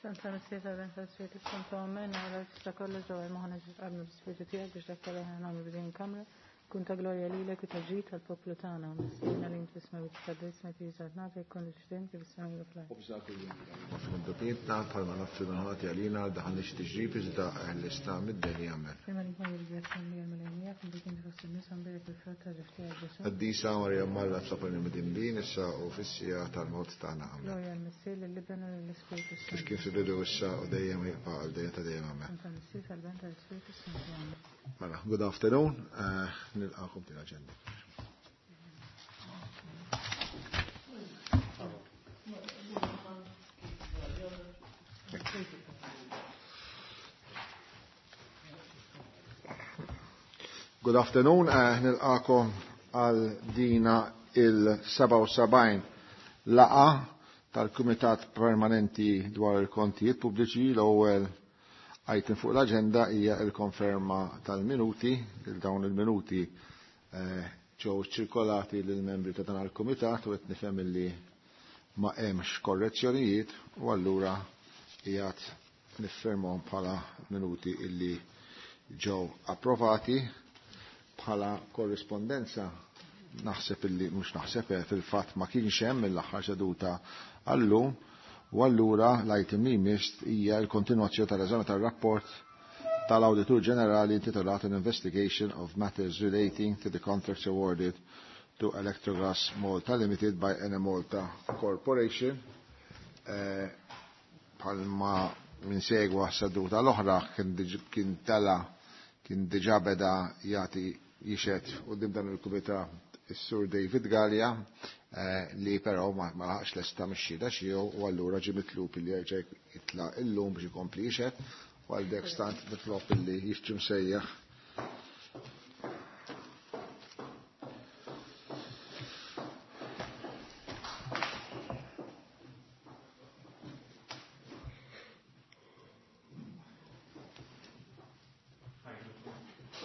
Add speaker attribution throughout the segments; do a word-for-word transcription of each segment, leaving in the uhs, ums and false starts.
Speaker 1: Santa Missier tal-Ben tal-Spiritu Santo Amen, għala tista' kollox ġewwa moħħna ġisqabna bl-Ispiritu tiegħek biex dak kollu aħna nagħmlu b'din il-kamra. Kun ta' glorja lilek u ta' ġid tal-poplu tagħna. Missierna li inti fis-smewwiet titqaddes ismek jiġi nagħtek kun l-ixtien kif is-sema u fl-art.
Speaker 2: Datietna bħalma nafsu minħati għalina daħalniex tiġrib iżda l-istam mid-dinja amen.
Speaker 1: Prima li nkun jirgrazzja li l-Mulej miegħek inti kien fost in-nisa mbierek il-frott ta' ġuf tiegħek Ġesù.
Speaker 2: Qaddisa Marija Malla tlopani midinbin issa u fis-siegħa tal-mewt tagħna amen.
Speaker 1: Glorja l-Missier lill-Iben u lill-Ispiritu
Speaker 2: Kif
Speaker 1: Santu.
Speaker 2: kien fil-bidu issa u dejjem jibqa' għal dejjem ta' dejjem amen.
Speaker 1: Santa Missier tal-Ben tal-Ispiritu Santu amen.
Speaker 2: Mela, good afternoon, eh, nilqakom din l-aġenda. Good afternoon, eh, nilqakom għal dina il-seba u sebgħin laqa tal-Kumitat Permanenti dwar il-Kontijiet Pubbliċi. L-ewwel item fuq l-aġenda hija l-konferma tal-minuti. Il dawn il-minuti, eh, ġew ċirkolati lill-membri ta' dan il-Kumitat u qed nifhem illi ma hemmx korrezzjonijiet u allura qiegħed niffirmhom bħala minuti illi ġew approvati. Bħala korrispondenza naħseb illi mhux naħseb, eh, fil-fatt ma kienx hemm mill-aħħar seduta għallum, u allura l-item li jmiss hija l-kontinwazzjoni tal-eżami tar-rapport tal-Awditur Ġenerali intitolat An Investigation of Matters Relating to the Contracts Awarded to Electrogas Malta Limited by Enemalta Corporation. Eh, palma minn segwa seduta l-oħra kien diġ-, kien tela kien diġà beda jagħti jixed quddiem dan il-kumitat is-Sur David Galea, eh, li però ma, ma laħaqx lesta mix-xhieda tiegħu u allura ġie mitlub li jerġa' jitla' illum biex ikompli jixhed, u għal dek stant nitlob illi jiġi msejjaħ.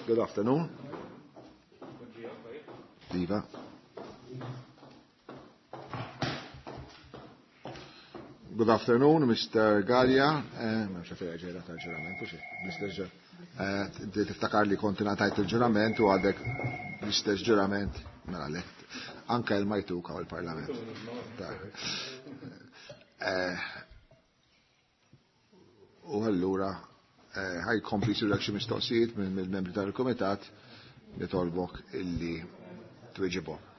Speaker 2: Good afternoon. Diva. Good afternoon, Mister Galea. Eh, ma nafx fejn ġejra tal-ġurament, u xi, Mister Ġe. Eh, inti tiftakar li kont ingħatajt il-ġurament u għadek l-istess ġurament, mela le, anke l-majtuk għaw il-Parlament. Eh, u allura, eh, ħaj kompli jsirulek xi mistoqsijiet minn mill-membri tal-Kumitat nitolbok illi tweġibhom.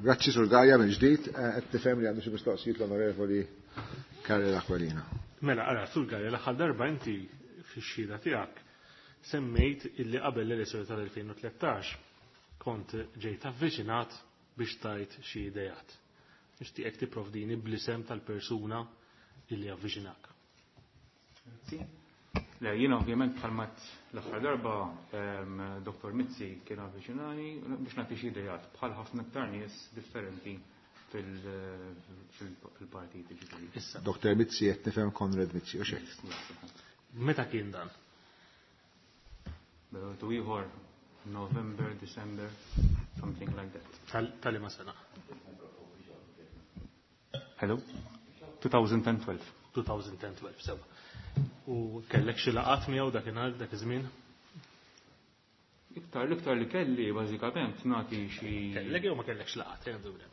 Speaker 2: Grazzi Sur Galea minn ġdid, eh, qed tifhem li għandu xi mistoqsijiet l-Onorevoli Karel Aquilina.
Speaker 3: Mela, ara, Sur Galea, l-aħħar darba inti fix-xhieda tiegħek semmejt illi qabel l-elezzjoni tal-elfejn u tlettax kont ġejt avviċinat biex tajt xi idejat. Nixtieqek tipprovdini bl-isem tal-persuna illi avviċinak.
Speaker 4: Grazzi. Le, jiena ovvjament bħalma l-aħħar darba, ehm, Doktor Mizzi kien avviċinani biex nagħti xi idejat bħal ħafna iktar nies differenti fil-, fil-, fil-partit, ġifieri.
Speaker 3: Issa.
Speaker 2: Doktor Mizzi qed nifhem Konrad Mizzi, u xejn.
Speaker 3: Meta kien dan?
Speaker 4: Tu ieħor November, December, something like that.
Speaker 3: Tal-, tal-liema sena?
Speaker 4: Hello? two thousand and twelve.
Speaker 3: two thousand and twelve, sewa. U kellek xi laqat miegħu dakinhar dak iż-żmien?
Speaker 4: Iktar l-iktar li kelli bażikament nagħti xi
Speaker 3: Kellek jew ma kellekx laqat, jgħidu le.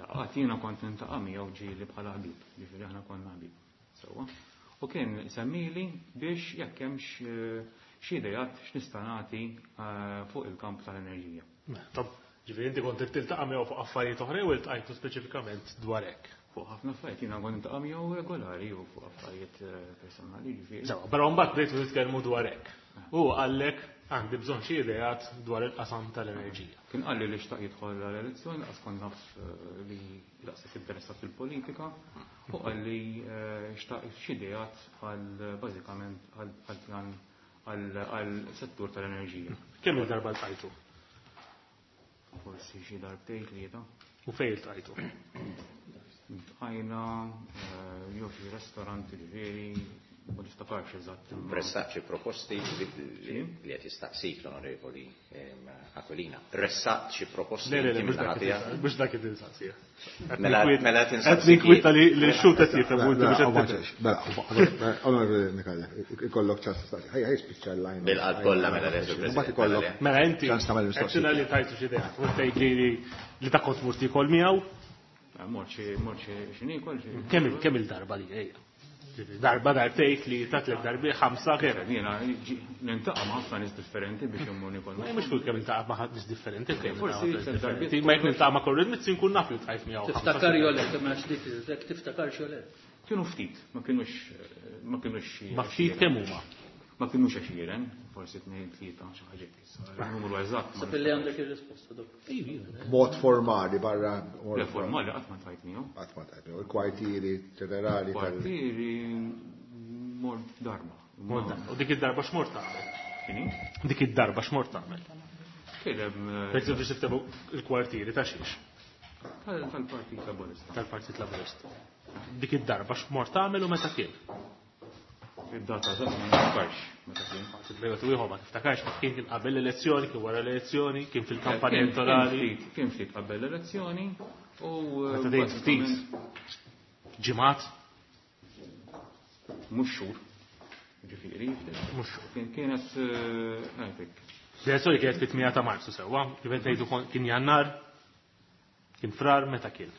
Speaker 4: Laqat jiena kont nintaqa' miegħu ġieli bħala ħbib, ġifieri aħna konna ħbib. Sewwa. U kien semmili biex jekk hemmx, eh, xi idejat x'nista' nagħti, eh, fuq il-kamp tal-enerġija.
Speaker 3: Mela, tob, ġifieri inti kont tiltaqa' miegħu fuq affarijiet oħra jew iltqajtu speċifikament dwar hekk?
Speaker 4: Fuq ħafna affarijiet jiena kont niltaqa' miegħu regolari u fuq affarijiet, eh, personali, ġifieri.
Speaker 3: Sewa, però mbagħad bdejtu titkellmu dwar hekk. U qallek għandi bżonn xi ideat dwar il-qasam tal-enerġija.
Speaker 4: Kien qalli li xtaq jidħol għall-elezzjoni, laqas kont naf, eh, li daqshekk interessat fil-politika, u qalli, eh, xtaq xi ideat għal bażikament għal pjan għal settur tal-enerġija.
Speaker 3: Kemm il-darba ltqajtu?
Speaker 4: Forsi xi darbtejn tlieta.
Speaker 3: U fejn iltqajtu?
Speaker 4: Iltqajna jew xi restaurant ġifieri, ma niftakarx eżatt.
Speaker 5: Ressaq xi proposti li qed jistaqsik l-Onorevoli Aquilina. Ressaq xi proposti
Speaker 3: Le, le, le, mhux dak qed insaqsih.
Speaker 5: Mela mela
Speaker 3: Qed ninkwieta li x-xhud qed jifhem u inti mhux qed tifhem.
Speaker 2: Mela, Onorevoli Micallef, ikollok ċans tistaqsi. Ħaj ħaj spiċċa l-line.
Speaker 5: Bil-qalb kollha mela le, Sur
Speaker 2: Mbagħad ikollok
Speaker 3: Mela inti
Speaker 2: ċans tagħmel mistoqsija.
Speaker 3: Għedtilna li tajtu xi idea. U tgħid li li ta' kont mort tiekol miegħu.
Speaker 4: Mort xi mort xi niekol xi.
Speaker 3: Kemm kemm il-darba li ejja? Darba darbtejn, tlieta, tliet darbi, ħamsa, kemm?
Speaker 4: Jiena nintaqa' ma' ħafna nies differenti biex immur niekol.
Speaker 3: Ma mhux kull kemm iltaqa' ma' nies differenti, kemm
Speaker 4: Forsi
Speaker 3: iltaqa' ma' nies
Speaker 4: tliet darbiet.
Speaker 3: differenti. Ma jekk niltaqa' ma' Konrad Mizzi nkun naf li ltqajt miegħu ħamsa.
Speaker 6: Tiftakar jew le, ma nafx dik, jekk tiftakar jew le.
Speaker 4: Kienu ftit, ma kienux ma kienux xi
Speaker 3: Ma ftit kemm huma?
Speaker 4: Ma kienux għexieren, forsi tnejn, tlieta, xi ħaġa hekk issa. Il-numru eżatt ma
Speaker 6: Sab li għandek ir-risposta dok.
Speaker 2: Mod formali barra.
Speaker 4: Le formali qatt ma tajt miegħu.
Speaker 2: Qatt ma tajt miegħu. Il-kwartieri ġenerali tal-
Speaker 4: Kwartieri mort darba.
Speaker 3: Mort darba. U dik id-darba x'mort tagħmel?
Speaker 4: X'inhi?
Speaker 3: Dik id-darba x'mort tagħmel?
Speaker 4: Kien hemm,
Speaker 3: Per eżempju, biex tiftehmu il-kwartieri ta' xiex?
Speaker 4: Tal-, Tal-Partit Laburista.
Speaker 3: Tal-Partit Laburista. Dik id-darba x'mort tagħmel u meta kien?
Speaker 4: Id-data eżatt ma niftakarx meta kien.
Speaker 3: Bejgħet u ieħor ma tiftakarx ma kien kien qabel l-elezzjoni, kien wara l-elezzjoni, kien fil-kampanja
Speaker 4: Kien-
Speaker 3: elettorali.
Speaker 4: Kien ftit, kien ftit qabel l-elezzjoni u,
Speaker 3: Meta tgħid ftit, ġimgħat?
Speaker 4: Mhux xhur. Ġifieri,
Speaker 3: Mhux xhur.
Speaker 4: Kien kienet, eh, ngħidlek.
Speaker 3: L-elezzjoni kienet fit-tmienja ta' Marzu sewwa, kif qed ngħidu kon-, kien Jannar, kien Frar, meta kien?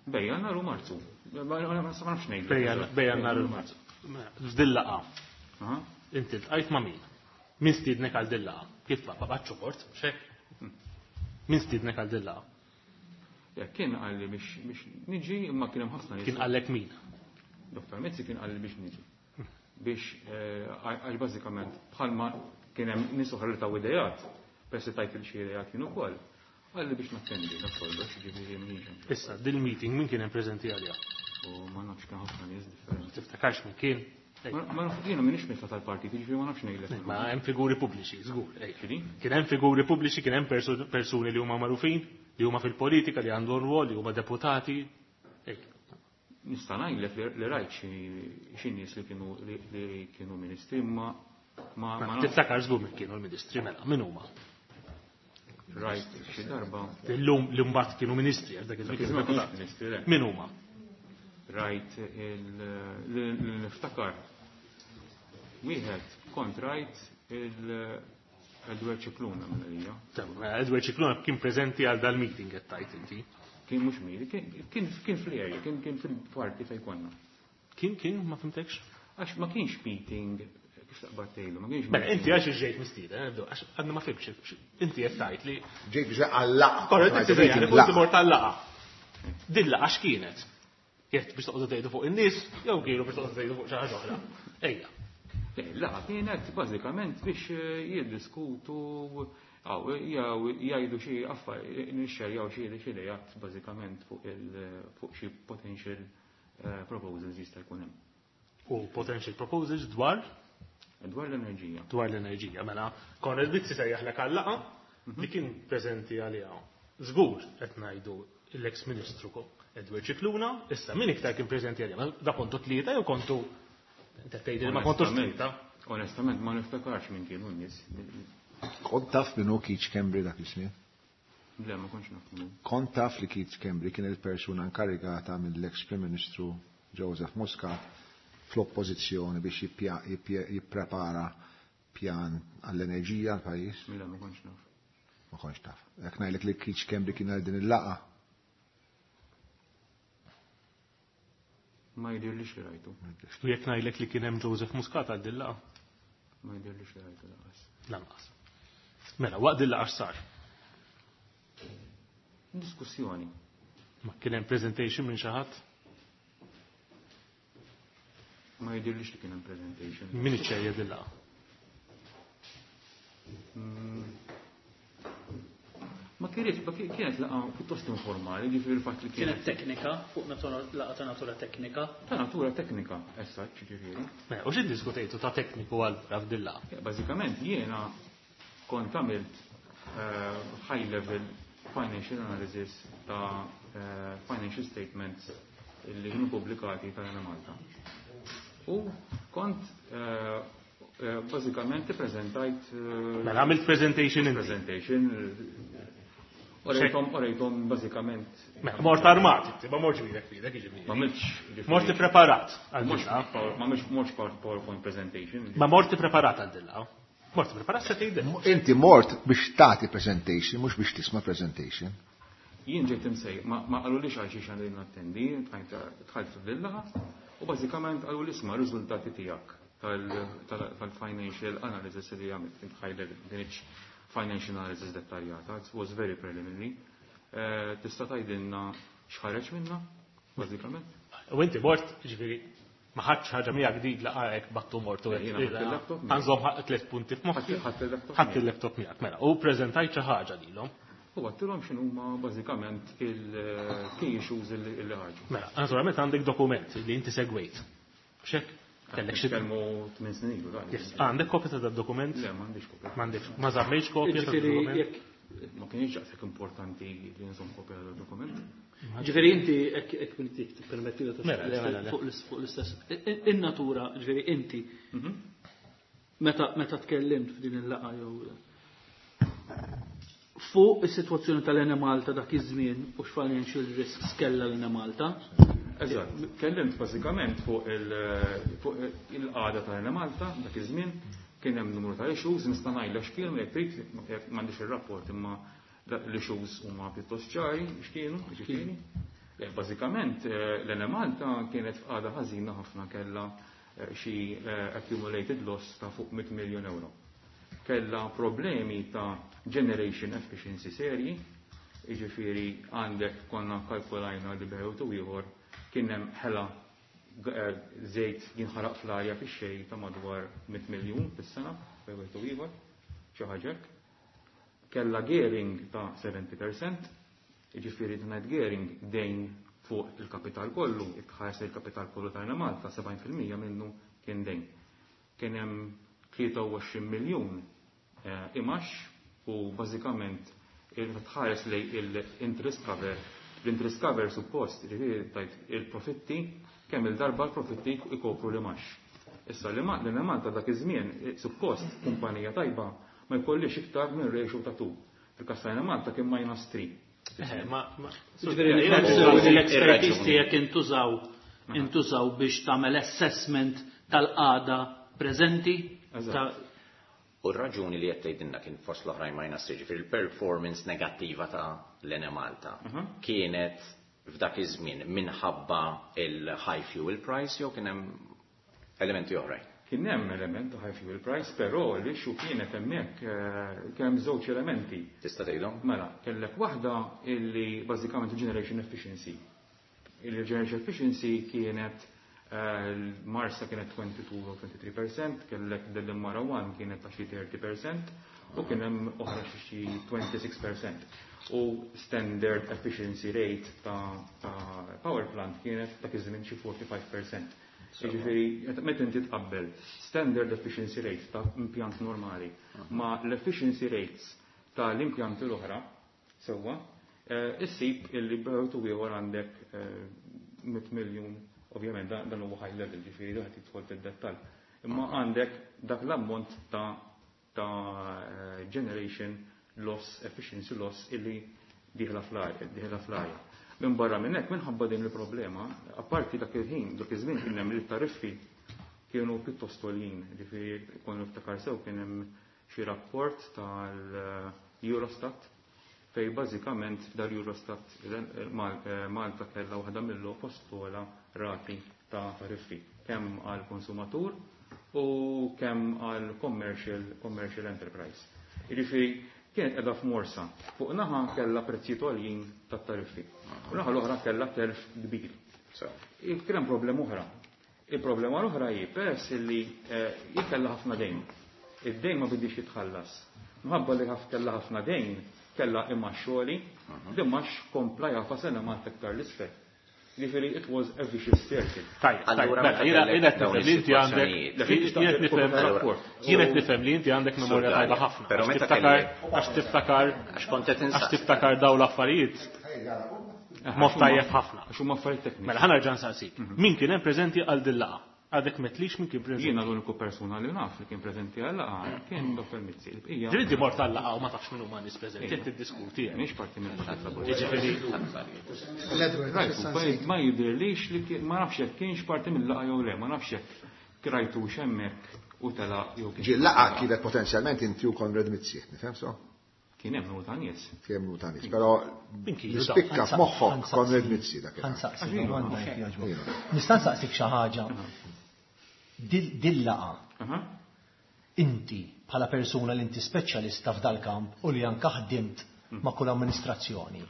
Speaker 4: Bej Jannar u Marzu. Ma ma nafx ngħidlek.
Speaker 3: Bej Jannar, bej Jannar u Marzu. F'dil-laqgħa.
Speaker 4: Aha.
Speaker 3: Inti ltqajt ma' min? Min stiednek għal dil-laqgħa? Kif ma babatx mort, xek? Min stiednek għal dil-laqgħa?
Speaker 4: Ja, kien qalli biex, biex niġi, imma kien hemm ħafna nies.
Speaker 3: Kien qallek min?
Speaker 4: Doktor Mizzi kien qalli biex niġi. Biex, eh, għax bażikament bħalma kien hemm nies oħra li taw idejat, peress li tajt il xi idejat kien ukoll. Qalli biex nattendi, dak kollox, ġifieri m'iniex hemm.
Speaker 3: Issa, dil-meeting min kien hemm preżenti għaliha?
Speaker 4: U ma nafx kien ħafna nies differenti.
Speaker 3: Tiftakarx min kien?
Speaker 4: Ma, ma nafx, jiena m'iniex mitla tal-partit, jiġifieri ma nafx ngħidlek.
Speaker 3: Ma hemm figuri pubbliċi, żgur, ejja.
Speaker 4: X'inhi?
Speaker 3: Kien hemm figuri pubbliċi, kien hemm perso-, persuni li huma magħrufin, li huma fil-politika, li għandhom rwol, li huma deputati. Ejja.
Speaker 4: Nista' ngħidlek li, li rajt xi, xi nies li kienu, li, li kienu ministri, imma ma, ma
Speaker 3: Ma
Speaker 4: nafx.
Speaker 3: tiftakar żgur min kienu l-ministri, mela, min huma?
Speaker 4: Rajt xi darba.
Speaker 3: Illum li mbagħad kienu ministri, għax dak iż-żmien
Speaker 4: Dak iż-żmien
Speaker 3: kienu
Speaker 4: ma kienux
Speaker 3: deputati.
Speaker 4: ministri, le.
Speaker 3: Min huma?
Speaker 4: Rajt il-, li, li niftakar. Wieħed kont rajt il-Edward Scicluna mill-għalija.
Speaker 3: Mela, Edward Scicluna kien preżenti għal dal-meeting qed tajt inti.
Speaker 4: Kien mhux meeting, kien, kien, kien fl-area, kien, kien fil-parti fejn konna.
Speaker 3: Kien, kien, ma fimtekx?
Speaker 4: Għax ma kienx meeting, kif taqbad tgħidu, ma kienx
Speaker 3: Mela,
Speaker 4: meeting.
Speaker 3: inti għax ġejt mistieden, eh, nibdew, għax għadna ma fimx, inti qed tgħid li
Speaker 2: Ġejt biex għal-laqgħa.
Speaker 3: Korrett, inti
Speaker 2: Meeting,
Speaker 3: dejjem, kont
Speaker 2: laqgħa.
Speaker 3: mort għal-laqgħa. Din laqgħa x'kienet? Jekk biex toqgħodu tgħidu fuq in-nies, jew kienu biex toqgħodu tgħidu fuq xi ħaġa oħra. Ejja.
Speaker 4: Le, laqgħa kienet bażikament biex, eh, jiddiskutu, aw, jew jgħidu xi affarijiet, nixxerjaw xi xi idejat bażikament fuq il-, fuq xi potential, eh, proposals jista' jkun hemm.
Speaker 3: U potential proposals dwar?
Speaker 4: Dwar l-enerġija.
Speaker 3: Dwar l-enerġija, mela Konrad Mizzi sejjaħlek għal laqgħa li kien preżenti għaliha. Żgur qed ngħidu l-ex Ministru Edward Scicluna, issa min iktar kien preżenti għaliha? Ma da kontu tlieta jew kontu inti tgħidli li ma kontux
Speaker 4: Onestament,
Speaker 3: tlieta?
Speaker 4: Onestament ma niftakarx min kienu n-nies.
Speaker 2: Kont taf min hu Keith Schembri dak iż-żmien?
Speaker 4: Le, ma kontx naf min hu.
Speaker 2: Kont taf li Keith Schembri kien il-persuna inkarigata mill-ex Prim Ministru Joseph Muscat fl-oppożizzjoni biex jippja-, jippja-, jipprepara pjan għall-enerġija għall-pajjiż?
Speaker 4: Le, ma kontx naf.
Speaker 2: Ma kontx taf. Jekk ngħidlek li Keith Schembri kien għal din il-laqgħa.
Speaker 4: Ma jidhirlix li rajtu.
Speaker 3: U jekk ngħidlek li kien hemm Joseph Muscat għal din il-laqgħa?
Speaker 4: Ma jidhirlix li rajtu lanqas.
Speaker 3: Lanqas. Mela, waqt din il-laqgħa x'sar?
Speaker 4: Diskussjoni.
Speaker 3: Ma kien hemm presentation minn xi ħadd?
Speaker 4: Ma jidhirlix li kien hemm presentation.
Speaker 3: Min iċċerja din il-laqgħa?
Speaker 4: Mm. Ma kienet, ma kien-, kienet laqgħa pjuttost informali, ġifieri il-fatt li
Speaker 6: Kienet
Speaker 4: kienet
Speaker 6: teknika, fuq natura, laqgħa ta' natura teknika.
Speaker 4: Ta' natura teknika, essa, ġifieri.
Speaker 3: Mela, u xi ddiskutejtu ta' tekniku għal f'din il-laqgħa?
Speaker 4: Ja, bażikament jiena kont għamilt, eh, high level financial analysis ta' eh, financial statements li kienu pubblikati tal-Enemalta. U kont eh, eh, bażikament ippreżentajt
Speaker 3: Mela għamilt presentation inti.
Speaker 4: presentation Orejtom, orejtom bażikament
Speaker 3: Mela mort armat, inti, ma mortx bidek fidek, jiġifieri.
Speaker 4: ma għamiltx
Speaker 3: Mort preparat għal
Speaker 4: Mhux
Speaker 3: dilla.
Speaker 4: power- ma għamilx mhux PowerPoint presentation.
Speaker 3: Ma mort preparat għal dilla. Mort preparat se tgħidel.
Speaker 2: Inti mort biex tagħti presentation, mhux biex tisma' presentation.
Speaker 4: Jien ġejt imsej, ma ma qalulix għal xiex għandi nattendi, dħalt fil-laqgħa, u bażikament qalu li isma' riżultati tiegħek tal-financial analysis li għamilt intħajlek dinx financial analysis dettaljata, it was very preliminary. Eh, Tista' tgħidilna x'ħareġ minna, bażikament?
Speaker 3: U inti mort, ġifieri, ma ħadx ħaġa miegħek dik laqgħek battu mortu.
Speaker 4: Jiena ħadt il-laptop miegħi.
Speaker 3: Għanżom tliet punti f'moħħi.
Speaker 4: Ħadt il-laptop
Speaker 3: Ħadt
Speaker 4: miegħi.
Speaker 3: il-laptop miegħek, mela. U preżentajt xi ħaġa lilhom.
Speaker 4: U għattilhom x'inhuma bażikament il-key issues illi illi ħarġu.
Speaker 3: Mela, naturalment għandek dokument li inti segwejt. Xek? Kellek xi
Speaker 4: Nitkellmu tmien snin ilu, dan.
Speaker 3: Yes, Għandek kopja ta' dokument?
Speaker 4: Le, m'għandix kopja.
Speaker 3: M'għandekx. Ma żammejtx kopja ta'
Speaker 6: Ġifieri
Speaker 3: dokument?
Speaker 6: jekk
Speaker 4: Ma kienx daqshekk importanti li nżomm kopja tad-dokument.
Speaker 6: Ġifieri inti hekk hekk mintik tippermetti li
Speaker 3: Mela, le, mela, le.
Speaker 6: fuq l- fuq l-istess. In-natura, ġifieri inti meta meta tkellimt f'din il-laqgħa jew fuq is-sitwazzjoni tal-Enemalta dak iż-żmien u x'financial risks kellha l-Enemalta.
Speaker 4: Eżatt, kellimt bażikament fuq il- fuq il-qagħda tal-Enemalta dak iż-żmien kien hemm numru ta' issues, nista' ngħidlek x'kienu jekk trid, jekk m'għandix ir-rapport imma l-issues huma pjuttost ċari x'kienu, ġifieri. Eh, Bażikament eh, l-Enemalta kienet f'qagħda ħażina ħafna kellha eh, xi eh, accumulated loss ta' fuq mitt miljun euro. Kellha problemi ta' generation efficiency serji, jiġifieri għandek konna kalkulajna li bejn u ieħor kien hemm ħela eh, żejt jinħaraq fl-arja fix-xejn ta' madwar mitt miljun fis-sena bejn u ieħor, xi ħaġa hekk. Kellha gearing ta' seventy percent, jiġifieri ngħid gearing dejn fuq il-kapital kollu, jekk ħares il-kapital kollu ta' Malta sebgħin fil-mija minnu kien dejn. Kien hemm tlieta u għoxrin miljun eh, imax u bażikament il-tħares li il-interest cover, l-interest cover suppost, ġifieri tajt il-profitti, kemm il-darba l-profitti ikopru l-imax. Issa li ma li Malta dak iż-żmien eh, suppost kumpanija tajba ma jkollix iktar minn ratio ta' two. Fil-każ ta' Malta kien minus three.
Speaker 3: Eh, ma ma
Speaker 6: Ġifieri
Speaker 3: Jiena
Speaker 6: l-expertise tiegħek intużaw intużaw biex tagħmel assessment tal-qagħda preżenti
Speaker 4: Eżatt.
Speaker 6: ta'
Speaker 5: U r-raġuni li qed tgħidilna kien fost l-oħrajn minus three, ġifieri il-performance negattiva ta' l-Enemalta kienet f'dak iż-żmien minħabba il-high fuel price jew kien hemm elementi oħrajn?
Speaker 4: Kien hemm element ta' high fuel price, però l-issue kienet hemmhekk eh, kien hemm żewġ elementi.
Speaker 5: Tista' tgħidhom?
Speaker 4: Mela, kellek waħda illi bażikament generation efficiency. Il-generation efficiency kienet eh, l-Marsa kienet twenty-two u twenty-three percent, kellek Delimara one kienet ta' xi thirty percent u kien hemm oħra xi twenty-six percent. U standard efficiency rate ta', ta power plant kienet dak iż-żmien xi forty-five percent. Jiġifieri, meta inti tqabbel standard efficiency rate ta' impjant normali ma' l-efficiency rates ta' l-impjanti l-oħra, sewwa, eh, issib illi bejn u ieħor għandek eh, mitt miljun, ovvjament dan dan huwa high level, ġifieri dak tidħol fid-dettall. Imma għandek dak l-ammont ta' ta' eh, generation loss, efficiency loss illi dieħla fl-arja, dieħla fl-arja. Minn barra minn hekk minħabba din il-problema, apparti dak il-ħin, dak iż-żmien kien hemm il-tariffi kienu pjuttost għoljin, ġifieri kont niftakar sew kien hemm xi rapport tal-Eurostat fej bażikament dal-Eurostat Malta kellha waħda mill-post ogħla rati ta' tariffi kemm għal konsumatur u kemm għal commercial, commercial enterprise. Jiġifieri kienet qiegħda f'morsa. Fuq naħa kellha prezzijiet għoljin tat-tariffi. U naħa l-oħra kellha telf kbir.
Speaker 5: So.
Speaker 4: Kien hemm problema oħra. Il-problema l-oħra hi peress li eh, hi kellha ħafna dejn. Id-dejn ma bidix jitħallas. Minħabba li ħaf kellha ħafna dejn, kellha imgħax għoli, l-imgħax kompla jagħfas Enemalta iktar 'l isfel. Ġifieri it was a vicious circle.
Speaker 3: Tajjeb, mela, jiena qed nifhem li inti għandek jien qed nifhem li inti għandek memorja tajba ħafna.
Speaker 5: Però meta
Speaker 3: tiftakar għax tiftakar
Speaker 5: għax kont qed
Speaker 3: għax tiftakar dawn l-affarijiet mod tajjeb ħafna.
Speaker 4: Għax huma affarijiet tekniċi.
Speaker 3: Mela ħa nerġa' nsaqsik. Min kien hemm preżenti għal din laqgħa? Għadek metlix min kien preżenti.
Speaker 4: Jiena l-uniku persuna li naf li kien preżenti għal laqgħa kien Dottor Mizzi. Il-bqija.
Speaker 3: Ġifieri inti mort għal laqgħa u ma tafx min huma nies preżenti, qed tiddiskuti hemm.
Speaker 4: Mhix parti mill-Partit Laburista.
Speaker 3: Jiġifieri
Speaker 4: Ma jidhirlix li ma nafx jekk kienx parti mill-laqgħa jew le, ma nafx jekk krajtux hemmhekk u telaq jew kien.
Speaker 2: Ġi laqgħa kienet potenzjalment inti u Konrad Mizzi, nifhem so?
Speaker 4: Kien hemm numru ta' nies.
Speaker 2: Kien hemm numru ta' nies, però jispikka f'moħħok Konrad Mizzi dak.
Speaker 7: Ħansaqsik domanda jekk jogħġbok. Nista' nsaqsik xi ħaġa. Dil-laqgħa. Inti bħala persuna li inti speċjalista f'dal-kamp u li anke ħdimt ma' kull amministrazzjoni.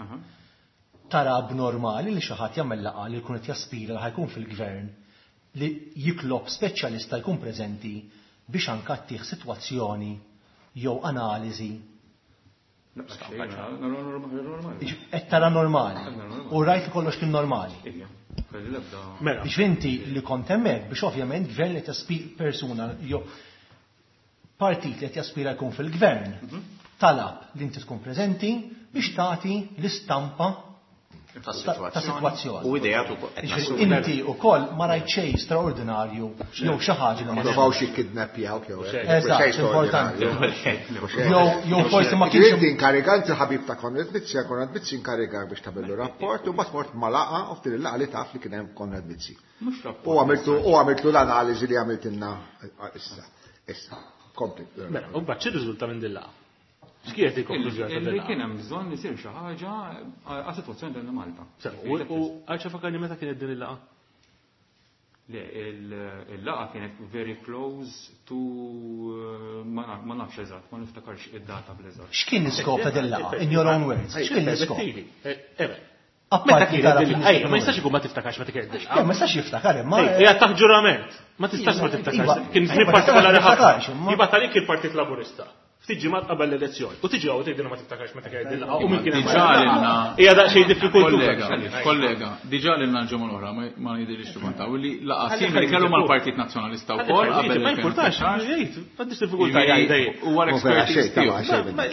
Speaker 7: Tara abnormali li xi ħadd jagħmel laqgħa li jkun qed jaspira li ħajkun fil-gvern li jitlob speċjalista jkun preżenti biex anke ttih sitwazzjoni jew analiżi. Qed tara normali. U rajt li kollox kien normali. Biex inti li kont hemmhekk biex ovvjament gvern li taspi persuna jew partit li qed jaspira jkun fil-gvern talab li inti tkun preżenti biex tagħti l-istampa
Speaker 5: ta'
Speaker 7: sitwazzjoni.
Speaker 5: U idejat ukoll.
Speaker 7: Inti wkoll ma rajt xejn straordinarju jew xi ħaġa li ma
Speaker 2: Provaw xi kidnappjaw jew hekk.
Speaker 7: Eżatt, importanti. Jew forsi ma kienx.
Speaker 2: Inti inkarigant il-ħabib ta' Konrad Mizzi, Konrad Mizzi inkarigak biex tagħmillu rapport u mbagħad mort ma laqgħa u f'din il-laqgħa li taf li kien hemm Konrad Mizzi. U għamiltu u għamiltu l-analiżi li għamiltilna issa. Issa, kompli.
Speaker 3: Mela, u mbagħad x'irriżulta minn din laqgħa? X'kienet il-konklużjoni ta'
Speaker 4: Li kien hemm bżonn isir xi ħaġa għas-sitwazzjoni tal Malta.
Speaker 3: U għal fakarni meta kienet din il-laqgħa?
Speaker 4: Le, il-laqgħa kienet very close to ma nafx eżatt, ma niftakarx id-data bl-eżatt.
Speaker 7: X'kien l-iskop ta' din il-laqgħa? In your own words, x'kien l-iskop?
Speaker 3: Meta kienet din il-laqgħa? Ma jistax ikun ma tiftakarx meta kienet din il-laqgħa.
Speaker 7: Ma jistax jiftakar imma.
Speaker 3: Hija taħt ġurament. Ma tistax ma tiftakarx. Kien żmien partikolari ħafna. Jibgħat għalik il-Partit Laburista. Ftit ġimgħat qabel l-elezzjoni. U tiġi hawn tgħidilna ma tiftakarx meta kienet din il-laqgħa u min kien hemm. Hija daqsxejn diffikultuża.
Speaker 8: Kollega, kollega, diġà lilna l-ġimgħa l-oħra ma jidhirlix li kontaw li laqgħa simili kellu mal-Partit Nazzjonalista wkoll qabel.
Speaker 3: Ma jimpurtax, jgħid, m'għandix diffikultà jgħid.
Speaker 8: Huwa l-expertise tiegħu.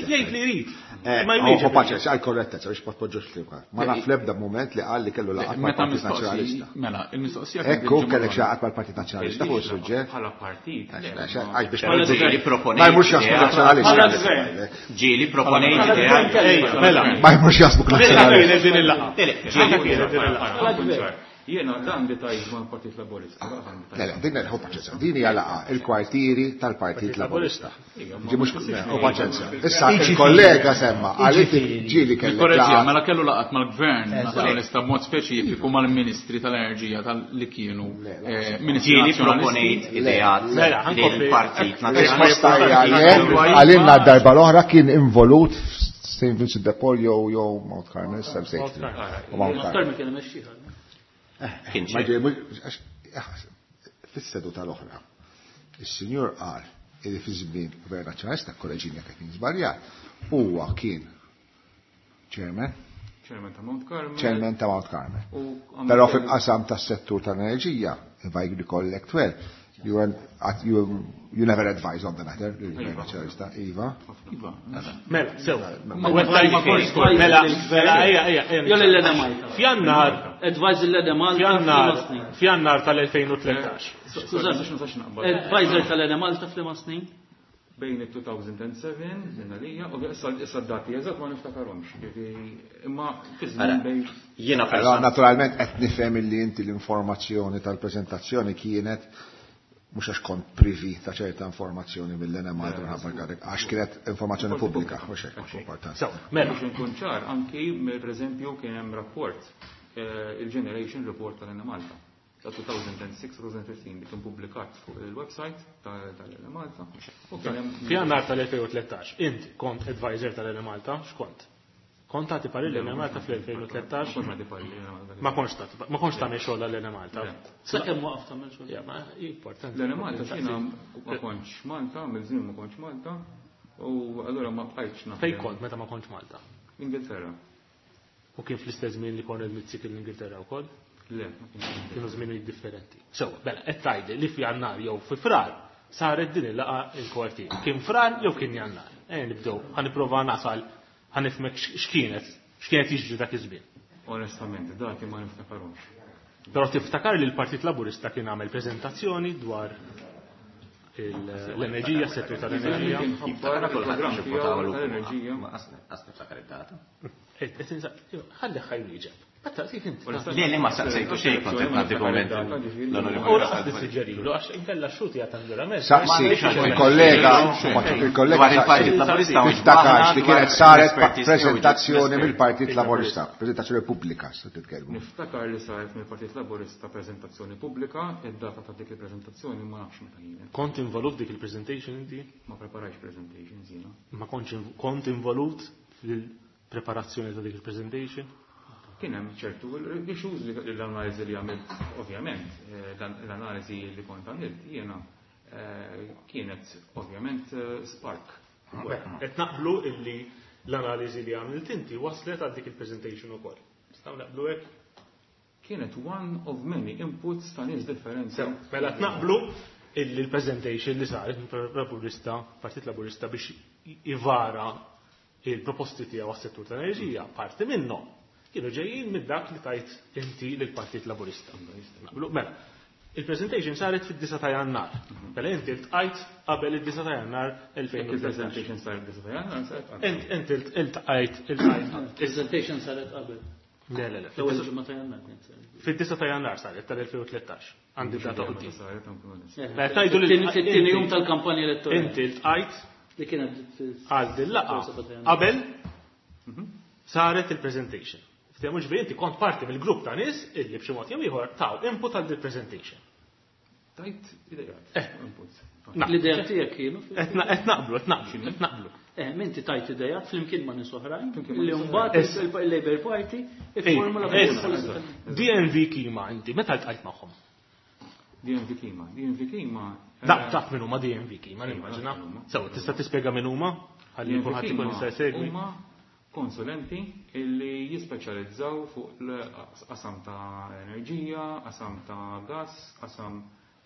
Speaker 3: Jgħid li jrid.
Speaker 2: Ma jmiex. Paċenza, għal korrettezza biex ma tpoġġux li ma naf l-ebda mument li qal li kellu laqgħat mal-Partit Nazzjonalista.
Speaker 8: Mela, il-mistoqsija
Speaker 2: Ekku kellek xi laqgħat mal-Partit Nazzjonalista fuq is-suġġett.
Speaker 4: Bħala partit.
Speaker 2: Għax biex
Speaker 5: ma
Speaker 2: jmurx jaħsbu Nazzjonalista.
Speaker 5: Ġieli proponejt idea.
Speaker 2: Ma jmurx jaħsbu Nazzjonalista.
Speaker 3: Din il-laqgħa.
Speaker 5: Ġieli
Speaker 3: din il-laqgħa.
Speaker 4: Jiena dan li tajt mal-Partit Laburista.
Speaker 2: Le, le, din ħu paċenza. Din hija laqgħa il-kwartieri tal-Partit Laburista. Ġi mhux ħu paċenza. Issa il-kollega semma għal ġieli kellek.
Speaker 8: Korreġija, mela kellu laqgħat mal-Gvern Nazzjonalista b'mod speċifiku mal-Ministri tal-Enerġija tal-li kienu Ministri
Speaker 5: Ġieli proponejt ideat lill-Partit
Speaker 2: Nazzjonalista. Għalilna d-darba l-oħra kien involut Saint Vincent de Paul jew jew Mount Carmel, Mount
Speaker 6: Carmel.
Speaker 2: Fis-seduta l-oħra, is-sinjur qal li fi żmien Gvern Nazzjonalista, kolleġinja kien żbaljat, huwa kien chairman
Speaker 4: Chairman ta' Mount Carmel.
Speaker 2: Chairman ta' Mount Carmel. Però fil-qasam tas-settur tal-enerġija, if I recollect well, you were you, you never advised on the matter, il-Gvern Nazzjonalista, Iva.
Speaker 8: Iva.
Speaker 3: Mela, sew. Mela, mela, ejja, ejja.
Speaker 6: Jew lil Malta.
Speaker 3: F'Jannar.
Speaker 6: Advisor l Malta.
Speaker 3: F'Jannar, F'Jannar tal-elfejn u tlettax.
Speaker 6: Advisor tal-Ena Malta f'liema snin?
Speaker 4: Bejn it-two thousand seven, minna lija, u issa d-dati eżatt ma niftakarhomx. Imma fi żmien bejn.
Speaker 5: Jiena
Speaker 2: naturalment qed nifhem illi inti l-informazzjoni tal-preżentazzjoni kienet mhux għax kont privi ta' ċerta informazzjoni mill-Ena Malta minħabba l-karik, għax kienet informazzjoni pubblika, mhux hekk importanti.
Speaker 3: Mela.
Speaker 4: Biex inkun ċar, anki pereżempju kien hemm rapport, il-Generation Report tal-Ena Malta ta' two thousand six two thousand fifteen li kien pubblikat fuq il-website tal-Ena Malta.
Speaker 3: F'Jannar tal-elfejn u tlettax, int kont advisor tal-Ena Malta, x'kont? Kont tagħti parir l-Ena Malta fl-elfejn u tlettax? Ma kontx tagħti, ma kontx tagħmel xogħol għall-Ena Malta.
Speaker 6: Sakemm waqaf tagħmel xogħol.
Speaker 3: Ja, ma importanti.
Speaker 4: L-Ena Malta x'jiena ma kontx Malta, mill-żmien ma kontx Malta, u allura ma bqajtx naħdem.
Speaker 3: Fejn kont meta ma kontx Malta?
Speaker 4: Ingilterra.
Speaker 3: U kien fl-istess żmien li Konrad Mizzi kien l-Ingilterra wkoll?
Speaker 4: Le, ma kienx.
Speaker 3: Kienu żminijiet differenti. Sewa, bela, qed tgħidli li f'Jannar jew fi Frar saret din il-laqgħa il-kwartieri. Kien Frar jew kien Jannar? Ejja nibdew, ħa nipprova nasal, ħa nifhmek x'kienet, x'kienet jiġri dak iż-żmien.
Speaker 4: Onestament, dati ma niftakarhomx.
Speaker 3: Però tiftakar li l-Partit Laburista kien għamel preżentazzjoni dwar l-enerġija, settur tal-enerġija.
Speaker 4: Jiftakar il-programm tal-enerġija.
Speaker 5: Ma qas niftakar id-data.
Speaker 3: Ħalli ħaj wieġeb.
Speaker 5: Le, le, ma saqsejtu xejn, kont qed nagħti kumment.
Speaker 3: U laqas nissuġġerilu għax inkella x-xuti għad ġurament.
Speaker 2: Saqsi, il-kollega, il-kollega
Speaker 5: il-Partit Laburista
Speaker 2: tiftakarx li kienet saret prezentazzjoni mill-Partit Laburista, prezentazzjoni pubblika, se titkellmu.
Speaker 4: Niftakar li saret mill-Partit Laburista prezentazzjoni pubblika, id-data ta' dik il-prezentazzjoni ma nafx meta kienet.
Speaker 3: Kont involut dik il-presentation inti?
Speaker 4: Ma preparajx presentations jiena.
Speaker 3: Ma kontx kont involut fil-preparazzjoni ta' dik il-presentation?
Speaker 4: Kien hemm ċertu issues li l-analiżi li għamilt, ovvjament, l-analiżi li kont għamilt jiena kienet ovvjament spark.
Speaker 3: Qed naqblu illi l-analiżi li għamilt inti waslet għal dik il-presentation ukoll. Nistgħu naqblu hekk?
Speaker 4: Kienet one of many inputs ta' nies differenti.
Speaker 3: Mela qed naqblu illi l-presentation li saret mill-Laburista, Partit Laburista biex ivara il-proposti tiegħu għas-settur tal-enerġija, parti minnhom kienu ġejjin minn dak li tajt inti lill-Partit Laburista. Mela, il-presentation saret fid-disa ta' Jannar. Mela inti ltqajt qabel id-disa ta' Jannar elfejn u
Speaker 4: Il-presentation saret id-disa ta' Jannar, saret qabel.
Speaker 3: Inti ltqajt, iltqajt.
Speaker 6: Presentation saret qabel.
Speaker 3: Le, le, le.
Speaker 6: L-ewwel ġimgħa ta' Jannar kienet saret.
Speaker 3: Fid-disa ta' Jannar saret tal-elfejn u tlettax. Għandi data quddiem.
Speaker 4: Saret anke onest.
Speaker 3: Mela tajdu li
Speaker 6: Fit-tieni jum tal-kampanja elettorali.
Speaker 3: Inti ltqajt
Speaker 6: li kienet
Speaker 3: għal din laqgħa qabel saret il-presentation. Ftehmu ġifieri inti kont parti mill-grupp ta' nies illi b'xi mod jew ieħor taw input għal dil-presentation.
Speaker 4: Tajt idejat. Inputs.
Speaker 6: L-idea tiegħek kienu?
Speaker 3: Qed naqblu, qed naqblu, qed naqblu.
Speaker 6: Eh, minti tajt idejat flimkien ma' nies oħrajn
Speaker 4: Flimkien ma'
Speaker 6: li
Speaker 4: nies
Speaker 6: mbagħad il-Labour Party ifformula
Speaker 3: D N V Kima inti meta ltqajt magħhom?
Speaker 4: D N V Kima, D N V Kima.
Speaker 3: Da, taf min huma D N V Kima, nimmaġina. Sew, tista' tispjega min huma? Ħalli kulħadd ikun jista' jsegwi.
Speaker 4: Huma konsulenti illi jispeċjalizzaw fuq l-qasam ta' enerġija, qasam ta' gas, qasam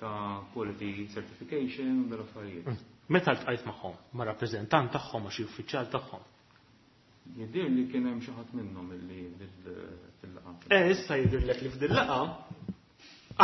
Speaker 4: ta' quality certification, u dal-affarijiet.
Speaker 3: Meta ltqajt magħhom? Ma' rappreżentant tagħhom, ma' xi uffiċjal tagħhom?
Speaker 4: Jidhir li kien hemm xi ħadd minnhom illi fil-laqgħa.
Speaker 3: Eh, issa jidhirlek li f'din laqgħa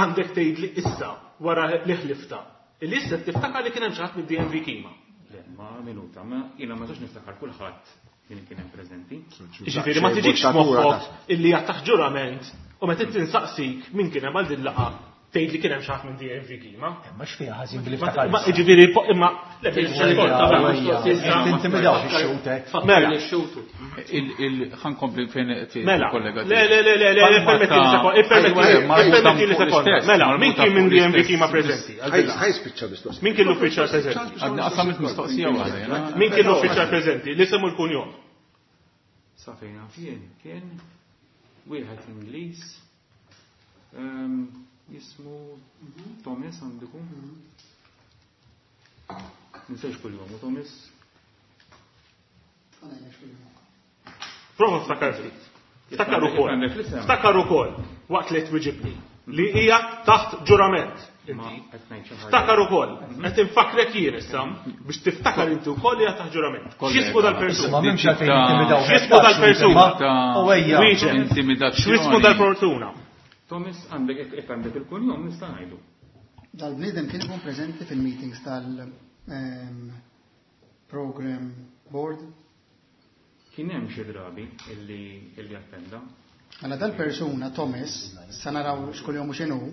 Speaker 3: għandek tgħidli issa wara li ħlifta. Illi issa tiftakar li kien hemm xi ħadd mid-D N V Kima.
Speaker 4: Le, ma minuta, ma jiena ma nistax niftakar kulħadd min kien hemm preżenti.
Speaker 3: Jiġifieri ma tiġikx moħħok illi qed taħt ġurament u meta tinsaqsik min kien hemm għal din laqgħa tgħid li kien hemm xi ħadd minn D N V Kima.
Speaker 7: Ma x'fiha ħażin billi
Speaker 3: Ma-
Speaker 7: ftakar.
Speaker 3: ma jiġifieri po-, imma le,
Speaker 7: Tintimidaw ix-xutek.
Speaker 3: Mela.
Speaker 8: Il-, il-, ħankompli fejn qed
Speaker 3: Mela.
Speaker 8: il-kollega
Speaker 3: Le, le, le, le, le,
Speaker 8: Palma
Speaker 3: permetti li
Speaker 8: ta'
Speaker 3: sekonda, ippermetti li,
Speaker 8: Ejwa, marbuta
Speaker 3: ippermetti li
Speaker 8: fuq
Speaker 3: sekonda.
Speaker 8: l-istess,
Speaker 3: Mela, min
Speaker 8: marbuta
Speaker 3: kien minn
Speaker 8: fuq
Speaker 3: D N V
Speaker 8: l-istess.
Speaker 3: Kima preżenti?
Speaker 2: Ħaj spiċċa mistoqsija.
Speaker 3: Min kien l-uffiċjal preżenti?
Speaker 8: Għadni qasamt mistoqsija waħda, jena.
Speaker 3: Min kien l-uffiċjal preżenti? Li semmu l-kunjom.
Speaker 4: Sa fejn naf jien, kien wieħed Ingliż, ehm, jismu Thomas għandiku. Ninsejx kuljom, u Thomas.
Speaker 3: Prova ftakar ftit. Ftakar ukoll.
Speaker 4: Għandek l-isem.
Speaker 3: Ftakar ukoll waqt li twiġibni li hija taħt ġurament.
Speaker 4: Ma qed ngħid xi ħaġa.
Speaker 3: Ftakar ukoll. Qed infakrek jien issa biex tiftakar inti wkoll li hija taħt ġurament. X'ismu dal-persuna?
Speaker 7: Ma m'hemmx għalfejn intimidaw.
Speaker 3: X'ismu dal-persuna?
Speaker 7: U ejja.
Speaker 3: Wieġeb.
Speaker 8: Intimidazzjoni.
Speaker 3: X'ismu dal-persuna?
Speaker 4: Thomas, għandek jekk għandek il-kunjom nista' ngħidu.
Speaker 9: Dal-bniedem kien ikun preżenti fil-meetings tal, ehm, program board.
Speaker 4: Kien hemm xi drabi illi, illi attenda.
Speaker 9: Mela dal-persuna Thomas, sa naraw x'kuljom u x'inhu,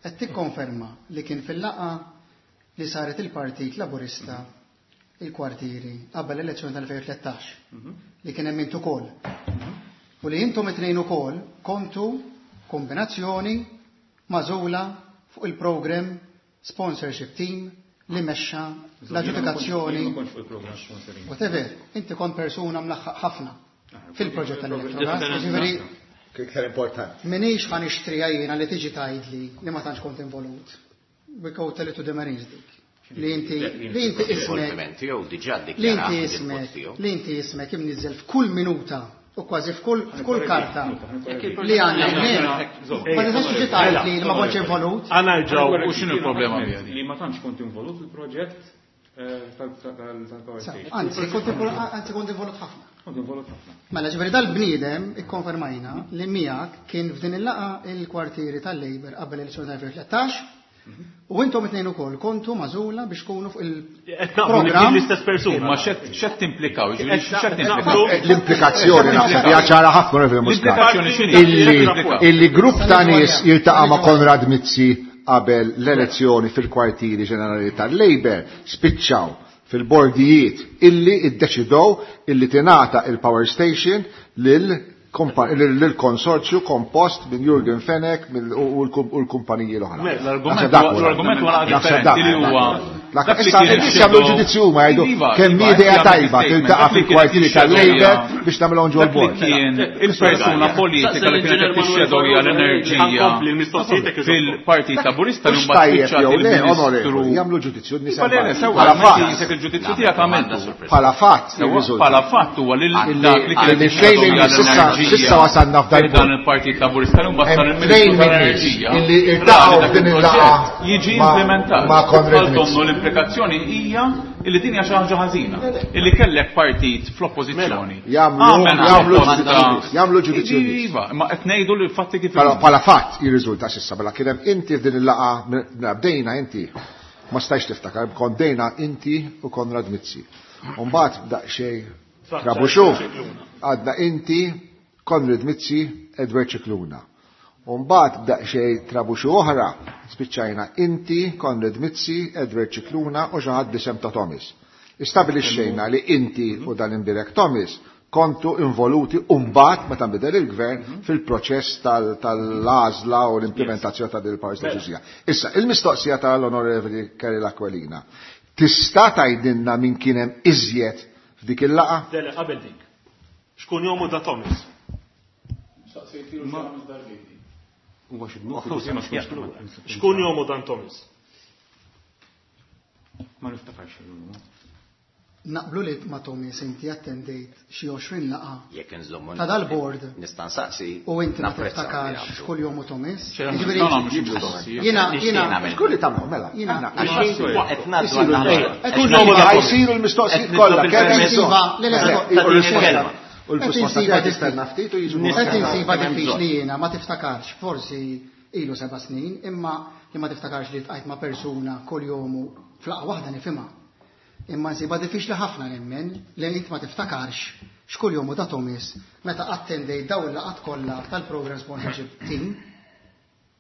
Speaker 9: qed tikkonferma li kien fil-laqgħa li saret il-Partit Laburista il-kwartieri qabel l-elezzjoni tal-elfejn u tlettax, li kien hemm int ukoll. U li intom it-tnejn ukoll kontu kombinazzjoni magħżula fuq il-program sponsorship team li mexxa l-aġġudikazzjoni.
Speaker 4: Jien ma kontx fuq il-program sponsoring.
Speaker 9: Whatever, inti kont persuna mlaħħaq ħafna fil-proġett tal-Electrogas, jiġifieri
Speaker 2: Iktar importanti.
Speaker 9: Minix ħa nixtriha jiena li tiġi tgħidli li ma tantx kont involut. We go tell it to the Marines dik. Li inti, li inti ismek,
Speaker 5: Involviment tiegħu diġà
Speaker 9: li inti
Speaker 5: ddikjarat
Speaker 9: ismek,
Speaker 5: tiegħu.
Speaker 9: li inti ismek imniżżel f'kull minuta U kważi f'kull f'kull karta li għandna ma tistax tiġi tgħid li ma kontx involut.
Speaker 3: Għana ġew
Speaker 8: U x'inhu l-problema biha di?
Speaker 4: Li ma tantx kont involut fil-proġett eh, tal-power station.
Speaker 9: Anzi, kont anzi kont involut ħafna.
Speaker 4: Kont involut ħafna.
Speaker 9: Mela ġifieri dal-bniedem ikkonfermajna li miegħek kien f'din il-laqgħa il-kwartieri tal-Labour qabel l-elezzjoni tal-elfejn u tlettax u intom it-tnejn ukoll kontu magħżula biex tkunu fuq
Speaker 3: Qed naqblu li kien
Speaker 9: il-programm.
Speaker 3: l-istess persuna.
Speaker 8: Imma x'qed x'qed timplikaw? Ġifieri x'qed
Speaker 3: Qed
Speaker 8: timplikaw?
Speaker 3: naqblu-
Speaker 2: L-implikazzjoni naħseb hija ċara ħafna, Onorevoli Muscat.
Speaker 8: L-implikazzjoni x'inhi?
Speaker 2: Illi illi grupp ta' nies jiltaqa' ma' Konrad Mizzi qabel l-elezzjoni fil-kwartieri ġenerali tal-Labour spiċċaw fil-bordijiet illi iddeċidow illi tingħata il-power station lil lil konsorzju kompost minn Jurgen Fenech mill- u l-kumpaniji l-oħra.
Speaker 3: Mela,
Speaker 8: L-argument
Speaker 2: Naħseb dak
Speaker 8: huwa-
Speaker 2: huwa.
Speaker 8: l-argument huwa
Speaker 2: Naħseb
Speaker 8: differenti
Speaker 2: dak
Speaker 8: li huwa
Speaker 2: Dak
Speaker 8: dak li
Speaker 2: issa
Speaker 8: kien
Speaker 2: n-nies jagħmlu
Speaker 8: ix-shadow-
Speaker 2: ġudizzju huma jgħidu
Speaker 8: Iva,
Speaker 2: kemm
Speaker 8: iva,
Speaker 2: idea
Speaker 8: jagħmel
Speaker 2: tajba
Speaker 8: statement.
Speaker 2: tiltaqa'
Speaker 8: Dak li kien
Speaker 2: fil-kwartieri
Speaker 8: ix-shadow
Speaker 2: tal-Labour biex nagħmilhom ġol
Speaker 8: Dak li
Speaker 2: bord.
Speaker 8: kien il-persuna politika li kienet qed tixxedowja l-enerġija
Speaker 3: Ħankompli l-mistoqsijiet jekk iżommu.
Speaker 8: fil-Partit Laburista li
Speaker 2: Mhux
Speaker 8: mbagħad
Speaker 2: tajjeb
Speaker 8: spiċċat
Speaker 2: jew le,
Speaker 8: il-Ministru.
Speaker 2: onorevoli, jagħmlu ġudizzju n-nies
Speaker 8: Iva, le, le, sewwa,
Speaker 2: Bħala
Speaker 8: inti
Speaker 2: fatt.
Speaker 8: jisek il-ġudizzju tiegħek għamiltu.
Speaker 2: Bħala fatt
Speaker 8: Sewwa,
Speaker 2: jirriżulta.
Speaker 8: Bħala fatt huwa li
Speaker 2: Illi-
Speaker 8: dak li kienet
Speaker 2: illi fejn
Speaker 8: tixxedowja
Speaker 2: li sissa-
Speaker 8: l-enerġija
Speaker 2: sissa wasalna f'dal
Speaker 8: fi dan
Speaker 2: punt.
Speaker 8: il-Partit Laburista li mbagħad sar
Speaker 2: Hemm
Speaker 8: il-Ministru
Speaker 2: tnejn min nies
Speaker 8: tal-Enerġija.
Speaker 2: illi
Speaker 8: ra li
Speaker 2: iltaqgħu
Speaker 8: dak
Speaker 2: f'din
Speaker 8: il-proġett
Speaker 2: il-laqgħa
Speaker 8: jiġi
Speaker 2: ma-
Speaker 8: implementat.
Speaker 2: ma' Konrad
Speaker 8: Bħal
Speaker 2: Mizzi.
Speaker 8: donnu l-implikazzjoni hija illi din hija xi ħaġa ħażina. Illi kellek partit fl-oppożizzjoni.
Speaker 2: Jagħmlu-
Speaker 8: Għamel
Speaker 2: jagħmlu
Speaker 8: proposta-
Speaker 2: ġudizzju- jagħmlu ġudizzju nies.
Speaker 8: Iva, ma qed ngħidu li l-fatti kif
Speaker 2: Bħala bħala fatt jirriżulta s'issa bħala kien hemm inti f'din il-laqgħa mela bdejna inti ma stajx tiftakar kont bdejna inti u Konrad Mizzi. U mbagħad daqsxejn trabuxu għadna inti Konrad Mizzi Edward Scicluna. U mbagħad daqsxejn trabuxu oħra spiċċajna inti Konrad Mizzi Edward Scicluna u xi ħadd b'isem ta' Thomas. Istabilixxejna li inti u dan imbirek Thomas kontu involuti umbat meta nbidel il-gvern fil-proċess tal- tal-għażla u l-implementazzjoni ta' din il-power station. Issa, il-mistoqsija tal-Onorevoli Karol Aquilina. Tista' tgħidilna min kien hemm iżjed f'dik il-laqgħa?
Speaker 3: Dele, qabel dik. Xkun jomu da Thomas?
Speaker 4: Huwa xi dnub, forsi ma skunx
Speaker 3: Xkun jomu dan Thomas?
Speaker 4: Ma niftakarx il-num.
Speaker 9: Naqblu li ma' Thomas inti attendejt xi għoxrin laqgħa
Speaker 5: Jekk nżommu.
Speaker 9: ta' dal-board
Speaker 5: Nista' nsaqsi.
Speaker 9: u inti ma
Speaker 5: napprezza li
Speaker 9: tiftakarx
Speaker 5: jagħmlu.
Speaker 9: x'kull jom u Thomas.
Speaker 8: No,
Speaker 9: Jiġifieri,
Speaker 8: no, mhux mistoqsija.
Speaker 9: Jiena
Speaker 5: Nixtieq
Speaker 9: jiena
Speaker 5: nagħmel.
Speaker 2: Xkulli tagħmlu mela.
Speaker 9: Jiena-
Speaker 5: Qed ngħaddu
Speaker 2: Isiru
Speaker 5: għal
Speaker 2: l-
Speaker 5: naħa.
Speaker 3: Kull jomu da Thomas.
Speaker 2: Isiru l-mistoqsijiet
Speaker 5: Qed
Speaker 2: kollha.
Speaker 5: nitlob
Speaker 2: kemm
Speaker 5: il-permess.
Speaker 9: Iva, le, le,
Speaker 2: Le,
Speaker 9: le,
Speaker 2: u l-risposta-
Speaker 5: kelma.
Speaker 2: U l-risposta
Speaker 9: Qed
Speaker 2: tiegħek
Speaker 9: insiba
Speaker 2: tistenna ftit u jiġu.
Speaker 9: Qed insiba
Speaker 5: Kemm
Speaker 9: diffiċli
Speaker 5: bżonn.
Speaker 9: jiena ma tiftakarx, forsi ilu seba' snin, imma li ma tiftakarx li tqajt ma' persuna kull jomu f'laqgħa waħda nifhimha. Imma nsiba diffiċli ħafna nemmen li int ma tiftakarx x'kull jomu da Thomas meta attendejt dawn il-laqgħat kollha tal-program sponsorship team.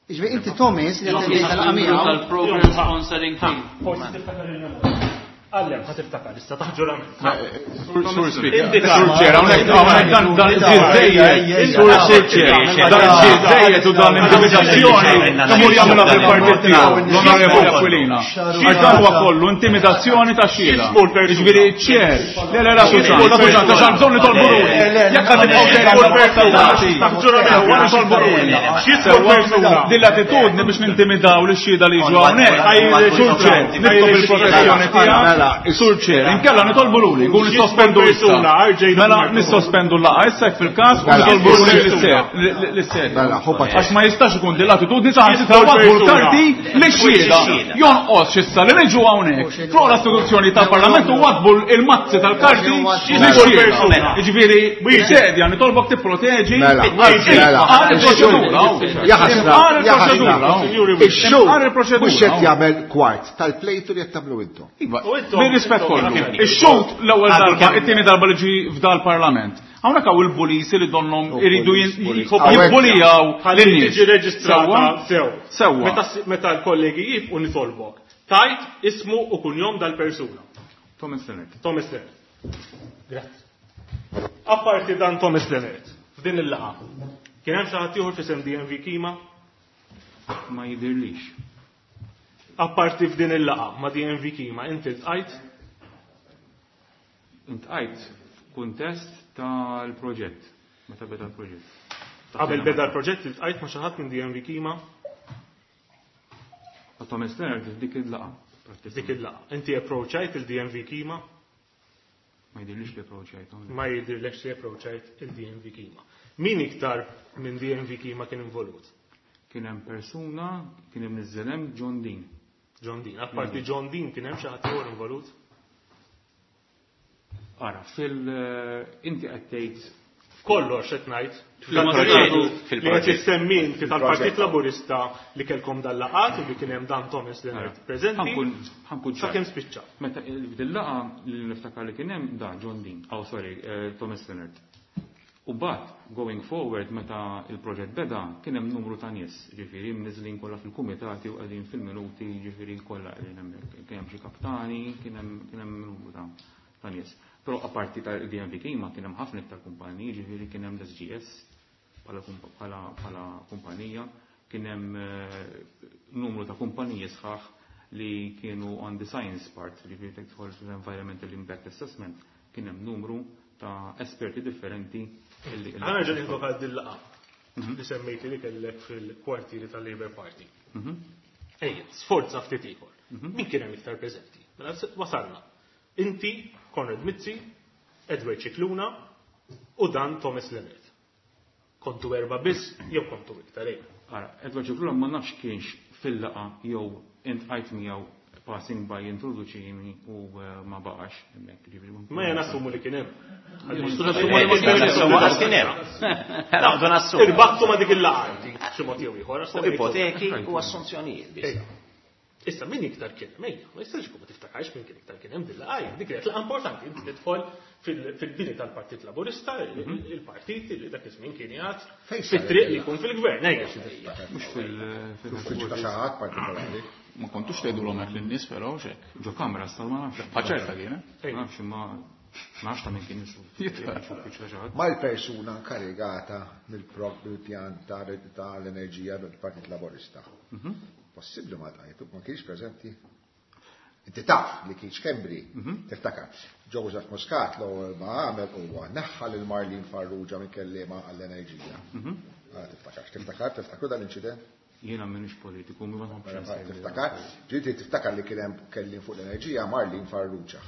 Speaker 9: Jiġifieri inti Thomas li attendejt tal-laqgħa miegħu
Speaker 6: Tal-program sponsoring team.
Speaker 3: Forsi tiftakar il-memorja. Għallem, ħa tiftakar, issa taħġurament.
Speaker 8: Sur Speaker,
Speaker 3: Indika.
Speaker 8: Sur Chair, hawnhekk hawnhekk dan dan żejjed, Sur Sur Chair, dan żejjed u dan intimidazzjoni kemm hu jagħmilha fil-partit tiegħu, l-Onorevoli Aquilina. Għax dan huwa kollu intimidazzjoni ta' xhieda. Jiġifieri Chair, le le la Susan, la Susan, ta' xan bżonn nitolbu ruli. Jekk qed tibqgħu sejrin
Speaker 3: Taħġurament,
Speaker 8: wara nitolbu ruli.
Speaker 3: X'jismu l-persuna?
Speaker 8: Din l-attitudni biex nintimidaw li xhieda li jiġu hawnhekk. Sur Chair, nitlob il-protezzjoni tiegħek. Sur Chair, inkella nitolbu luli, nkun nissospendu issa. Mela nissospendu l-laqgħa issa jekk fil-każ u nitolbu luli lis-sed.
Speaker 2: Mela, ħu paċenzja.
Speaker 8: Għax ma jistax ikun din l-attitudni saħansitra waddbu l-karti lix-xhieda. Jonqos issa li niġu hawnhekk. Fuq l-istituzzjoni tal-Parlament u waddbu il-mazzi tal-karti lix-xhieda. Jiġifieri, sedja nitolbok tipproteġi
Speaker 2: Mela, mela.
Speaker 8: Imqar il-proċedura.
Speaker 2: Jaħasra,
Speaker 8: Imqar il-proċedura.
Speaker 2: jaħasra. Ix-xhur
Speaker 8: Imqar il-proċedura.
Speaker 2: mhux qed jagħmel kwart tal-plejtu li qed tagħmlu intom.
Speaker 8: Iva,
Speaker 3: U intom-
Speaker 8: bir-rispett kollu.
Speaker 3: intom-
Speaker 8: Ix-xhud l-ewwel
Speaker 5: Għadu
Speaker 8: darba,
Speaker 5: kemm-
Speaker 8: it-tieni darba li ġi f'dal parlament. Hawnhekk hawn il-bulisi li donhom iridu
Speaker 2: police, police.
Speaker 8: jibbulijaw
Speaker 3: Ħalli
Speaker 8: lin-nies.
Speaker 3: tiġi reġistrata
Speaker 8: Sewwa?
Speaker 3: sew.
Speaker 8: Sewwa.
Speaker 3: Meta meta l-kollegi jifqu nitolbok. Tajt ismu u kunjom dal-persuna.
Speaker 4: Thomas Leonard.
Speaker 3: Thomas Leonard. Grazzi. Apparti dan Thomas Leonard, f'din il-laqgħa. Kien hemm xi ħadd ieħor f'isem D M V Kima?
Speaker 4: Ma jidirlix.
Speaker 3: Apparti f'din il-laqgħa ma' D M V Kima, inti ltqajt?
Speaker 4: Iltqajt f'kuntest tal-proġett. Meta beda l-proġett.
Speaker 3: Qabel beda l-proġett iltqajt ma' xi ħadd minn D M V Kima?
Speaker 4: Ta' Thomas Leonard f'dik il-laqgħa.
Speaker 3: F'dik il-laqgħa. Inti approachajt il-D M V Kima?
Speaker 4: Ma jidhirlix li approachajt.
Speaker 3: Ma jidhirlekx li approachajt il-D N V Kima. Min iktar minn D N V Kima kien involut?
Speaker 4: Kien hemm persuna, kien hemm niżel hemm John Dean.
Speaker 3: John Dean. Apparti John Dean kien hemm xi ħadd ieħor involut?
Speaker 4: Ara, fil inti qed tgħid
Speaker 3: kollox qed ngħid.
Speaker 5: Fil-proġett.
Speaker 3: Li qed issemmi inti tal-Partit Laburista li kellkom dal-laqat u li kien hemm dan Thomas Leonard preżenti.
Speaker 4: Ħankun
Speaker 3: Sakemm spiċċa.
Speaker 4: Meta fil-laqgħa li niftakar li kien hemm da John Dean, oh sorry, Thomas Leonard. U bat, going forward, meta il-proġett beda, kien hemm numru ta' nies, ġifieri mniżlin kollha fil-kumitati u qegħdin fil-minuti, ġifieri kollha qegħdin hemmhekk. Kien hemm xi kaptani, kien hemm kien hemm numru ta' ta' nies. Però apparti ta' D N V Kima kien hemm ħafna iktar kumpaniji, ġifieri kien hemm l-S G S bħala bħala kumpanija, kien hemm numru ta' kumpaniji sħaħ li kienu on the science part, ġifieri tidħol fl-environmental impact assessment, kien hemm numru ta' esperti differenti.
Speaker 3: Ħa nerġa' ninvoka din laqgħa li semmejti li kellek fil-kwartieri tal-Labour Party. Ejja, sforza ftit ieħor. Min kien hemm iktar preżenti? Mela wasalna. Inti, Konrad Mizzi, Edward Scicluna u dan Thomas Leonard. Kontu erba' biss jew kontu iktar ejja.
Speaker 4: Ara, Edward Scicluna ma nafx kienx fil-laqgħa jew intqajt miegħu passing by introduċini u ma baqax hemmhekk, ġifieri ma
Speaker 3: Ma jien nassumu li kien hemm.
Speaker 5: Kien hemm. Naqdu nassumu.
Speaker 3: Irbattu ma dik il-laqgħa inti, xi mod jew ieħor, għax
Speaker 5: Fuq ipoteki u assunzjonijiet biss.
Speaker 3: Issa min iktar kien hemm? Ejja, ma jistax ikun ma tiftakarx min kien iktar kien hemm din laqgħa, dik kienet laqgħa importanti, inti tidħol fil-bini tal-Partit Laburista, il-partit li dak iż-żmien kien jgħid fit-triq li jkun fil-gvern, ejja.
Speaker 4: Mhux
Speaker 2: fil-uffiċċju ta' xi ħadd partikolari.
Speaker 8: Ma kontux tgħidulhom hekk lin-nies però x'hekk.
Speaker 4: Ġo kamra sta ma nafx.
Speaker 8: Ħaċerta kien, eh?
Speaker 4: Ma nafx imma ma nafx ta' min kien uffiċċju ta' xi ħadd.
Speaker 2: Ma l-persuna inkarigata mill-pjan tal-enerġija del-Partit Laburista. Possibbli ma tajtu, ma kienx preżenti. Inti taf li kienx Schembri, tiftakar. Joseph Muscat l-ewwel ma għamel huwa neħħa lil Marlene Farrugia minn kelliema għall-enerġija. Tiftakarx, tiftakar, tiftakru dan l-inċident?
Speaker 4: Jiena m'iniex politiku, ma nħobbx.
Speaker 2: Tiftakar? Ġieti tiftakar li kien hemm kelliem fuq l-enerġija Marlene Farrugia.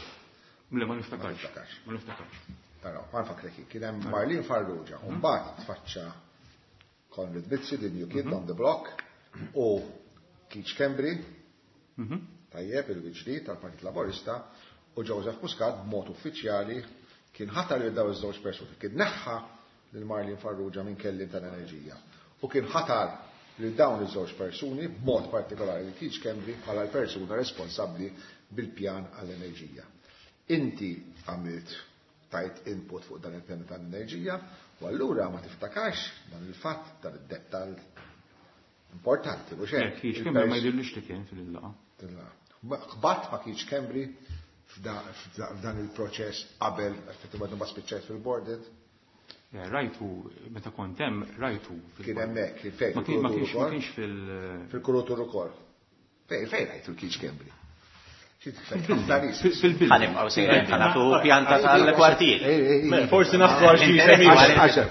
Speaker 4: Le, ma niftakarx. Ma niftakarx.
Speaker 2: Taraw, ma nfakrek, kien hemm Marlene Farrugia, u mbagħad tfaċċa Konrad Mizzi, the new kid on the block, u Keith Schembri, tajjeb il-Wiġdi tal-Partit Laburista, u Joseph Muscat b'mod uffiċjali kien ħatar lil dawn iż-żewġ persuni, kien neħħa lil Marlene Farrugia minn kelliem tal-enerġija u kien ħatar lil dawn iż-żewġ persuni b'mod partikolari lil Keith Schembri bħala l-persuna responsabbli bil-pjan għall-enerġija. Inti għamilt tajt input fuq dan il-pjan tal-enerġija u allura ma tiftakarx dan il-fatt, dan id-dettall importanti, mhux hekk?
Speaker 4: Keith Schembri ma jidhirlix li kien fil-laqgħa.
Speaker 2: Qbatt ma Keith Schembri f'dan il-proċess qabel effettivament ma spiċċajt fil-boarded?
Speaker 4: Rajtu, meta kont hemm, rajtu.
Speaker 2: Kien hemmhekk, kien fejn?
Speaker 4: Ma kienx fil-
Speaker 2: Fil-kurutur ukoll. Fejn, fejn rajtu l-Keith Schembri?
Speaker 4: Fil-bil.
Speaker 5: Ħanibqgħu sejrin ħanatu pjanta tal-kwartier.
Speaker 3: Forsi naħdu għal xi semi.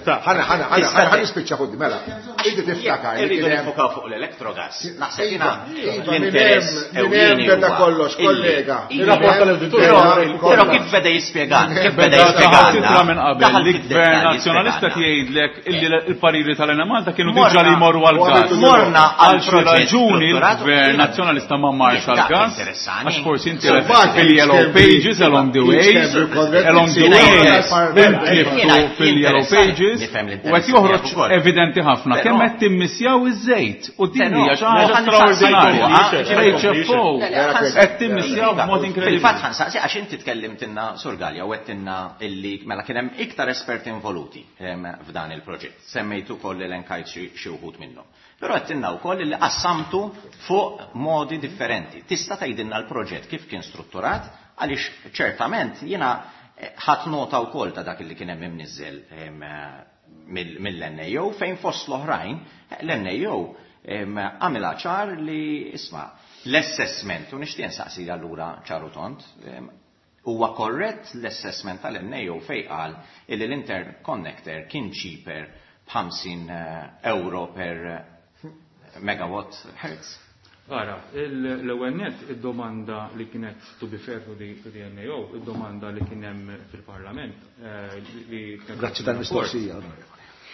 Speaker 2: Ħana ħana ħana nispiċċa ħuddi mela. Inti tiftakar.
Speaker 5: Irridu nifukaw fuq l-electrogas. Naħseb jiena l-interess ewlieni
Speaker 2: beda kollox, kollega.
Speaker 8: Ir-rapport tal-awditur.
Speaker 5: Però kif beda jispjegan, kif beda jispjegan.
Speaker 8: Minn qabel li gvern nazzjonalista jgħidlek illi l-pariri tal-Enemalta kienu diġà li jmorru għall-gas.
Speaker 5: Morna
Speaker 8: għal xi raġuni l-gvern nazzjonalista ma marx għall-gas. Għax forsi inti fil-yellow pages along the way, along the way, intliftu fil-yellow pages, u qed joħroġ evidenti ħafna kemm qed timmissjaw iż-żejt u din hija xi ħaġa straordinarja. H F O qed timmissjaw b'mod inkredibbli.
Speaker 5: Fil-fatt ħansaqsi għax inti tkellimtilna Sur Galea u għedtilna illi mela kien hemm iktar esperti involuti f'dan il-proġett. Semmejtu ukoll elenkajt xi wħud minnhom. Però għedtilna wkoll li qassamtu fuq modi differenti. Tista' tgħidilna l-proġett kif kien strutturat, għaliex ċertament jiena ħadd nota wkoll ta' dak li kien hemm imniżżel mill-N A O fejn fost l-oħrajn l-N A O għamilha ċar li isma' l-assessment, u nixtieq nsaqsi allura ċaru tont, huwa korrett l-assessment tal-N A O fejn qal illi l-interconnector kien cheaper b'ħamsin euro per megawatt hertz.
Speaker 4: Ara, l-ewwel net id-domanda li kienet to be fair to the, to the N A O, id-domanda li kien hemm fil-Parlament eh, li kienet
Speaker 2: Grazzi tal-mistoqsija.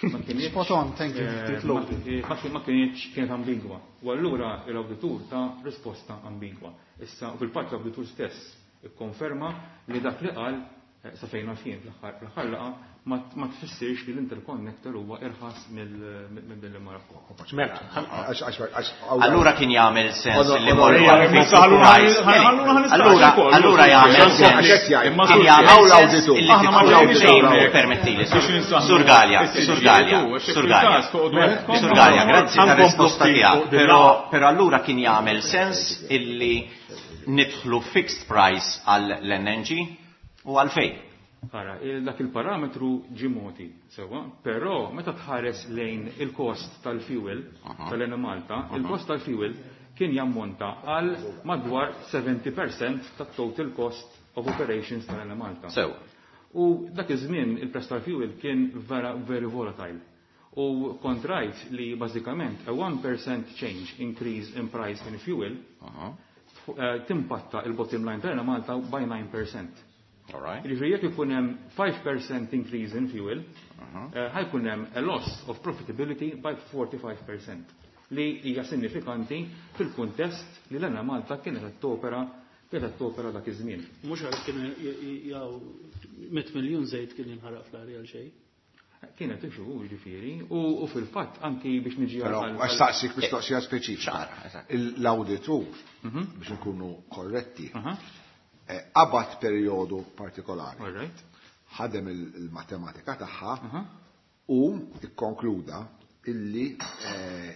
Speaker 4: Ma kienx
Speaker 9: Spot on, thank you.
Speaker 4: eh, ma ma- ma kienx kienet ambigwa. U allura l-awditur ta risposta ambigwa. Issa fil-fatt l-awditur stess ikkonferma li dak li qal eh, sa fejn għalfien fl-aħħar fl-aħħar laqgħa ma ma tfissirx li l-interconnector huwa irħas mill Delimara.
Speaker 3: Mela,
Speaker 2: Għax- għax- għax-
Speaker 5: Allura kien jagħmel sens li
Speaker 2: Onor-
Speaker 5: morru
Speaker 2: Onor-
Speaker 5: għal fixed
Speaker 8: Allura-
Speaker 5: price.
Speaker 8: Allura ħa nistaqsi
Speaker 5: Allura
Speaker 8: wkoll.
Speaker 5: allura jagħmel
Speaker 2: Għax
Speaker 5: sens.
Speaker 2: qed jgħid.
Speaker 8: Imma
Speaker 5: Kien
Speaker 8: sur-
Speaker 5: jagħmel
Speaker 2: Hawn
Speaker 5: sens
Speaker 2: l-awditur.
Speaker 5: illi
Speaker 8: Aħna ma
Speaker 5: tidħol
Speaker 8: ġejniex
Speaker 5: claim
Speaker 8: hawnhekk.
Speaker 5: permettili.
Speaker 8: Biex insaħħu
Speaker 5: Sur Galea,
Speaker 8: is-siġġijiet
Speaker 5: Sur Galea,
Speaker 8: u għax
Speaker 5: Sur
Speaker 8: fil-każ
Speaker 5: Galea.
Speaker 8: toqgħodu għedkom.
Speaker 5: Sur Galea, grazzi
Speaker 3: Ħankomplu
Speaker 5: tar-risposta
Speaker 3: ftit
Speaker 5: tiegħek.
Speaker 3: fuq din
Speaker 5: Però
Speaker 3: l-
Speaker 5: però allura kien jagħmel sens illi nidħlu fixed price għal L N G u għalfejn.
Speaker 4: Ara, il- dak il-parametru ġie mogħti, sewwa, però meta tħares lejn il-kost tal-fuel tal-Enemalta, il-kost tal-fuel kien jammonta għal madwar sebgħin fil-mija tat-total cost of operations tal-Enemalta.
Speaker 5: Sew.
Speaker 4: U dak iż-żmien il-prezz tal-fuel kien vera very volatile. U kont rajt li bażikament a one percent change increase in price in fuel eh, timpatta il-bottom line tal-Enemalta by nine percent.
Speaker 5: All right.
Speaker 4: Jiġifieri jekk ikun hemm five percent increase in fuel, eh, ħa jkun hemm a loss of profitability by forty-five percent li hija sinifikanti fil-kuntest li l-Enemalta kienet qed topera kienet qed topera dak iż-żmien.
Speaker 6: Mhux għal kien jaw mitt miljun żejt kien jinħaraq fl-arja għal xejn.
Speaker 4: Kienet ixu ġifieri u, u fil-fatt anki biex niġi
Speaker 2: Però
Speaker 4: għal-
Speaker 2: għax staqsik mistoqsija speċifika.
Speaker 5: Ċara, eżatt.
Speaker 2: L-awditur, biex nkunu korretti,
Speaker 4: Aha,
Speaker 2: eh, qabad perjodu partikolari,
Speaker 4: all right.
Speaker 2: ħadem il- il-matematika tagħha
Speaker 4: Aha.
Speaker 2: u ikkonkluda illi eh,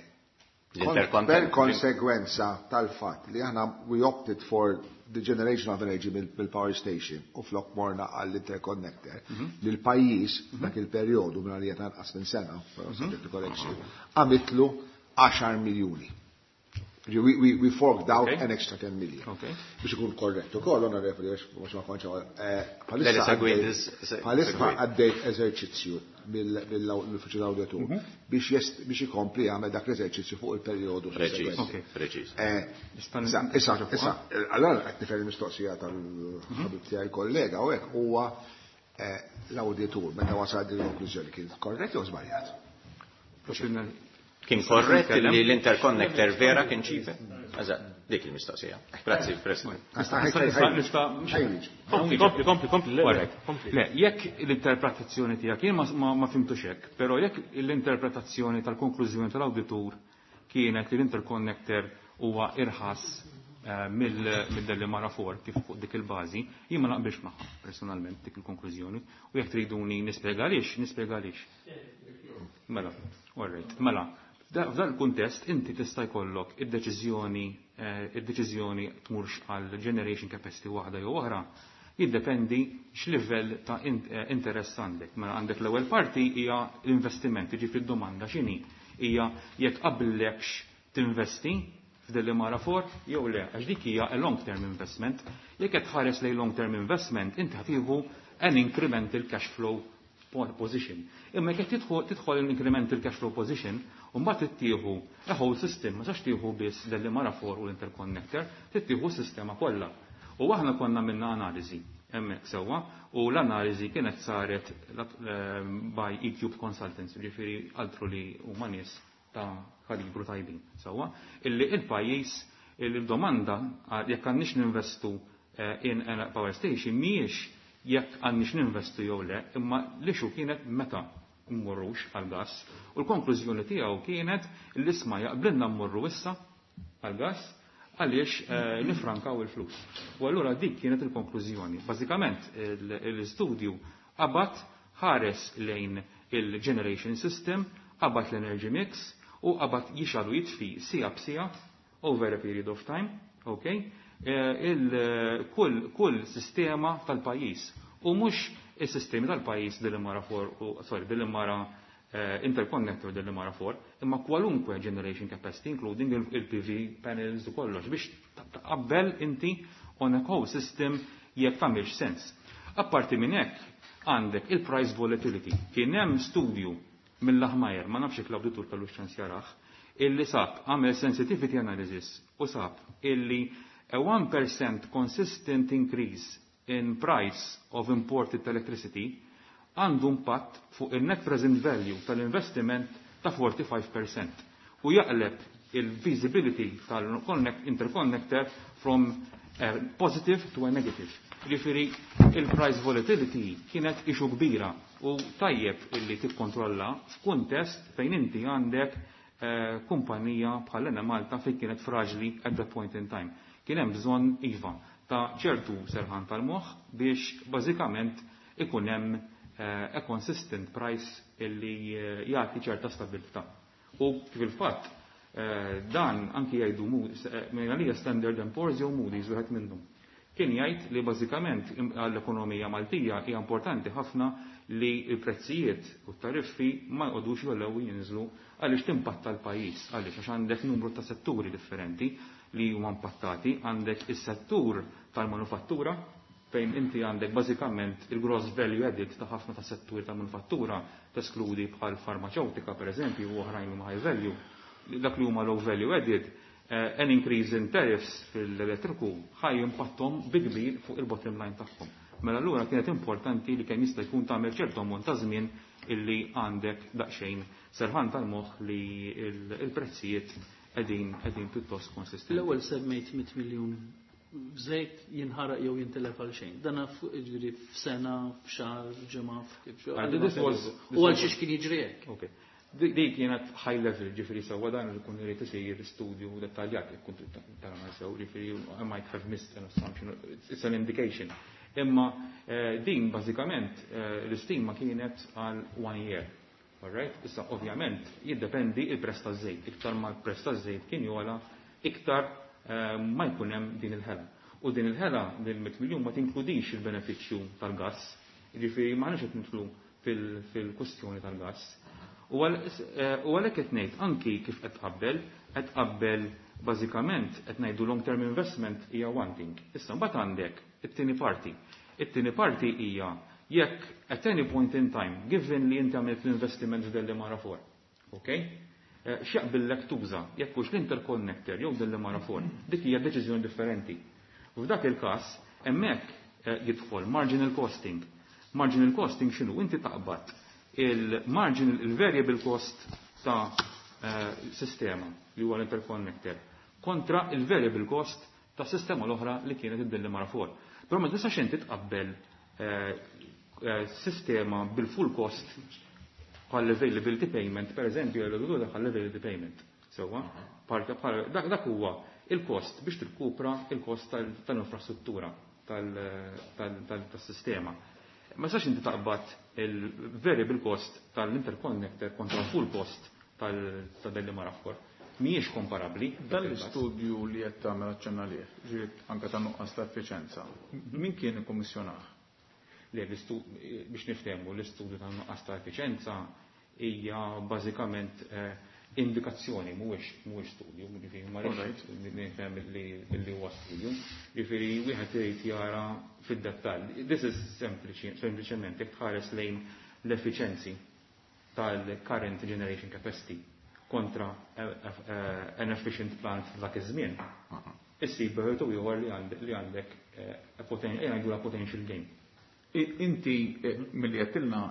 Speaker 5: L-interconnector.
Speaker 2: per konsegwenza tal-fatt li aħna we opted for the generation of energy mill-power station u flok morna għall-interconnector, li l-pajjiż dak il-perjodu minn għalija tanqas minn sena, però subject to correction, għamitlu għaxar miljuni. We, we, we forked out
Speaker 4: Okay.
Speaker 2: an extra ten million.
Speaker 4: Okay.
Speaker 2: Biex ikun korrettu ukoll, onorevoli, għax mhux ma kontx eh,
Speaker 5: Le, le,
Speaker 2: bħalissa
Speaker 5: segwit,
Speaker 2: għaddej-
Speaker 5: se-
Speaker 2: bħalissa
Speaker 5: segwit.
Speaker 2: għaddej eżerċizzju mill-uffiċċju l-awditur biex jest- biex ikompli jagħmel dak l-eżerċizzju fuq il-perjodu
Speaker 5: Preċiż,
Speaker 2: sussegwenti.
Speaker 5: preċiż.
Speaker 2: Eh,
Speaker 4: Nista'
Speaker 2: Issa, issa, issa, allora qed nifhem il-mistoqsija tal-ħabib tiegħi kollega u hekk huwa eh, l-awditur meta wasal din il-konklużjoni kien korrett jew żbaljat?
Speaker 5: Kien korrett li l-interconnector vera kien cheaper? Eżatt, dik il-mistoqsija. Grazzi, President.
Speaker 4: Nista' nista'
Speaker 3: Kompli, kompli, kompli, kompli, le, le,
Speaker 4: Alright.
Speaker 3: kompli.
Speaker 4: Le, jekk l-interpretazzjoni tiegħek, jien ma, ma, ma fhimtux hekk, però jekk l-interpretazzjoni tal-konklużjoni tal-awditur kienet li l-interconnector huwa irħas eh, mill-Delimara four kif fuq dik il-bażi, jien ma naqbilx magħha personalment dik il-konklużjoni u jekk triduni nispjega għaliex, nispjega għaliex. Mela, all right. Mela, f'da- f'dan il-kuntest inti tista' jkollok id-deċiżjoni eh, id-deċiżjoni tmurx għal generation capacity waħda jew oħra, jiddependi x'livell ta' in- eh, interess għandek. Mela għandek l-ewwel parti hija l-investiment, jiġifieri d-domanda x'inhi? Hija jekk qablekx tinvesti f'Delimara four jew le, għax dik hija a long term investment. Jekk qed tħares lejn long term investment, inti ħa tieħu an incremental cash flow position. Imma jekk tidħol tidħol l-incremental cash flow position, u mbagħad tittieħu a whole system, ma sax tieħu biss Delimara four u l-interconnector, tittieħu s-sistema kollha. U aħna konna minna analiżi hemmhekk sewwa u l-analiżi kienet saret eh, by E-Cube Consultants, ġifieri altru li huma nies ta' kalibru tajbin sewwa, illi il-pajjiż il-domanda jekk għandniex ninvestu eh, in a power station mhijiex jekk għandniex ninvestu jew le, imma l-issue kienet meta mmorrux għal-gas. U l-konklużjoni tiegħu kienet l-isma jaqblilna mmorru issa għal-gas għaliex eh, nifrankaw il-flus. U allura dik kienet il-konklużjoni. Bażikament l-istudju qabad ħares lejn il-generation system, qabad l-energy mix u qabad jixgħel u jitfi siegħa b'siegħa over a period of time, okay? Eh, il kull, kull sistema tal-pajjiż. U mhux is-sistemi tal-pajjiż Delimara four u sorry, Delimara eh, interconnector Delimara four, imma kwalunkwe generation capacity, including il-P V panels u kollox, biex taqabbel inti on a whole system jekk tagħmilx sens. Apparti minn hekk għandek il-price volatility. Kien hemm studju mill-Lahmeyer, ma nafx jekk l-awditur kellu ċans jarah, Illi sab għamel sensitivity analysis u sab illi a one percent consistent increase in price of imported electricity għandu impatt fuq il-net present value tal-investiment ta' erbgħa u erbgħin fil-mija u jaqleb il-feasibility tal-interconnector from a positive to a negative. Ġifieri, il-price volatility kienet issue kbira u tajjeb illi tikkontrolla f'kuntest fejn inti għandek eh, kumpanija bħal Malta fejn kienet fraġli at that point in time. Kien hemm bżonn, iva, ta' ċertu serħan tal-moħħ biex bażikament ikun hemm eh, a consistent price illi eh, jagħti ċerta stabilità. U fil-fatt eh, dan anki jgħidu minn għalija Standard and Poor's jew Moody's, wieħed minnhom. Kien jgħid li bażikament għall-ekonomija Maltija hija importanti ħafna li l-prezzijiet u t-tariffi ma jqogħdux jogħlew jinżlu għaliex timpatta l-pajjiż, għaliex għax għandek numru ta' setturi differenti li huma impattati, għandek is-settur tal-manufattura fejn inti għandek bażikament il-gross value added ta' ħafna ta' setturi tal-manufattura, teskludi bħal farmaceutika per eżempju u oħrajn huma high value, dak li huma low value added, eh, an increase in tariffs fil-elettriku ħa jimpatthom bi kbir fuq il-bottom line tagħhom. Mela allura kienet importanti li kemm jista' jkun tagħmel ċertu ammont ta' żmien illi għandek daqsxejn serħan tal-moħħ li il-prezzijiet qegħdin qegħdin pjuttost konsistenti.
Speaker 6: L-ewwel semmejt mitt miljun żejt jinħaraq jew jintelef għal xejn. Dan ġifieri f'sena, f'xahar, f'ġimgħa, kif
Speaker 4: This was
Speaker 6: U għal xiex kien jiġri hekk.
Speaker 4: Okay. Dik kienet high level, ġifieri sewwa dan li kun irid isir studju dettaljat jekk kont tara sew, ġifieri I might have missed an assumption, it's an indication. Imma eh, din bażikament eh, l-istima kienet għal one year. Alright? Issa ovvjament jiddependi il-prezz taż-żejt. Iktar ma l-prezz taż-żejt kien jogħla, iktar eh, ma jkun hemm din il-ħela. U din il-ħela, din mitt miljun, ma tinkludix il-benefiċċju tal-gass. Ġifieri ma qed nidħlu fil-kwestjoni tal-gass. U għalhekk qed ngħid anki kif qed tqabbel, qed tqabbel bażikament qed ngħidu long term investment hija one thing. Issa mbagħad għandek it-tieni parti. It-tieni parti hija jekk at any point in time, given li inti għamilt l-investiment f'Delimara four, okay? Eh, x'jaqbillek tuża, jekk hux l-interconnector jew Delimara four, dik hija deċiżjoni differenti. U f'dak il-każ, hemmhekk eh, jidħol marginal costing. Marginal costing x'inhu? Inti taqbad il-marginal, il-variable cost ta' eh, sistema li huwa l-interconnector kontra il-variable cost ta' sistema l-oħra li kienet id-Delimara four. Però ma tistax inti tqabbel eh, eh, sistema bil-full cost bħal availability payment, per eżempju, l bħal availability payment. Sewwa, dak dak huwa il-kost biex tirkupra il-kost tal-infrastruttura tal-sistema. Ma sax inti taqbad il-variable cost tal-interconnector kontra full cost tal-Delimara four. Mhijiex komparabbli.
Speaker 8: Dan l-istudju li qed tagħmel aċċenna lih, ġifieri anke ta' nuqqas ta' effiċenza, min kien ikkummissjonah?
Speaker 4: Le, biex niftehmu, l-istudju ta' nuqqas ta' effiċenza hija bażikament eh, indikazzjoni, mhuwiex mhuwiex studju, ġifieri ma rridx nifhem li huwa studju. Ġifieri wieħed irid jara fid-dettall. This is sempliċi, sempliċement jekk tħares lejn l-effiċenzi tal-current generation capacity kontra eh, eh, an efficient plant f'dak iż-żmien. Issib u ieħor li għandek eh, potential gain.
Speaker 8: Inti milli għedtilna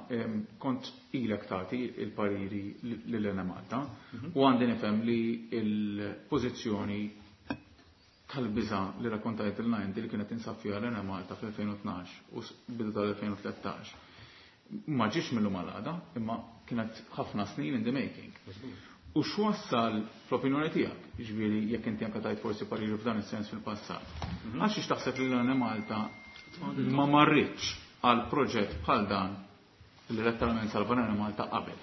Speaker 8: kont ilek tagħti il-pariri lil Malta mhm. u għandi nifhem li il-pożizzjoni tal-biża li rakkontajtilna inti li kienet tinsab fiha l-Enemalta fl-elfejn u tnax u bidu tal-elfejn u tlettax ma ġiex mill-lum għal għada, imma kienet ħafna snin in the making. U x'wassal fl-opinjoni tiegħek, jiġifieri jekk inti anke tajt forsi pariri f'dan is-sens fil-passat, mhm. għax taħseb li l-Enemalta ma marritx għal proġett bħal dan li letteralment salva Malta qabel?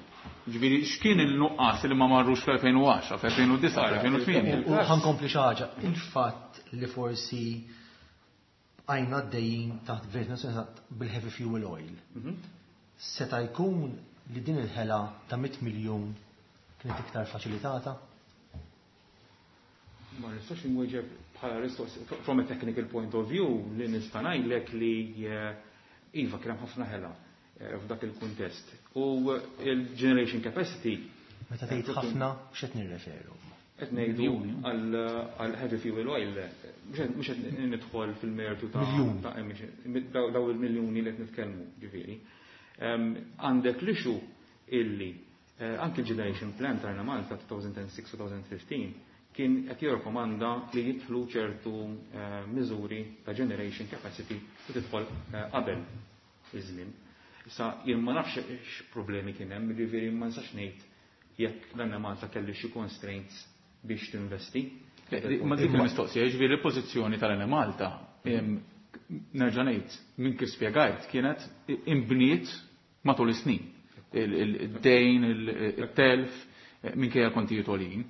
Speaker 8: Ġifieri, x'kien il-nuqqas li ma marrux fl-elfejn u għaxra, fl-elfejn u disgħa, fl-elfejn u tmienja?
Speaker 7: U ħa nkompli xi ħaġa, il-fatt li forsi għajna għaddejjin taħt gvern bil-heavy fuel oil. Mhm. Seta jkun li din il-ħela ta' mitt miljun kienet iktar faċilitata?
Speaker 4: Ma nistax inwieġeb bħala risposta from a technical point of view. Li nista' ngħidlek li eh, iva, kien hemm ħafna ħela eh, f'dak il-kuntest. U il-generation capacity
Speaker 7: Meta tgħid ħafna x'qed nirreferu?
Speaker 4: Qed ngħidu għal heavy fuel oil, mhux qed nidħol fil-mertu ta' daw il-miljuni li qed nitkellmu, ġifieri. Għandek l-issue illi anki l-Generation Plan ta' Malta elfejn u sitta-elfejn u ħmistax kien qed jirrakkomanda li jidħlu ċertu miżuri ta' generation capacity u tidħol qabel iż-żmien. Issa jien ma nafx x'problemi kien hemm, jiġifieri ma nistax ngħid jekk dan Malta kelli xi constraints biex tinvesti.
Speaker 8: Ma dik il-mistoqsija, ġifieri l-pożizzjoni tal-Enemalta, nerġa' ngħid, minn kif spjegajt, kienet imbniet matul is-snin. Il-dejn, il-telf, minkejja kontijiet għoljin.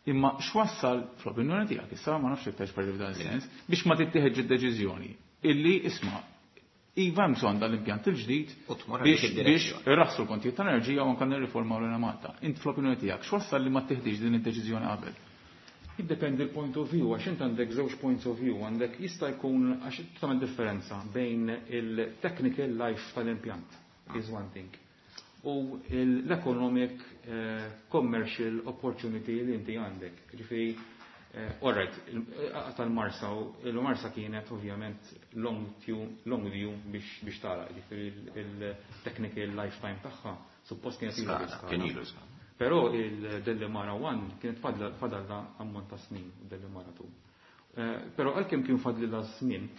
Speaker 8: Imma x'wassal fl-opinjoni tiegħek issa ma nafx jekk parli f'dan is-sens biex ma tittieħedx id-deċiżjoni illi isma' iva hemm bżonn dal-impjant il-ġdid biex biex irraħsu l-kontijiet tal-enerġija u anke nirriformaw l Malta. Int fl-opinjoni tiegħek x'wassal li ma tieħdix din id-deċiżjoni qabel?
Speaker 4: Jiddependi l-point of view, għax int għandek żewġ points of view, għandek jista' jkun għax tagħmel differenza bejn il-technical life tal-impjant is one thing u l-economic commercial opportunity li inti għandek. Ġifieri, all right, tal-Marsa, il-Marsa kienet ovvjament long long view biex biex tara, ġifieri il-technical lifetime tagħha suppost kienet
Speaker 5: ilu ilu.
Speaker 4: Però il-Delimara one kienet fadalla ammont ta' snin, Delimara two. Però għalkemm kien fadlilha żmien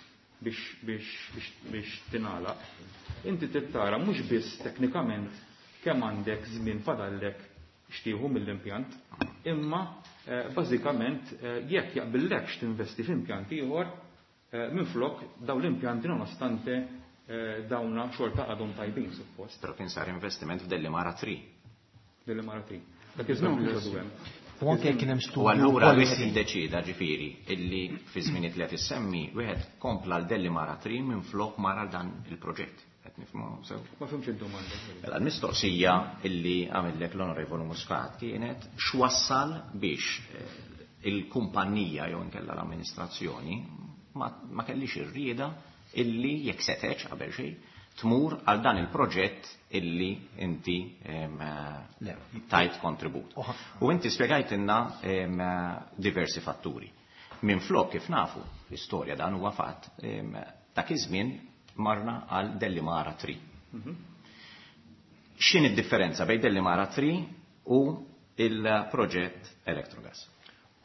Speaker 4: biex biex biex tingħalaq, inti tittara mhux biss teknikament kemm għandek żmien fadallek xtieħu mill-impjant, imma bażikament jekk jaqbillekx tinvesti f'impjant ieħor minflok dawn l-impjanti nonostante dawna xorta għadhom tajbin suppost.
Speaker 5: Però kien sar investiment f'Delimara three.
Speaker 4: Delimara three. Dak iż-żmien kienu għadu hemm.
Speaker 7: U anke kien hemm studju.
Speaker 5: U allura wieħed iddeċida ġifieri illi fi żminijiet li qed issemmi wieħed kompla l Delimara three minflok mara dan il-proġett. Qed nifhmu sew?
Speaker 4: Ma fhimx id-domanda.
Speaker 5: Mela l-mistoqsija illi għamillek l-Onorevoli Muscat kienet x'wassal biex il-kumpanija jew inkella l-amministrazzjoni ma kellix ir-rieda illi jekk setex qabel xejn tmur għal dan il-proġett illi inti tajt kontribut. U inti spjegajtilna diversi fatturi. Minn flok kif nafu, l-istorja dan huwa fatt, dak iż-żmien marna għal Delimara three. X'in id-differenza bejn Delimara three u il-proġett Electrogas?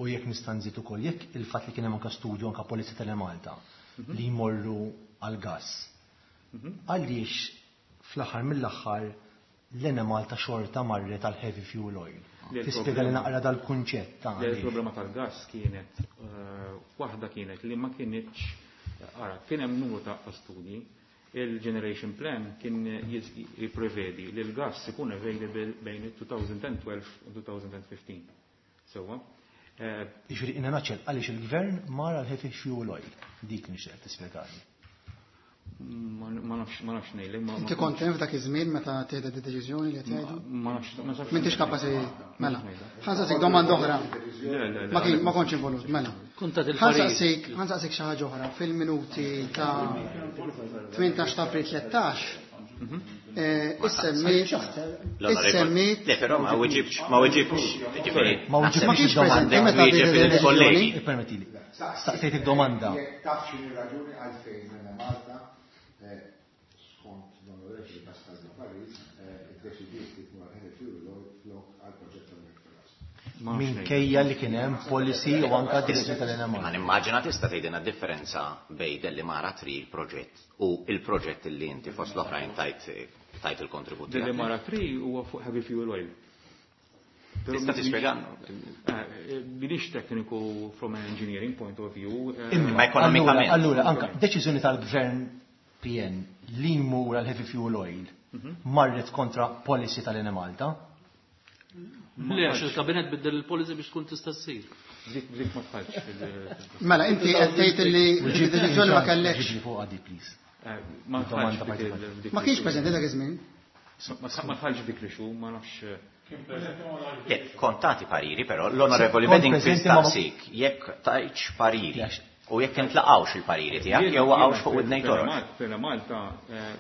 Speaker 7: U jekk nista' nżid ukoll jekk il-fatt li kien hemm anke studju anke Polizia Telemalta li jmorru għal gas. Għaliex fl-aħħar mill-aħħar l-Enemalta xorta marret għal heavy fuel oil? Tispjega li naqra dal-kunċett ta'
Speaker 4: Il-problema tal-gas kienet waħda kienet li ma kienitx ara kien hemm numru ta' studji. Il-generation plan kien jipprevedi li l-gas ikun available bejn elfejn u tnax u elfejn u ħmistax. Sewwa.
Speaker 7: Jiġifieri in a nutshell għaliex il-gvern mar għal heavy fuel oil. Dik nixtieq tispjegali.
Speaker 4: Ma nafx ma nafx ngħidlek.
Speaker 9: Inti kont hemm f'dak iż-żmien meta tieħdet id-deċiżjoni li qed jgħidu?
Speaker 4: Ma nafx ma nafx.
Speaker 9: M'intix kapaċi mela. Ħa nsaqsik domanda oħra. Ma kien ma kontx involut, mela. Ħa nsaqsik ħa nsaqsik xi ħaġa oħra fil-minuti ta' tmintax ta' April tlettax. Issemmit issemmit
Speaker 5: Le, però ma weġibx, ma weġibx.
Speaker 7: Ma weġibx
Speaker 9: Ma kienx preżenti meta
Speaker 5: wieġeb il-kollegi.
Speaker 7: Ippermettili. Staqsejtek domanda.
Speaker 2: Jekk taf x'inhi raġuni għalfejn minn Malta skont l-Onorevoli Pascal Paris iddeċidiet li tmur heavy fuel oil flok għal proġett tal-Electrogas.
Speaker 7: Minkejja li kien hemm policy u anka direzzjoni tal-Enemalta.
Speaker 5: Ma nimmaġina tista' tgħidilna differenza bejn Delimara three il-proġett u il-proġett li inti fost l-oħrajn tajt tajt il-kontribut.
Speaker 4: Delimara three huwa fuq heavy fuel oil.
Speaker 5: Tista' tispjega?
Speaker 4: Minix tekniku from an engineering point of view.
Speaker 5: Imma ekonomikament.
Speaker 7: Allura, anka deċiżjoni tal-gvern P N li jmur għal heavy fuel oil marret kontra policy tal-Enemalta?
Speaker 6: Le, għax il-kabinet biddel il-policy biex tkun tista' ssir.
Speaker 4: Dik dik ma tħallx fil-
Speaker 9: Mela, inti qed tgħid li d-deċiżjoni ma kellekx.
Speaker 7: Ġibli fuq għadi, please.
Speaker 4: Ma
Speaker 7: Domanda
Speaker 4: tħallx dik
Speaker 7: partikolari.
Speaker 4: il- dik
Speaker 9: Ma kienx preżenti dak iż-żmien?
Speaker 4: Ma tħallx dik li xu, ma nafx.
Speaker 5: Le, kontati pariri, però l-Onorevoli
Speaker 7: Kont
Speaker 5: Bedding
Speaker 7: preżenti ma-
Speaker 5: tistaqsik jekk tajtx pariri.
Speaker 7: Jax.
Speaker 5: U jekk intlaqgħux il-pariri tiegħek jew waqgħux fuq widnejn toroq.
Speaker 4: Fil Malta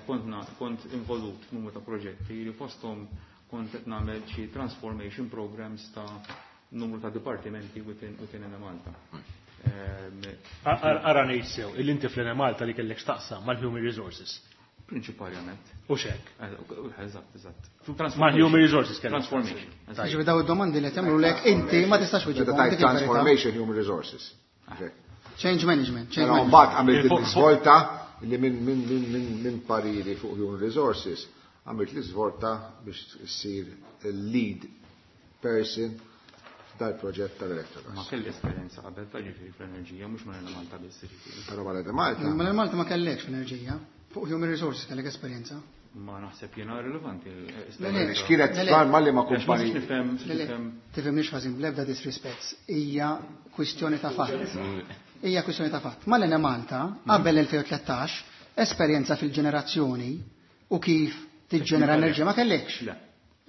Speaker 4: kont kont involut f'numru ta' proġetti li fosthom kont qed nagħmel xi transformation programs ta' numru ta' dipartimenti within within Enemalta.
Speaker 3: Ara ngħid sew, il-inti fl-Enemalta li kellek x'taqsam mal-human resources.
Speaker 4: Prinċipalment.
Speaker 3: U xek.
Speaker 4: Eżatt, eżatt.
Speaker 3: Mal-human resources kellek.
Speaker 4: Transformation.
Speaker 9: Ġifieri daw id-domandi li qed jagħmlu inti ma tistax
Speaker 2: Meta tajt transformation human resources.
Speaker 9: Change management. Change
Speaker 2: Però
Speaker 9: management.
Speaker 2: mbagħad għamilt l-iżvolta li minn minn minn minn minn pariri fuq human resources għamilt l-iżvolta biex issir il-lead person dal-proġett tal-Electrogas.
Speaker 4: Ma kelli esperjenza qabel ta' ġifieri fl-enerġija, mhux ma Malta biss ġifieri.
Speaker 2: Però wara Malta.
Speaker 9: Ma Malta ma kellekx fl-enerġija. Fuq human resources kellek esperjenza.
Speaker 4: Ma naħseb jiena rilevanti.
Speaker 9: Le, le.
Speaker 2: X'kienet
Speaker 9: Le, le.
Speaker 2: malli ma
Speaker 4: Għax ma
Speaker 2: kumpani.
Speaker 4: nistax nifhem,
Speaker 9: Le, le,
Speaker 4: nifhem.
Speaker 9: tifhimniex ħażin bl-ebda disrispett. Hija kwistjoni ta' fatt. Hija kwistjoni ta' fatt. Mal-Enemalta, qabel elfejn u tlettax, esperjenza fil-ġenerazzjoni u kif tiġġenera enerġija ma kellekx.
Speaker 4: Le.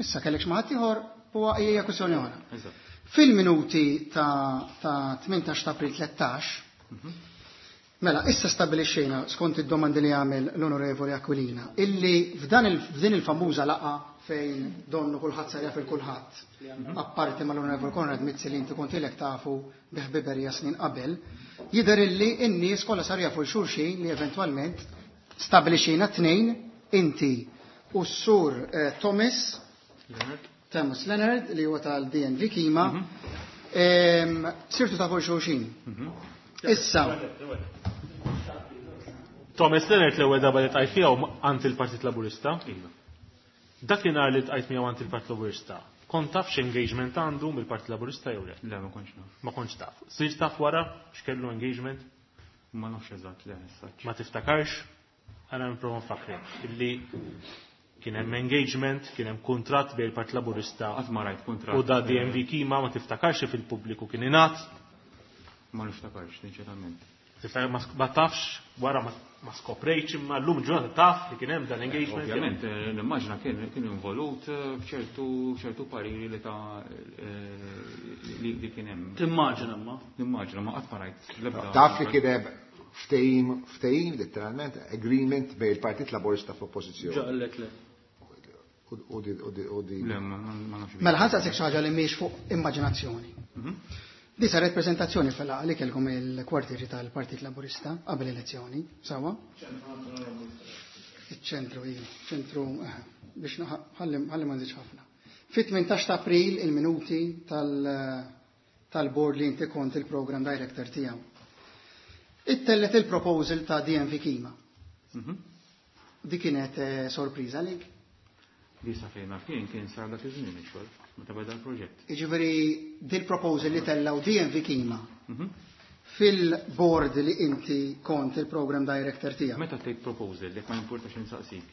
Speaker 9: Issa kellekx ma ħadd ieħor huwa hija kwistjoni oħra.
Speaker 4: Eżatt.
Speaker 9: Fil-minuti ta' ta' tmintax ta' April tlettax, mela, issa stabilixxejna skont id-domandi li għamel l-Onorevoli Aquilina, illi f'dan il, f'din il-famuża laqa fejn donnu kulħadd sar jaf il-kulħadd, apparti mal-Onorevoli Konrad Mizzi li inti kont ilek tafu bi ħbiberija snin qabel, jidher illi n-nies kollha sar jafu l-xulxin li eventwalment stabilixxejna tnejn, inti u s-sur eh, Thomas
Speaker 4: Leonard.
Speaker 9: Thomas Leonard li huwa tal-D N V Kima, em, sirtu tafu l-xulxin. Issa.
Speaker 3: Thomas Leonard l-ewwel darba li tqajt miegħu għand il-Partit Laburista.
Speaker 4: Iva.
Speaker 3: Dakinhar li tqajt miegħu għand il-Partit Laburista, kont taf x'engagement għandu mill-Partit Laburista jew le?
Speaker 4: Le, ma kontx naf.
Speaker 3: Ma kontx taf. Sirt taf wara x'kellu engagement?
Speaker 4: Ma nafx eżatt, le, issa.
Speaker 3: Ma tiftakarx? Għana nipprova nfakkrek illi kien hemm engagement, kien hemm kuntratt bejn il-Partit Laburista
Speaker 4: Qatt ma rajt kuntratt.
Speaker 3: u da D N V Kima, ma tiftakarx fil-pubbliku kien ingħad.
Speaker 4: Ma niftakarx, sinċerament.
Speaker 3: Tiftakar, ma sk-, ma tafx, wara ma, ma skoprejtx, imma llum ġurnata taf li kien hemm dan engagement.
Speaker 4: Ovvjament, eh, nimmaġina kien, kien involut, eh, f'ċertu, ċertu pariri li ta', eh, li, li kien hemm.
Speaker 6: Timmaġina ma?
Speaker 4: Nimmaġina, ma qatt ma rajt l-ebda
Speaker 2: Taf li kien hemm ftehim, ftehim letteralment, agreement bejn il-Partit Laburista f'oppożizzjoni.
Speaker 6: Ġaqlek le.
Speaker 2: U di, u di, u di.
Speaker 4: Le, ma, ma, ma nafx.
Speaker 9: Mela ħa nsaqsik xi ħaġa li mhix fuq immaġinazzjoni.
Speaker 4: Mhm.
Speaker 9: Di saret prezentazzjoni fil-laqgħa li kellkom il-kwartieri tal-Partit Laburista qabel elezzjoni, sawa? Iċ-ċentru, iva, ċentru, eh, biex naħ-, ħalli, ħalli ma nżidx ħafna. Fit-tmintax ta' April il-minuti tal-, tal-board li inti kont il-program director tiegħu. Ittellet il-proposal ta' D N V Kima.
Speaker 4: Mhm.
Speaker 9: Di kienet, eh, sorpriża għalik?
Speaker 4: Di sa fejn naf jien kien sar dak iż-żmien ix-xogħol, meta beda l-proġett.
Speaker 9: Jiġifieri dil-proposal li tellaw D N V Kima
Speaker 4: Mhm.
Speaker 9: fil-board li inti kont il-program director tiegħek.
Speaker 4: Meta tgħid proposal, jekk ma jimpurtax insaqsik.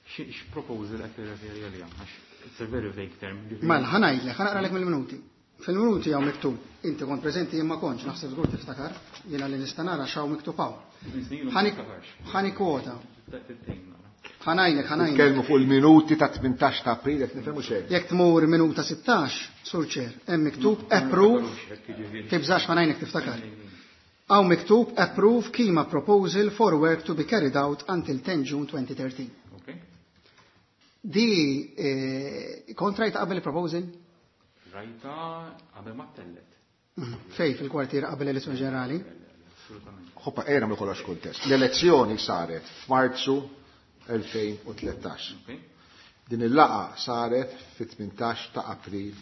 Speaker 4: X-, x'proposal qed tirreferi għaliha? Għax it's a very vague term. Ġifieri
Speaker 9: Mela, ħa ngħidlek, ħa naqralek mill-minuti. Fil-minuti hawn miktub, inti kont preżenti jien ma kontx, naħseb żgur tiftakar, jiena li nista' nara x'hawn miktub hawn.
Speaker 4: Snin u ma
Speaker 9: Ħani-
Speaker 4: niftakarx.
Speaker 9: Ħani kwota.
Speaker 4: Tgħin nara.
Speaker 9: Ħa ngħidlek, ħa ngħidlek.
Speaker 2: Nitkellmu fuq il-minuti ta' tmintax ta' April, qed nifhemu xejn.
Speaker 9: Jekk tmur minuta sittax, Sur Chair, hemm miktub approve, tibżax ħa ngħidlek tiftakar. Hawn miktub approve Kima proposal for work to be carried out until ten June twenty thirteen.
Speaker 4: Okay.
Speaker 9: Di, eh, kont rajta qabel il-proposal?
Speaker 4: Rajta qabel ma tellet.
Speaker 9: Mm. Fej fil-kwartier qabel l-elezzjoni ġenerali?
Speaker 4: Assolutament.
Speaker 2: Hoppa, ejra nagħmlu kollox kuntest. L-elezzjoni saret f'Marzu elfejn u tlettax.
Speaker 4: Okay.
Speaker 2: Din il-laqa saret fit-tmintax ta' April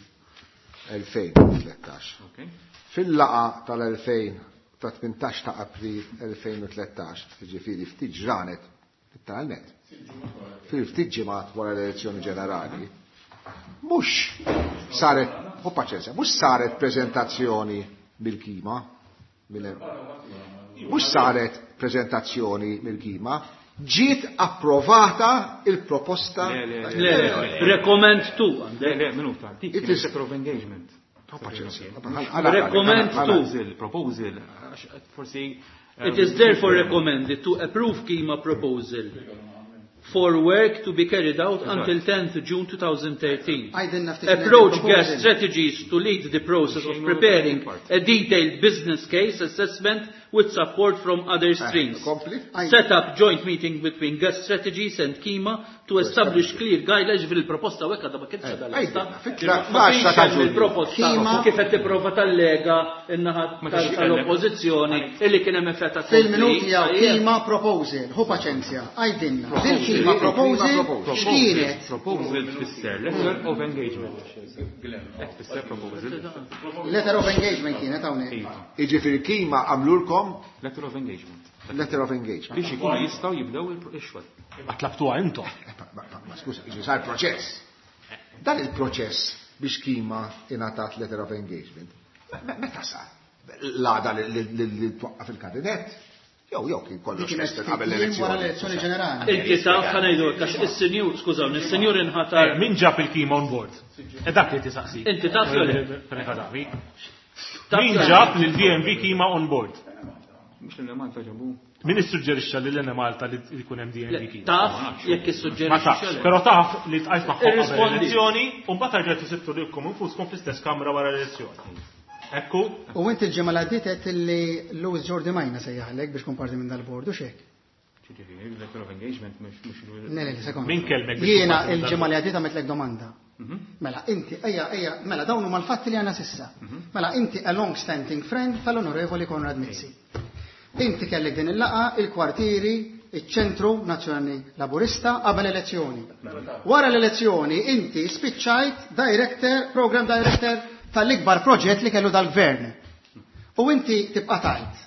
Speaker 2: elfejn u tlettax.
Speaker 4: Okay.
Speaker 2: Fil-laqa tal-elfejn ta' tmintax ta' April elfejn u tlettax, ġifieri ftit ġranet, letteralment, fil-ftit ġimgħat wara l-elezzjoni ġenerali, mhux saret, u paċenzja, mhux saret preżentazzjoni mill-Kima, mill- mhux saret preżentazzjoni mill-Kima, ġiet approvata il-proposta.
Speaker 4: Le, le,
Speaker 6: Le, le, recommend to.
Speaker 4: Le, le, minuta, dik
Speaker 2: It
Speaker 4: kienet
Speaker 2: is
Speaker 4: letter of engagement.
Speaker 2: Oh, paċenzja.
Speaker 6: Recommend to.
Speaker 4: Proposal, proposal, għax forsi,
Speaker 6: It is therefore recommended to approve Kima proposal for work to be carried out until tenth June two thousand thirteen.
Speaker 9: Għajdilna ftit
Speaker 6: Approach
Speaker 9: proposal.
Speaker 6: gas strategies to lead the process of preparing a detailed business case assessment with support from other streams. Set up joint meeting between gas strategies and KIMA to establish clear guidelines fil-proposta u hekk għadha ma kienx għadha lesta. Il-proposta kif qed tipprova tal-Lega in-naħa tal-Oppożizzjoni illi kien hemm effett
Speaker 9: fil-minuti jew KIMA proposal, hu paċenzja, għajdinna. Dil-KIMA proposal x'kienet?
Speaker 4: Proposal tfisser letter of engagement. Tfisser proposal.
Speaker 9: Letter of engagement kienet hawnhekk.
Speaker 2: Jiġifieri KIMA għamlulkom
Speaker 4: letter of engagement.
Speaker 2: Letter of engagement.
Speaker 4: Biex ikunu jistgħu jibdew ix-xogħol.
Speaker 3: Ma tlabtuha intom.
Speaker 2: Ma skuża, jiġi sar proċess. Dan il-proċess biex KIMA ingħatat letter of engagement. Meta sar? L-għada li twaqqaf il-kabinett? Jew jew kien kollox qabel
Speaker 9: l-elezzjoni. Wara l-elezzjoni ġenerali.
Speaker 6: Inti taf ħa ngħidu għax is-sinjur, skużawni, is-sinjur inħatar.
Speaker 3: Min ġab il-KIMA on board? E dak li tisaqsi.
Speaker 6: Inti taf jew le?
Speaker 3: Min ġab lil D M V KIMA on board?
Speaker 4: Mhux li Malta ġabu.
Speaker 3: Min issuġġerixxa lil N Malta li jkun hemm D M V KIMA?
Speaker 6: Taf jekk issuġġerixxa.
Speaker 3: Ma tafx, però taf li tqajt magħhom qabel l-elezzjoni u mbagħad rġgħet isibtu lilkom infuskom fl-istess kamra wara l-elezzjoni. Ekku.
Speaker 9: U inti l-ġimgħa li għaddiet qed li Louis Giordimaina sejjaħlek biex kun parti minn dal-bord u x'hekk.
Speaker 4: Ġifieri, letter of engagement mhux mhux
Speaker 9: Le, le, sekonda.
Speaker 3: Min kellmek biex
Speaker 9: Jiena
Speaker 3: tkun parti minn
Speaker 9: l-ġimgħa li
Speaker 3: dal-bord?
Speaker 9: għaddiet għamiltlek domanda. Mela inti, ejja, ejja, mela dawn huma l-fatti li għandna sissa. Mela inti a long standing friend tal-Onorevoli Konrad Mizzi. Inti kellek din il-laqa, il-kwartieri, iċ-ċentru Nazzjonali Laburista qabel elezzjoni. Wara l-elezzjoni inti spiċċajt director, program director tal-ikbar proġett li kellu dal-gvern. U inti tibqa' tajt.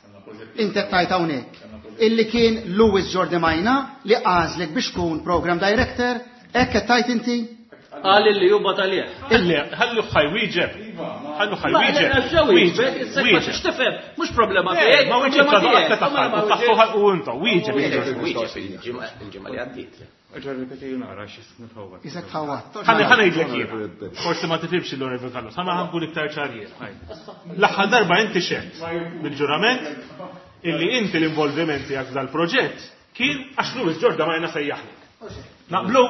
Speaker 9: Inti tajt hawnhekk. Illi kien Louis Giordimaina li għażlek biex tkun program director, hekk qed tajt inti?
Speaker 6: Qal li hu batalih.
Speaker 3: Ħalli, ħallu ħaj wieġeb. Ħallu ħaj
Speaker 6: Ma,
Speaker 3: wieġeb.
Speaker 6: le, le, ġew wieġeb, issa ma
Speaker 3: Wieġeb.
Speaker 6: tix tifhem, mhux problema
Speaker 3: Le,
Speaker 6: tiegħek,
Speaker 3: ma wieġeb
Speaker 6: problema
Speaker 3: ċadu
Speaker 6: tiegħek.
Speaker 3: qatt
Speaker 6: Ma, ma,
Speaker 3: taħħal,
Speaker 6: ma
Speaker 3: taħħu ħalqu intom, wieġeb.
Speaker 5: Wieġeb, il-ġimgħa, il-ġimgħa li għaddiet.
Speaker 4: Erġa' ripeti nara x'nitħawwad.
Speaker 9: Isek tħawwad.
Speaker 3: Ħalli ħa ngħidlek jiena. Forsi ma tifhimx l-Onorevoli Carlos, ħa nkun iktar ċar jiena. L-aħħar darba inti xedt bil-ġurament illi inti l-involviment tiegħek f'dal-proġett kien għax Louis Giordimaina sejjaħlek. Naqblu?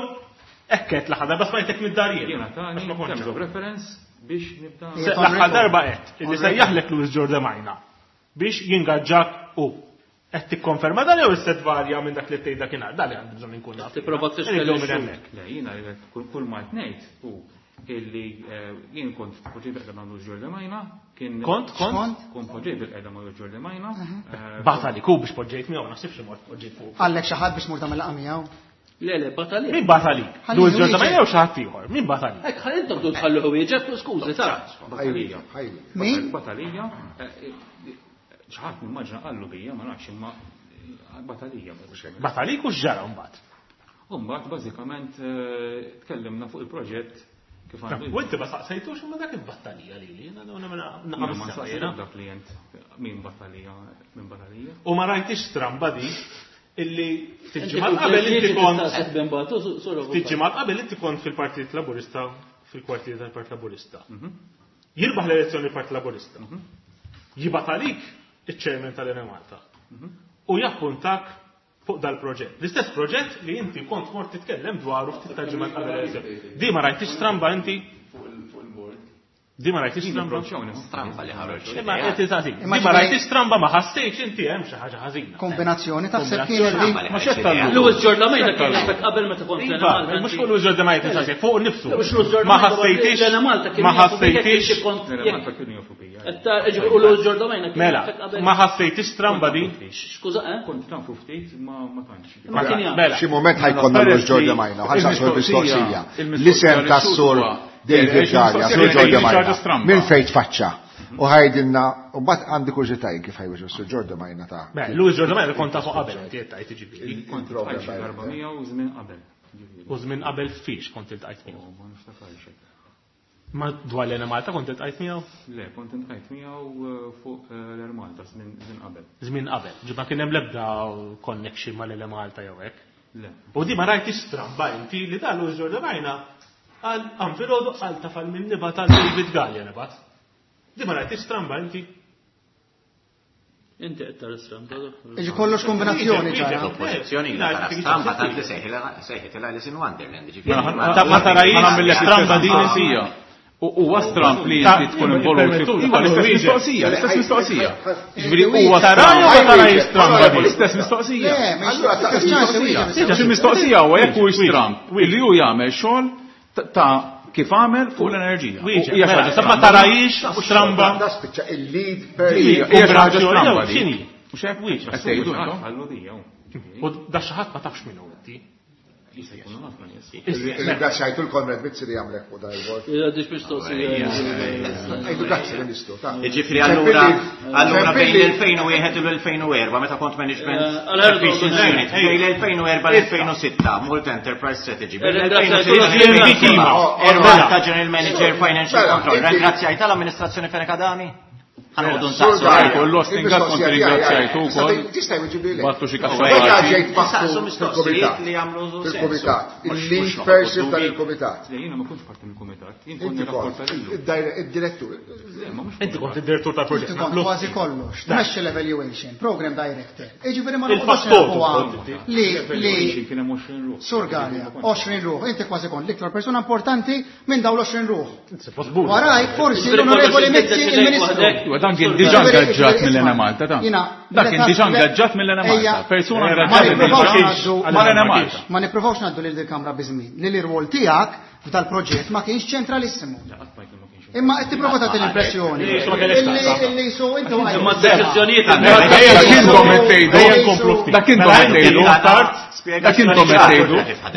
Speaker 3: Hekk qed l-aħħar darba smajtek mid-dar jien.
Speaker 4: Jiena tani
Speaker 3: Għax ma kontx.
Speaker 4: terms of reference biex nibda.
Speaker 3: Se, l-aħħar darba qed illi sejjaħlek Louis Giordimaina biex jingaġġak u. Qed tikkonferma dan jew issa tvarja minn dak li tgħid dakinhar, dan li għandi bżonn inkun naf.
Speaker 6: Tipprova tfixkel
Speaker 3: Irridu minn
Speaker 6: ix-xhur.
Speaker 3: hemmhekk.
Speaker 4: Le, jiena kull, kull ma qed ngħid hu illi, eh, jien kont poġġej bil-qeda ma' Louis Giordimaina, kien
Speaker 3: Kont, kont?
Speaker 9: Kont?
Speaker 4: Kont poġġej bil-qeda ma' Louis Giordimaina, eh,
Speaker 3: Bata li ku biex poġġejt miegħu, naħsibx li mort poġġejt fuq.
Speaker 9: Għallek xi ħadd biex mur tagħmel laqgħa miegħu?
Speaker 6: Le, le, bata li.
Speaker 3: Min bata li?
Speaker 9: Ħalli
Speaker 3: Louis
Speaker 9: wieġeb.
Speaker 3: Giordimaina jew xi ħadd ieħor? Min bata li?
Speaker 6: Hekk ħalli intom tu tħallu wieġeb, skużi, ta'
Speaker 2: Ħajja, ħajja.
Speaker 9: Min?
Speaker 4: Batalija, eh, eh, xi ħadd nimmaġina qallu bija, ma nafx imma batalija.
Speaker 3: Batalik u x'ġara mbagħad?
Speaker 4: U mbagħad bażikament, eh, tkellimna fuq il-proġett kif għandu.
Speaker 3: U inti ma saqsejtux imma dak il-battalija lili, jiena dawn nagħmel
Speaker 4: Jiena
Speaker 3: naqam
Speaker 4: ma
Speaker 3: is-sema,
Speaker 4: saqsejt
Speaker 3: jiena.
Speaker 4: dak klient min battalija, min battalija.
Speaker 3: U ma rajtix stramba di illi ftit
Speaker 6: Inti
Speaker 3: ġimgħat
Speaker 6: kull
Speaker 3: qabel inti
Speaker 6: tliet
Speaker 3: kont
Speaker 6: tistaqsih ben batu, su-, su-
Speaker 3: ftit ġimgħat qabel inti kont fil-Partit Laburista, fil-kwartier tal-Partit Laburista. Jirbaħ l-elezzjoni l-Partit Laburista. Jibgħat għalik iċ-chairman tal-Ene Malta. U jappuntak fuq dal-proġett. L-istess proġett li inti kont mort titkellem dwaru ftit ta' ġimgħat qabel l-elezzjoni. Di ma rajtix stramba inti? Di ma rajtix stramba?
Speaker 5: Stramba li ħaroġ.
Speaker 3: Imma qed tistaqsi.
Speaker 9: Imma
Speaker 3: Di ma
Speaker 9: ġifieri-
Speaker 3: rajtix stramba ma ħassejtx inti hemm xi ħaġa ħażina.
Speaker 9: Kombinazzjoni taħseb kienet di.
Speaker 5: Stramba li
Speaker 3: Ma
Speaker 5: ħareġ
Speaker 3: x'qed
Speaker 5: idea.
Speaker 3: tagħmlu?
Speaker 6: Louis Giordimaina kien jafek qabel meta kont
Speaker 3: Iva,
Speaker 6: l-Ene Malta.
Speaker 3: mhux fuq Louis Giordimaina tistaqsi, fuq nifsu.
Speaker 6: Mhux Louis Giordimaina,
Speaker 3: Ma ħassejtix.
Speaker 6: l-Ene Malta kien
Speaker 3: Ma
Speaker 6: jafu bik jekk
Speaker 3: ħassejtix.
Speaker 6: inti kont
Speaker 4: L-Ene
Speaker 6: jekk-
Speaker 4: Malta kienu jafu bija.
Speaker 6: Qed ta' ġifieri, u Louis Giordimaina kien
Speaker 3: Mela,
Speaker 6: jafek qabel.
Speaker 3: ma ħassejtix stramba di?
Speaker 6: Skuża, eh?
Speaker 4: Kont nafu ftit ma ma tantx.
Speaker 6: Ma kien jaf.
Speaker 3: Mela.
Speaker 2: Xi moment ħajkonna Louis Giordimaina, u ħansaqsu l-mistoqsija. L-isem tas-sur David Galea, Sur Giordimaina. Minn fejn tfaċċa? U ħajdilna, u mbagħad għandi kurżitaj kif ħajweġ Sur Giordimaina ta'
Speaker 3: Mela, Louis Giordimaina kont tafu qabel, inti qed tgħid jiġifieri.
Speaker 4: Kont iltqajt xi darba miegħu żmien qabel. Ġifieri.
Speaker 3: U żmien qabel fiex kont iltqajt miegħu.
Speaker 4: U ma niftakarx hekk.
Speaker 3: Ma dwar l-Ene Malta kont iltqajt miegħu?
Speaker 4: Le, kont iltqajt miegħu, eh, fuq, eh, l-Air Malta żmien żmien qabel.
Speaker 3: Żmien qabel. Ġi ma kien hemm l-ebda connection mal-Ene Malta jew hekk.
Speaker 4: Le.
Speaker 3: U di ma rajtix stramba inti li dan Louis Giordimaina għal għam filgħodu għal tafal minn nibat għal David Galea nibat. Di ma rajtix stramba inti.
Speaker 6: Inti qed tara stramba.
Speaker 9: Iġi kollox kombinazzjoni ġara.
Speaker 5: L-oppożizzjoni la tara stramba tant li sejħitilha Alice in Wonderland, ġifieri.
Speaker 3: Ma ta' ma tarajx stramba din
Speaker 8: mistoqsija. U huwa stramp li inti tkun involut. Iva, l-istess mistoqsija, l-istess mistoqsija. Ġifieri huwa
Speaker 3: Tara jew ma tara stramba di?
Speaker 8: L-istess mistoqsija. Xi mistoqsija huwa jekk huwiex stramp li hu jagħmel xogħol ta' kif għamel fuq l-enerġija.
Speaker 3: Hija xi ħaġa ma tarajix stramba.
Speaker 2: Da spiċċa il-lead person.
Speaker 8: Hija xi ħaġa stramba di.
Speaker 3: X'inhi?
Speaker 8: Mhux hekk? Qed tgħidu intom?
Speaker 3: U da xi ħadd ma tafx min hu inti.
Speaker 2: Ringrazzjajtu l-Konrad Mizzi li għamlek fuq dan il-vot.
Speaker 6: Għadix mistoqsija.
Speaker 2: Għajdu grazzi Ministru. ta'
Speaker 5: Ġifri allura allura bejn l-elfejn u wieħed u l-elfejn u erba' meta kont management efficiency unit bejn l-elfejn u erba' l-elfejn u sitta Malta Enterprise Strategy bejn l-elfejn u sitta erba' ta' General Manager Financial Control. Ringrazzjajt tal-amministrazzjoni Fenech Adami? Ħanqodu nsaqsu.
Speaker 8: Kollu stingat kont ringrazzjajtu wkoll.
Speaker 2: Tista' jweġibli lek.
Speaker 8: Battu xi kaxxa.
Speaker 2: Meta ġejt
Speaker 5: Saqsu
Speaker 2: maħtur
Speaker 5: mistoqsijiet
Speaker 2: fil-kumitat.
Speaker 5: li jagħmlu sens.
Speaker 2: Fil-kumitat.
Speaker 5: Mhux-
Speaker 2: Il-lead
Speaker 5: mhux
Speaker 2: person
Speaker 5: noqogħdu
Speaker 2: tal
Speaker 5: dubji.
Speaker 2: il-kumitat.
Speaker 4: Le, jiena ma kontx parti mill-kumitat, jien kont
Speaker 2: Inti kont
Speaker 4: nirrapporta lilu.
Speaker 2: id-direttur.
Speaker 4: Le, ma mhux
Speaker 3: Inti kont id-direttur tal-proġett.
Speaker 9: Inti kont kważi kollox, tmexxi l-evaluation, program director. Jiġifieri ma noqgħodux
Speaker 3: Il-fattur
Speaker 9: nafuha
Speaker 3: kont inti.
Speaker 9: li li
Speaker 4: Kien hemm għoxrin ruħ.
Speaker 9: Sur Galea, għoxrin ruħ, inti kważi kont l-iktar persuna importanti minn dawn l-għoxrin ruħ. Waraj, forsi l-Onorevoli Mizzi, il-Ministru.
Speaker 8: Iva, dan kien diġà ingaġġat mill-Ena Malta, ta'
Speaker 9: Jina,
Speaker 8: Dak kien diġà ingaġġat mill-Ena Malta.
Speaker 9: Ejja,
Speaker 8: Persuna
Speaker 9: ma
Speaker 8: ingaġġat
Speaker 9: nippruvawx
Speaker 8: diġà
Speaker 9: ngħaddu-
Speaker 8: mal-Ena Malta.
Speaker 9: Ma nippruvawx ngħaddu lil il-Kamra biżmien, li l-irwol tiegħek f'dal-proġett ma kienx ċentralissimu. Imma qed tipprova tagħti l-impressjoni illi su inti
Speaker 6: Imma d-deċiżjonijiet
Speaker 8: Dak intom qed tgħidu. Dak intom qed tgħidu. Dak intom qed tgħidu.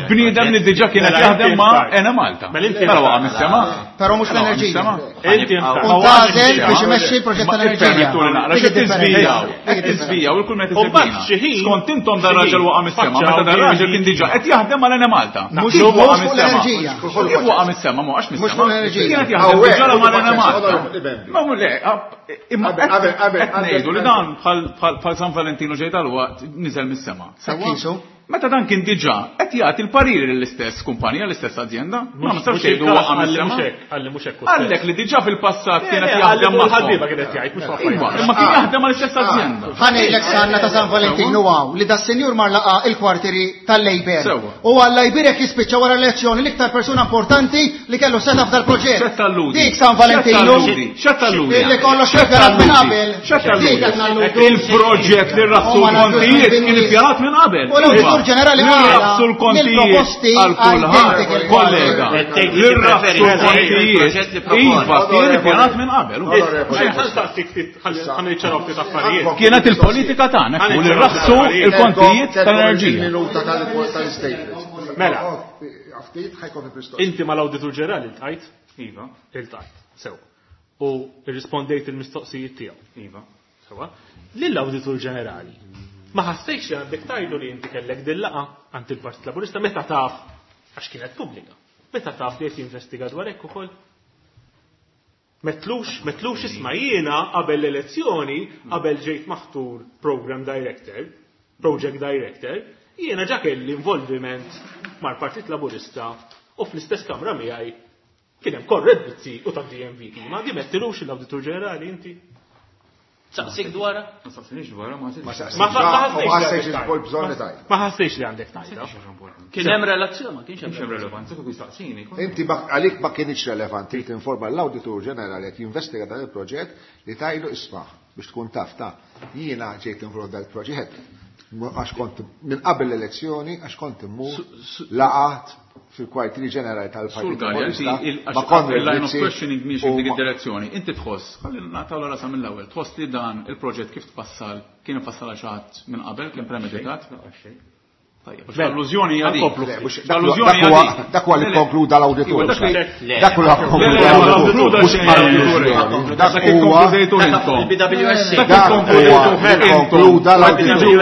Speaker 8: Bniedem li diġà kien qed jaħdem ma' Ena Malta. Mela waqa' mis-sema.
Speaker 9: Però mhux l-enerġija.
Speaker 3: Inti
Speaker 9: U tagħżel biex imexxi l-proġett tal-enerġija.
Speaker 8: Permettuli naqra,
Speaker 9: Dik
Speaker 8: xi
Speaker 9: id-differenza.
Speaker 8: tiżvijaw.
Speaker 9: Dik
Speaker 8: Qed
Speaker 9: id-differenza.
Speaker 8: tiżvijaw il-kull meta
Speaker 3: U mbagħad
Speaker 8: tiżvijina.
Speaker 3: xi ħin-
Speaker 8: Skont intom dan raġel waqa' mis-sema, meta dan raġel kien diġà qed jaħdem mal Ena Malta.
Speaker 9: Mhux
Speaker 8: Kif waqa'
Speaker 9: mhux fuq
Speaker 8: mis-sema?
Speaker 9: l-enerġija.
Speaker 8: Kif waqa' mis-sema, ma waqax
Speaker 9: Mhux
Speaker 8: mis-sema.
Speaker 9: fuq l-enerġija.
Speaker 8: Kien qed jaħdem diġà mal Ena Malta.
Speaker 2: Onorevoli
Speaker 8: Ma mhu le, imma
Speaker 2: Qabel, qabel, qabel,
Speaker 8: qed ngħidu li
Speaker 2: qabel.
Speaker 8: dan bħal bħal San Valentino ġej tal-waqt niżel mis-sema. Sewwa?
Speaker 9: Kisu.
Speaker 8: Meta dan kien diġà qed jagħti l-pariri lill-istess kumpanija, l-istess azjenda, ma nistax tgħidu waqa' mis-sema.
Speaker 3: Għalli mhux hekk.
Speaker 8: Għallek li diġà fil-passat kien qed
Speaker 3: Għalli
Speaker 8: jaħdem
Speaker 3: fuq
Speaker 8: magħhom.
Speaker 3: il-ħaddiema kien qed jgħid mhux
Speaker 8: Iva, imma kien jaħdem mal-istess azjenda.
Speaker 9: Ħanejlek sanna ta' San Valentino għaw li da senjur mar laqa il-kwartieri tal-Lejber.
Speaker 8: Sewwa.
Speaker 9: U għalla jbirek jispiċċa wara l-elezzjoni l-iktar persuna importanti li kellu seta f'dal proġett.
Speaker 8: X'qed talludi?
Speaker 9: Dik San Valentino.
Speaker 8: X'qed talludi? X'qed talludi?
Speaker 9: Illi kollox
Speaker 8: X'qed
Speaker 9: preparat minn
Speaker 8: talludi?
Speaker 9: qabel.
Speaker 8: X'qed talludi?
Speaker 9: Dik qed nalludu.
Speaker 8: Il-proġett li rafsu
Speaker 9: U ma nagħdux
Speaker 8: l-kontijiet
Speaker 9: minn
Speaker 8: kien
Speaker 9: nies.
Speaker 8: ippjanat minn qabel.
Speaker 9: U l-Awditur Ġenerali
Speaker 8: Li
Speaker 9: qala
Speaker 8: rafsu l-kontijiet
Speaker 9: l-proposti
Speaker 8: għal kulħadd,
Speaker 9: identical.
Speaker 8: kollega. Li rafsu l-kontijiet, iva, kien ippjanat minn qabel.
Speaker 3: Ħanniċċaraw ftit affarijiet.
Speaker 8: Kienet il-politika tagħna u li rafsu il-kontijiet tal-enerġija.
Speaker 2: Il-minuta tal-statement.
Speaker 3: Mela.
Speaker 2: Ftit ħajkun il-mistoqsija.
Speaker 3: Inti mal-Awditur Ġenerali iltqajt?
Speaker 4: Iva,
Speaker 3: Iltqajt. Sew. U rrispondejt il-mistoqsijiet tiegħu.
Speaker 4: iva.
Speaker 3: Sewa. Lill-Awditur Ġenerali. Ma ħassejx li għandek tajdu li inti kellek dil-laqa għand il-Partit Laburista meta taf għax kienet pubblika. Meta taf li qed jinvestiga dwar hekk ukoll. Metlux, metlux isma' jiena qabel l-elezzjoni, qabel ġejt maħtur program director, project director, jiena ġa kelli involviment mal-Partit Laburista u fl-istess kamra miegħi kien hemm Konrad Mizzi u ta' D M V kima, di mettilux l-Awditur Ġenerali inti.
Speaker 6: Saqsik dwarha?
Speaker 4: Ma saqsinix dwarha, ma
Speaker 2: Ma
Speaker 4: saqsinix.
Speaker 3: Ma
Speaker 2: ma ħassejx
Speaker 3: ħassejx li
Speaker 2: il-bol bżonn li tajt.
Speaker 3: Ma ħassejx li għandek tajda.
Speaker 6: Kien hemm relazzjoni, ma kienx
Speaker 4: Kienx
Speaker 6: hemm
Speaker 4: hemm relevanza kieku jistaqsini.
Speaker 2: Inti ma- għalik ma kienx relevanti li tinforma l-Awditur Ġenerali qed jinvestiga dan il-proġett li tajlu isma' biex tkun taf ta' jiena ġejt involut dan il-proġett għax kont minn qabel l-elezzjoni għax kont immur laqat fil-kwartieri ġenerali tal-Partit
Speaker 8: Sur Galea, inti
Speaker 2: Laburista
Speaker 8: il-
Speaker 2: ma'
Speaker 8: għax
Speaker 2: Konrad
Speaker 8: il-line of
Speaker 2: Mizzi
Speaker 8: questioning miex
Speaker 2: u
Speaker 8: f'dik
Speaker 2: ma-
Speaker 8: id-direzzjoni. Inti tħoss, ħalli nagħtaw rasa mill-ewwel, tħoss li dan il-proġett kif tfassal kien ifassal għal xi ħadd minn qabel, kien premeditat? Tajjeb, għax l-allużjoni hija dik.
Speaker 3: Ħankomplu
Speaker 2: Le,
Speaker 3: ftit.
Speaker 2: mhux- dak
Speaker 8: L-allużjoni
Speaker 2: huwa-
Speaker 8: hija dik.
Speaker 2: Dak huwa li
Speaker 8: Le, le.
Speaker 2: konkluda l-awditur.
Speaker 8: Iva, dak li-
Speaker 2: Dak huwa
Speaker 8: Le,
Speaker 2: konkluda
Speaker 8: le,
Speaker 2: l-awditur.
Speaker 8: l-awditur
Speaker 2: Mhux
Speaker 8: xejn.
Speaker 2: allużjoni.
Speaker 8: Dak
Speaker 2: Dak huwa
Speaker 8: ikkonkludejtu intom.
Speaker 5: Il-B W S C.
Speaker 8: Dak
Speaker 2: dak
Speaker 8: ikkonkludejtu
Speaker 2: huwa
Speaker 8: intom.
Speaker 2: konkluda l-awditur.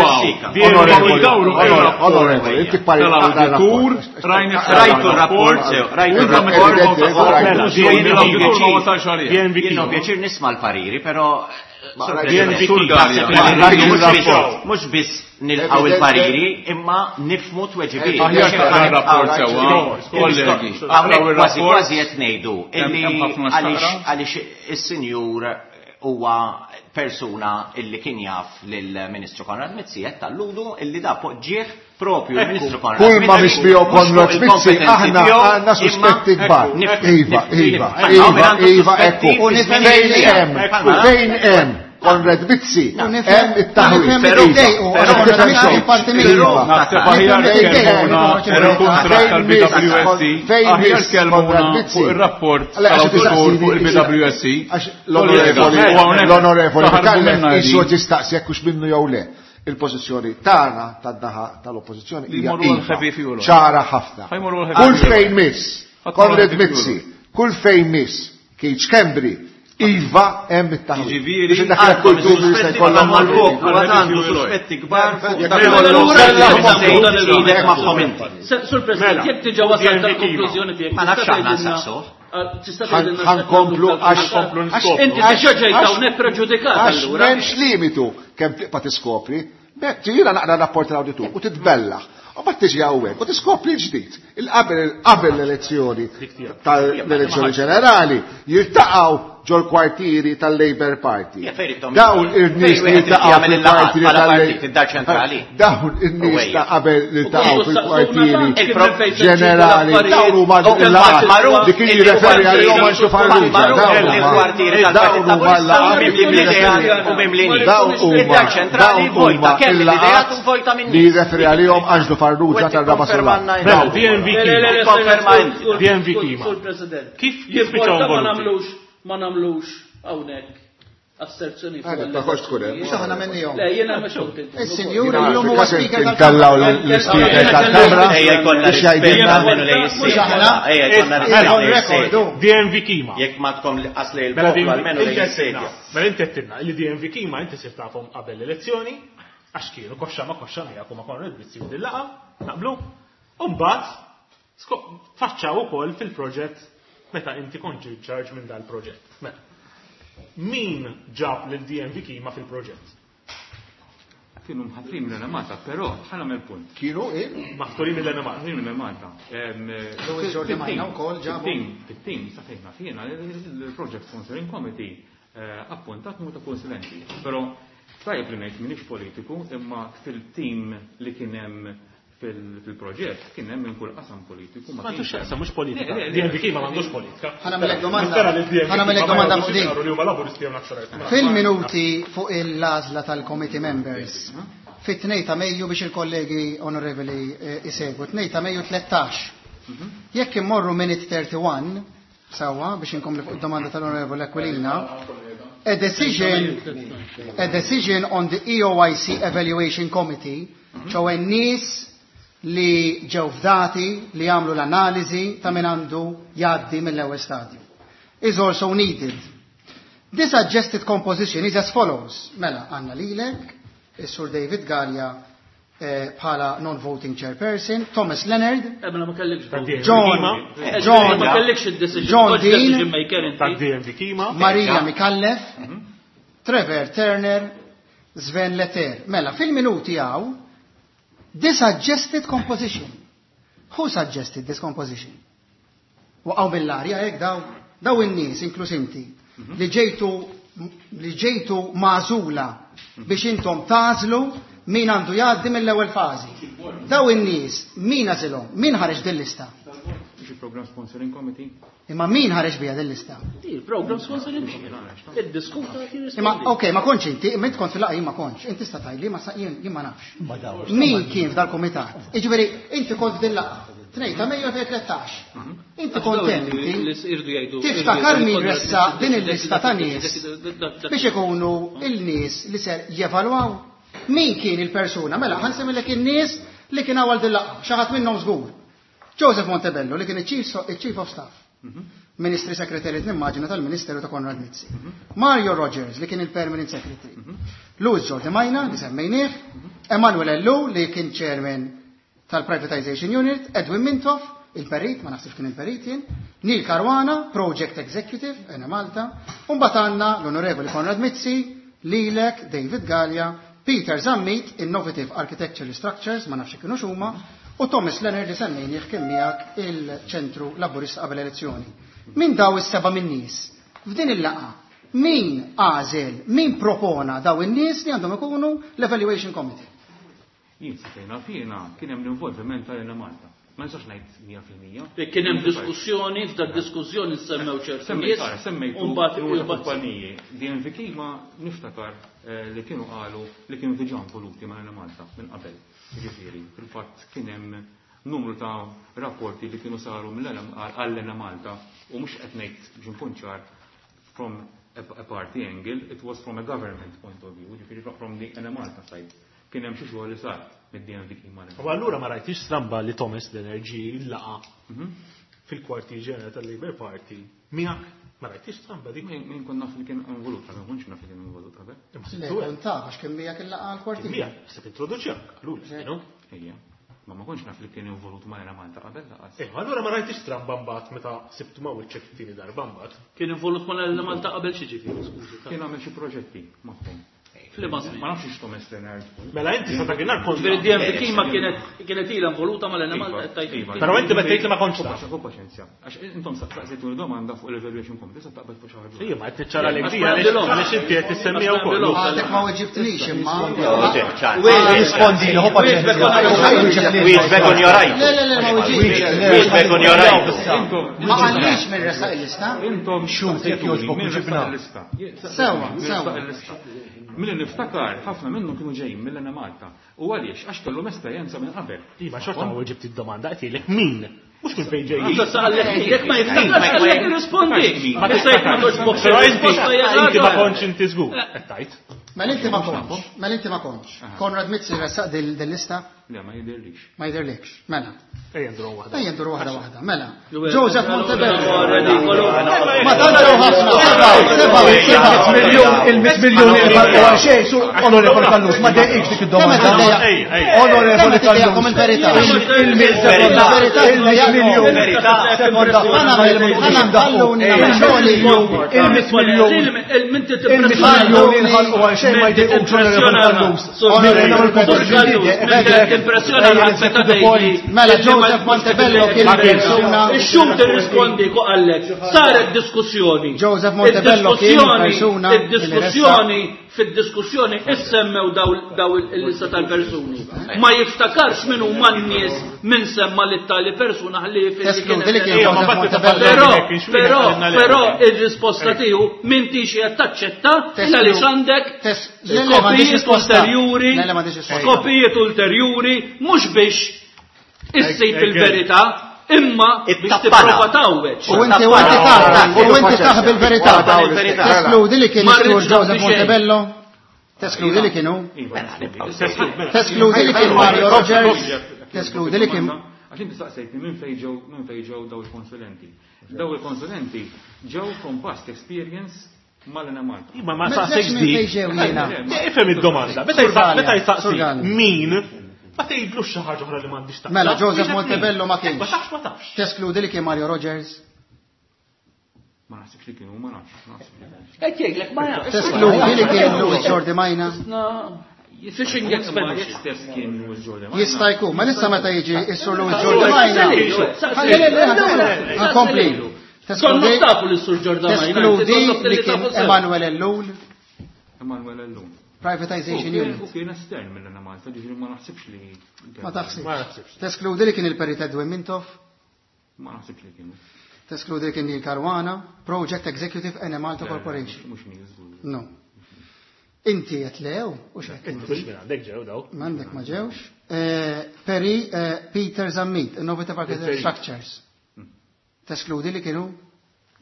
Speaker 8: Onorevoli,
Speaker 2: Onorevoli, onorevoli, inti pari
Speaker 8: Tal-awditur, rajni
Speaker 5: Rajtu r-rapport, sew, rajtu r-rapport.
Speaker 8: L-awditur ma wasalx għalih.
Speaker 5: Jien ho pjaċir nisma' l-pariri, però
Speaker 2: Ma
Speaker 5: Sur
Speaker 2: rajtu
Speaker 5: President,
Speaker 8: Sur Galea.
Speaker 5: naħseb li
Speaker 2: Rajtu
Speaker 5: mhux biss-
Speaker 2: r-rapport.
Speaker 5: Mhux biss nilqgħu il-pariri, imma nifmu tweġibiet.
Speaker 8: Aħjar taqra r-rapport sewwa, kollegi.
Speaker 5: Hawnhekk
Speaker 8: Taqraw
Speaker 5: kważi
Speaker 8: ir-rapport.
Speaker 5: kważi qed ngħidu illi
Speaker 8: Hemm ħafna
Speaker 5: għaliex
Speaker 8: x'taqra.
Speaker 5: għaliex is-sinjur huwa persuna illi kien jaf lill-Ministru Konrad Mizzi qed talludu illi da poġġieħ propju l-Ministru Konrad
Speaker 2: Kull ma mhix miegħu Konrad Mizzi aħna għandna suspetti kbar. Iva, iva, iva, iva, ekku. Fejn hemm, fejn hemm Konrad Mizzi, hemm it-taħwid.
Speaker 5: Però
Speaker 8: Naħseb aħjar kellmuna il-kuntratt tal-B W S C, aħjar kellmuna fuq ir-rapport tal-awditur fuq il-B W S C.
Speaker 2: L-onorevoli Micallef qisu tistaqsi jekk hux minnu jew le. Il-pożizzjoni tagħna tan-naħa tal-oppożizzjoni
Speaker 8: Li
Speaker 2: hija
Speaker 8: jmorru
Speaker 2: iva,
Speaker 8: għal-heavy fuel oil.
Speaker 2: Ċara ħafna.
Speaker 8: Ħa jmorru għal-heavy
Speaker 2: Kull
Speaker 8: fuel oil.
Speaker 2: fejn miss,
Speaker 8: Ħadd
Speaker 2: Konrad
Speaker 8: heavy fuel
Speaker 2: Mizzi,
Speaker 8: oil.
Speaker 2: Kull fejn miss, Keith Schembri, iva hemm it-taħwid.
Speaker 8: Jiġifieri,
Speaker 2: Biex indaħħlek kull dubju li se jkollhom
Speaker 5: mal-poplu
Speaker 8: Għal-heavy
Speaker 5: għandu
Speaker 8: fuel oil.
Speaker 5: suspetti kbar fuq dak
Speaker 3: Mela,
Speaker 5: kollu
Speaker 6: allura
Speaker 5: idek magħhom inti.
Speaker 6: Sur President,
Speaker 3: Mela,
Speaker 6: jekk diġà wasal
Speaker 3: D N V
Speaker 6: tal-konklużjoni tiegħek,
Speaker 5: Ma nafx
Speaker 6: tista'
Speaker 5: aħna
Speaker 6: tgħidilna-
Speaker 5: nsaqsuh.
Speaker 6: Ah, tista'
Speaker 2: Ħan-
Speaker 6: tgħidilna
Speaker 2: ħankomplu għax
Speaker 3: Ħankomplu niskopru.
Speaker 6: Inti diġà ġejt hawnhekk preġudikat
Speaker 2: Għax
Speaker 6: allura.
Speaker 2: m'hemmx limitu kemm tibqa' tiskopri. Ġifieri naqra rapport tal-awditur u titbellaħ. U mbagħad tiġi hawnhekk u tiskopri l-ġdid. Il-qabel qabel l-elezzjoni tal-elezzjoni ġenerali jiltaqgħu ġol kwartieri tal-Labour Party.
Speaker 5: Ja, fejn ittom-
Speaker 2: Dawn ir-nies
Speaker 5: fejn
Speaker 2: li
Speaker 5: wieħed
Speaker 2: jiltaqgħu
Speaker 5: jagħmel il-laqgħat
Speaker 2: fil-kwartieri
Speaker 5: bħala
Speaker 2: tal-
Speaker 5: partit, id-dar ċentrali.
Speaker 2: Dawn in-nies
Speaker 5: Uwejja.
Speaker 2: ta' qabel li ltaqgħu
Speaker 6: U
Speaker 2: fil-kwartieri
Speaker 6: Il-pro-
Speaker 2: ġenerali. Dawn huma
Speaker 5: U magħruf
Speaker 2: dik li jirreferi għalihom Anġlu Farrugia. Dawn huma
Speaker 5: il-kwartieri
Speaker 2: dawn
Speaker 5: tal-Partit
Speaker 2: huma
Speaker 5: Laburista
Speaker 2: l-laqgħat
Speaker 5: mimli bl-ideat u mimli nies.
Speaker 2: Dawn huma
Speaker 5: Id-dar ċentrali
Speaker 2: dawn
Speaker 5: vojta
Speaker 2: huma
Speaker 5: kemm l-ideat
Speaker 2: il-laqgħat
Speaker 5: u vojta minn
Speaker 2: li jirreferi għalihom Anġlu Farrugia tar-Raba' Sular.
Speaker 3: Mela, D N V
Speaker 6: Le, le, le, le,
Speaker 3: Kima.
Speaker 5: Konferma
Speaker 6: sur-
Speaker 5: inti.
Speaker 6: sur-
Speaker 3: D N V
Speaker 6: sur-
Speaker 3: Kima.
Speaker 6: Sur President.
Speaker 3: Kif kif
Speaker 6: Jimporta
Speaker 3: spiċċaw
Speaker 6: ma
Speaker 3: involuti?
Speaker 6: nagħmlux ma nagħmlux hawnhekk asserzjoni fuq
Speaker 2: Għadek, ma kontx tkun hemm.
Speaker 9: Mhux aħna minnihom.
Speaker 6: Le, jiena ma xogħol.
Speaker 9: Is-sinjur illum huwa speaker
Speaker 2: Intallaw
Speaker 9: tal-Kamra.
Speaker 2: l-speaker tal-Kamra
Speaker 5: Ejja jkollna
Speaker 2: biex jgħidilna
Speaker 5: rispett lejn is-sejda. Ejja jkollna
Speaker 9: On
Speaker 5: rispett lejn
Speaker 9: record,
Speaker 5: is-sejda.
Speaker 9: u.
Speaker 3: D N V Kima.
Speaker 5: Jekk ma tkom qas lejn
Speaker 3: Mela
Speaker 5: il-poplu almenu lejn
Speaker 3: inti
Speaker 5: is-sejda.
Speaker 3: Mela inti għedtilna li D N V Kima inti sirt tafhom qabel l-elezzjoni għax kienu koxxa ma koxxa miegħek u ma Konrad Mizzi u dil-laqgħa, naqblu. U mbagħad faċċaw ukoll fil-proġett meta inti kont in charge minn dal-proġett. Mela. Min ġab lil D N V Kima fil-proġett?
Speaker 4: Kienu mħatrin mill-Malta, però ħa nagħmel punt.
Speaker 2: Kienu, eh?
Speaker 3: Maħturin mill-Enemalta.
Speaker 4: Maħtrin mill-Malta.
Speaker 9: Louis Jordi Majna wkoll ġabu.
Speaker 4: Fit-tim, sa fejn naf jiena, il-Project Sponsoring Committee eh, appuntat numru ta' konsulenti. Però tajjeb li ngħid m'iniex politiku, imma fil-tim li kien hemm fil-proġett kien hemm minn kull qasam politiku.
Speaker 3: Ma għandux x'jaqsam, mhux politika.
Speaker 4: Le, le, le.
Speaker 3: D N V Kima m'għandux politika.
Speaker 9: Ħa nagħmellek domanda.
Speaker 3: Nispera li D N V
Speaker 9: Ħa nagħmellek
Speaker 3: Kima ma
Speaker 9: domanda
Speaker 3: jgħidux
Speaker 9: fuq din.
Speaker 3: jaqru li huma laburisti jew nazzjonalisti.
Speaker 9: Fil-minuti fuq il-għażla tal-committee members, fit-tnejn ta' Mejju biex il-kollegi onorevoli eh, isegwu, tnejn ta' Mejju tlettax. Jekk immorru minute thirty-one, sawa, biex inkompli fuq id-domanda tal-onorevoli Aquilina, a decision, a decision on the E O I C Evaluation Committee, ċoè nies li ġew fdati li jagħmlu l-analiżi ta' min għandu jgħaddi mill-ewwel stadju, is also needed. This suggested composition is as follows. Mela, għandna lilek, is-Sur David Galea eh, bħala non-voting chairperson, Thomas Leonard,
Speaker 6: Eh, mela ma kellekx
Speaker 3: Ta'
Speaker 6: vote.
Speaker 3: D N V
Speaker 9: John,
Speaker 3: Kima.
Speaker 6: Eh,
Speaker 9: John,
Speaker 6: ma kellekx id-decision,
Speaker 9: John
Speaker 6: kontx
Speaker 9: Dean,
Speaker 6: decision maker
Speaker 3: Ta'
Speaker 6: inti.
Speaker 3: D N V Kima.
Speaker 9: Maria Micallef, Trevor Turner, Sven Leter. Mela, fil-minuti għaw, this suggested composition. Who suggested this composition? Waqgħu mill-arja hekk daw, daw in-nies, inkluż inti, li ġejtu li ġejtu magħżula biex intom tagħżlu min għandu jgħaddi mill-ewwel fażi. Daw in-nies, min għażilhom? Min ħareġ din lista?
Speaker 4: Mhux il-Program Sponsoring Committee.
Speaker 9: Imma min ħareġ biha din lista?
Speaker 6: Il-program sponsoring. Iddiskuta.
Speaker 9: Imma, ok, ma kontx inti, imma inti kont fil-laqgħa, jien ma kontx. Inti sta tgħidli, ma sa- jien jien ma nafx.
Speaker 7: Ma daw.
Speaker 9: Min kien f'dal-komitat? Iġifieri, inti kont f'din laqgħa. Tnejn ta' Mejju elfejn u tlettax. Inti kont hemm inti. Tiftakar min ressa din il-lista ta' nies biex ikunu il-nies li ser jevalwaw? Min kien il-persuna? Mela, ħa nsemmilek in-nies li kien għal din laqgħa. Xi ħadd minnhom żgur. Joseph Montebello li kien il-Chief il-Chief of Staff. Ministry Secretary, nimmaġina, tal-Ministeru ta' Konrad Mizzi. Mario Rogers li kien il-Permanent Secretary. Louis Giordi Majna li semmejnieh, Emanuel Ellul li kien Chairman tal-Privatization Unit, Edwin Mintoff, il-Perit, ma naħsibx kien il-Perit jien, Neil Caruana, Project Executive, Enemalta, u mbagħad għandna l-Onorevoli Konrad Mizzi, lilek, David Galea, Peter Zammit, Innovative Architecture Structures, ma nafx kienu x'huma, u Thomas Leonard li semmejnieh kien miegħek il-ċentru Laburista qabel elezzjoni. Min daw is-seba' min nies f'din il-laqgħa Min għażel, min propona daw in-nies li għandhom ikunu l-Evaluation Committee?
Speaker 4: Jien sejna fina kien hemm l-involviment tal-Enemalta. Ma nistax ngħid mija fil-mija.
Speaker 6: Kien hemm diskussjoni, f'dak diskussjoni semmew ċertu nies.
Speaker 4: Semmejtu kumpaniji. D N V Kima niftakar li kienu qalu li kienu diġà involuti ma' Enemalta minn qabel. Jiġifieri, fil-fatt kien hemm numru ta' rapporti li kienu saru għall-Enemalta u mhux qed ngħid biex inkun ċar from a party angle, it was from a government point of view, jiġifieri from the Enemalta side. Kien hemm xi xogħol li sar mid-D N V Kima.
Speaker 3: U allura ma rajtix stramba li Thomas Leonard laqa fil-kwartier ġenerali tal-Labour Party miegħek, ma rajtix stramba dik.
Speaker 4: Min kont naf li kien involut, ma kontx naf li kien involut qabel.
Speaker 9: Le, kont taf għax kien miegħek il-laqa għall-kwartier.
Speaker 3: Miegħek, se introduċjak, allura, no?
Speaker 4: Ejja. Ma ma kontx naf li kien involut ma' Enemalta qabel laqas.
Speaker 3: Eh, allura ma rajtix stramba mbagħad meta sibtu ma' wiċċek it-tieni darba mbagħad.
Speaker 6: Kien involut ma' Enemalta qabel xi ġifieri, skużi.
Speaker 4: Kien għamel xi proġetti magħhom.
Speaker 6: Ma
Speaker 4: nafx x'Thomas Leonard.
Speaker 3: Mela inti sa dakinhar kont.
Speaker 6: Ġifieri D N V Kima kienet kienet ilha involuta mal-Enemalta qed tgħid.
Speaker 3: Però inti meta tgħid li ma kontx taf.
Speaker 4: Hu paċenzja. Għax intom saqsejtuni domanda fuq l-evaluation committee, sa taqbel fuq xi ħaġa.
Speaker 3: Ejja, ma qed niċċara lek di għaliex inti qed tissemmiha wkoll.
Speaker 9: Għadek ma weġibtnix imma.
Speaker 7: Rispondi, hu paċenzja.
Speaker 5: Wieġbek on your right.
Speaker 9: Le, le, le, ma weġibtx.
Speaker 5: Wieġbek on your right.
Speaker 9: Ma qallix minn resaq il-lista.
Speaker 4: Intom
Speaker 7: xut jekk jogħġbok ġibna.
Speaker 9: Sewa, sewa.
Speaker 4: Milli niftakar, ħafna minnhom kienu ġejjin mill-Enemalta. U għaliex? Għax kellhom esperjenza minn qabel.
Speaker 3: Iva, xorta ma weġibt id-domanda, qed jgħidlek min? Mhux minn fejn ġejjin.
Speaker 6: Jekk ma jiftakarx, għalhekk irrispondi. Issa jekk ma toġbokx
Speaker 3: ir-risposta inti ma kontx inti żgur, qed tgħid.
Speaker 9: Mela inti ma kontx, mela inti ma kontx. Konrad Mizzi ressaq dil-lista?
Speaker 4: Le, ma jidhirlix.
Speaker 9: Ma jidhirlix, mela.
Speaker 3: Ejja nduru waħda.
Speaker 9: Ejja nduru waħda waħda, mela. Joseph Montebello. Ma tantx ħafna. Seba' seba'
Speaker 7: miljun il-mitt miljun il-ħalqu għal xejn, sur Onorevoli Callus, ma dejqix dik id-domanda. Onorevoli Callus. Il-mitt miljun. Il-mitt miljun. Il-mitt miljun il-ħalqu għal xejn ma jdejqux Onorevoli Callus.
Speaker 9: Mela Joseph Montebello kien persuna.
Speaker 6: Ix-xhud irrispondi ku qallek. Saret diskussjoni.
Speaker 9: Joseph Montebello kien persuna.
Speaker 6: Id-diskussjoni fid-diskussjoni issemmew daw il-lista tal-persuni. Ma jiftakarx min huma n-nies min semma lit-tali persuna ħalli Però però però ir-risposta tiegħu m'intix qed taċċetta għaliex għandek skopijiet ulterjuri, skopijiet ulterjuri mhux biex issib il-verità, imma biex tipprova tgħawweġ.
Speaker 9: U inti u inti taħ, u inti taħ bil-verità. Teskludi li kien is-sur Joseph Montebello? Teskludi li kienu? Teskludi li kien Mario Rogers? Teskludi li kien.
Speaker 4: Għax inti saqsejtni minn fejn ġew minn fejn ġew daw il-konsulenti. Daw il-konsulenti ġew from past experience mal-Enemalta.
Speaker 3: Imma ma saqsejtx di. Ifhem id-domanda. Meta jsaqsi min ma tgħidlux xi ħaġa oħra li m'għandix taqsam.
Speaker 9: Mela Joseph Montebello ma kienx.
Speaker 3: Ma tafx, ma tafx.
Speaker 9: Teskludi li kien Mario Rogers?
Speaker 4: Ma naħsibx li kienu, ma nafx.
Speaker 6: Qed jgħidlek ma nafx.
Speaker 9: Teskludi li kien Louis Jordi Majna?
Speaker 6: Fishing expedition.
Speaker 9: Jista' jkun, ma nista' meta jiġi s-sur Louis Jordi Majna. Nkompli.
Speaker 6: Konna tafu li s-sur Jordi Majna.
Speaker 9: Teskludi li kien Emanuel Ellul.
Speaker 4: Emanuel Ellul.
Speaker 9: Privatization Unit.
Speaker 4: U kien estern mill-Enemalta, ġifieri ma naħsibx li.
Speaker 9: Ma taħsibx. Teskludi li kien il-Perit Edwin Mintoff?
Speaker 4: Ma naħsibx li kienu.
Speaker 9: Teskludi li kien Neil Caruana, Project Executive Enemalta Corporation.
Speaker 4: Mhux Neil żgur.
Speaker 9: No. Inti qed lew u x'qed.
Speaker 3: Inti mhux minn għandek ġew daw.
Speaker 9: M'għandek ma ġewx. Peri Peter Zammit, Innovative Architecture Structures. Teskludi li kienu?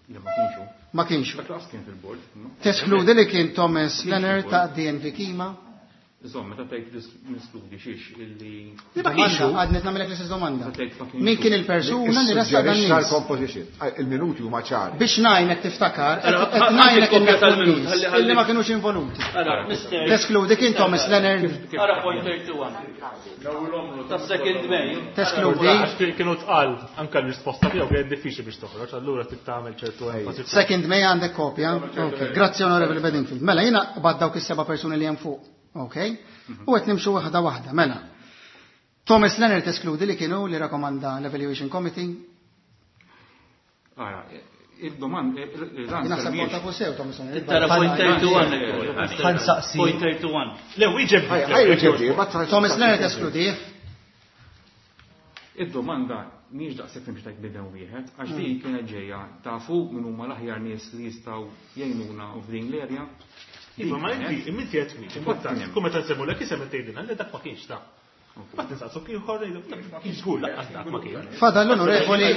Speaker 4: Le ma kienxu.
Speaker 9: Ma kienxu.
Speaker 4: Dak laqas kien fil-bord.
Speaker 9: Teskludi li kien Thomas Leonard ta' D N V Kima.
Speaker 4: Insomma, meta tgħid niskludi xiex illi.
Speaker 3: Ma kienxu.
Speaker 9: Għadni nagħmilek l-istess domanda. Min kien il-persuna li resta dan nies?
Speaker 2: L-composition. Il-minuti huma ċari.
Speaker 9: Biex ngħinek tiftakar, qed ngħinek illi ma kinux involuti. Teskludi kien Thomas Leonard.
Speaker 6: Ara point thirty-one. Ta' second May.
Speaker 9: Teskludi.
Speaker 3: Kienu tqal anke l-risposta tiegħu kienet diffiċli biex toħroġ, allura trid tagħmel ċertu enfasi.
Speaker 9: Second May għandek kopja. Ok, grazzi Onorevoli Bedingfield. Mela jiena bad dawk is-seba' persuni li hemm fuq. Ok? U qed nimxu waħda waħda, mela. Thomas Leonard eskludi li kienu li rakomanda l-Evaluation Committee.
Speaker 4: Ara, Il-domanda,
Speaker 9: Naħseb kont tafu sew Thomas Leonard.
Speaker 6: Tara point thirty-one.
Speaker 7: Ħansaqsi.
Speaker 6: Point thirty-one.
Speaker 3: Le, wieġeb.
Speaker 9: Thomas Leonard eskludih.
Speaker 4: Id-domanda mhijiex daqshekk nimxi tajt bidem wieħed, għax din kienet ġejja tafu min huma l-aħjar nies li jistgħu jgħinuna f'din l-erja.
Speaker 3: Iva, ma inti, inti qed twieġeb, importanti, kull meta nsemmulek isem qed tgħidilna li dak ma kienx ta'. Ma tinsaqsu ieħor dak ma kienx żgur lanqas dak ma kien.
Speaker 9: Fadal l-onorevoli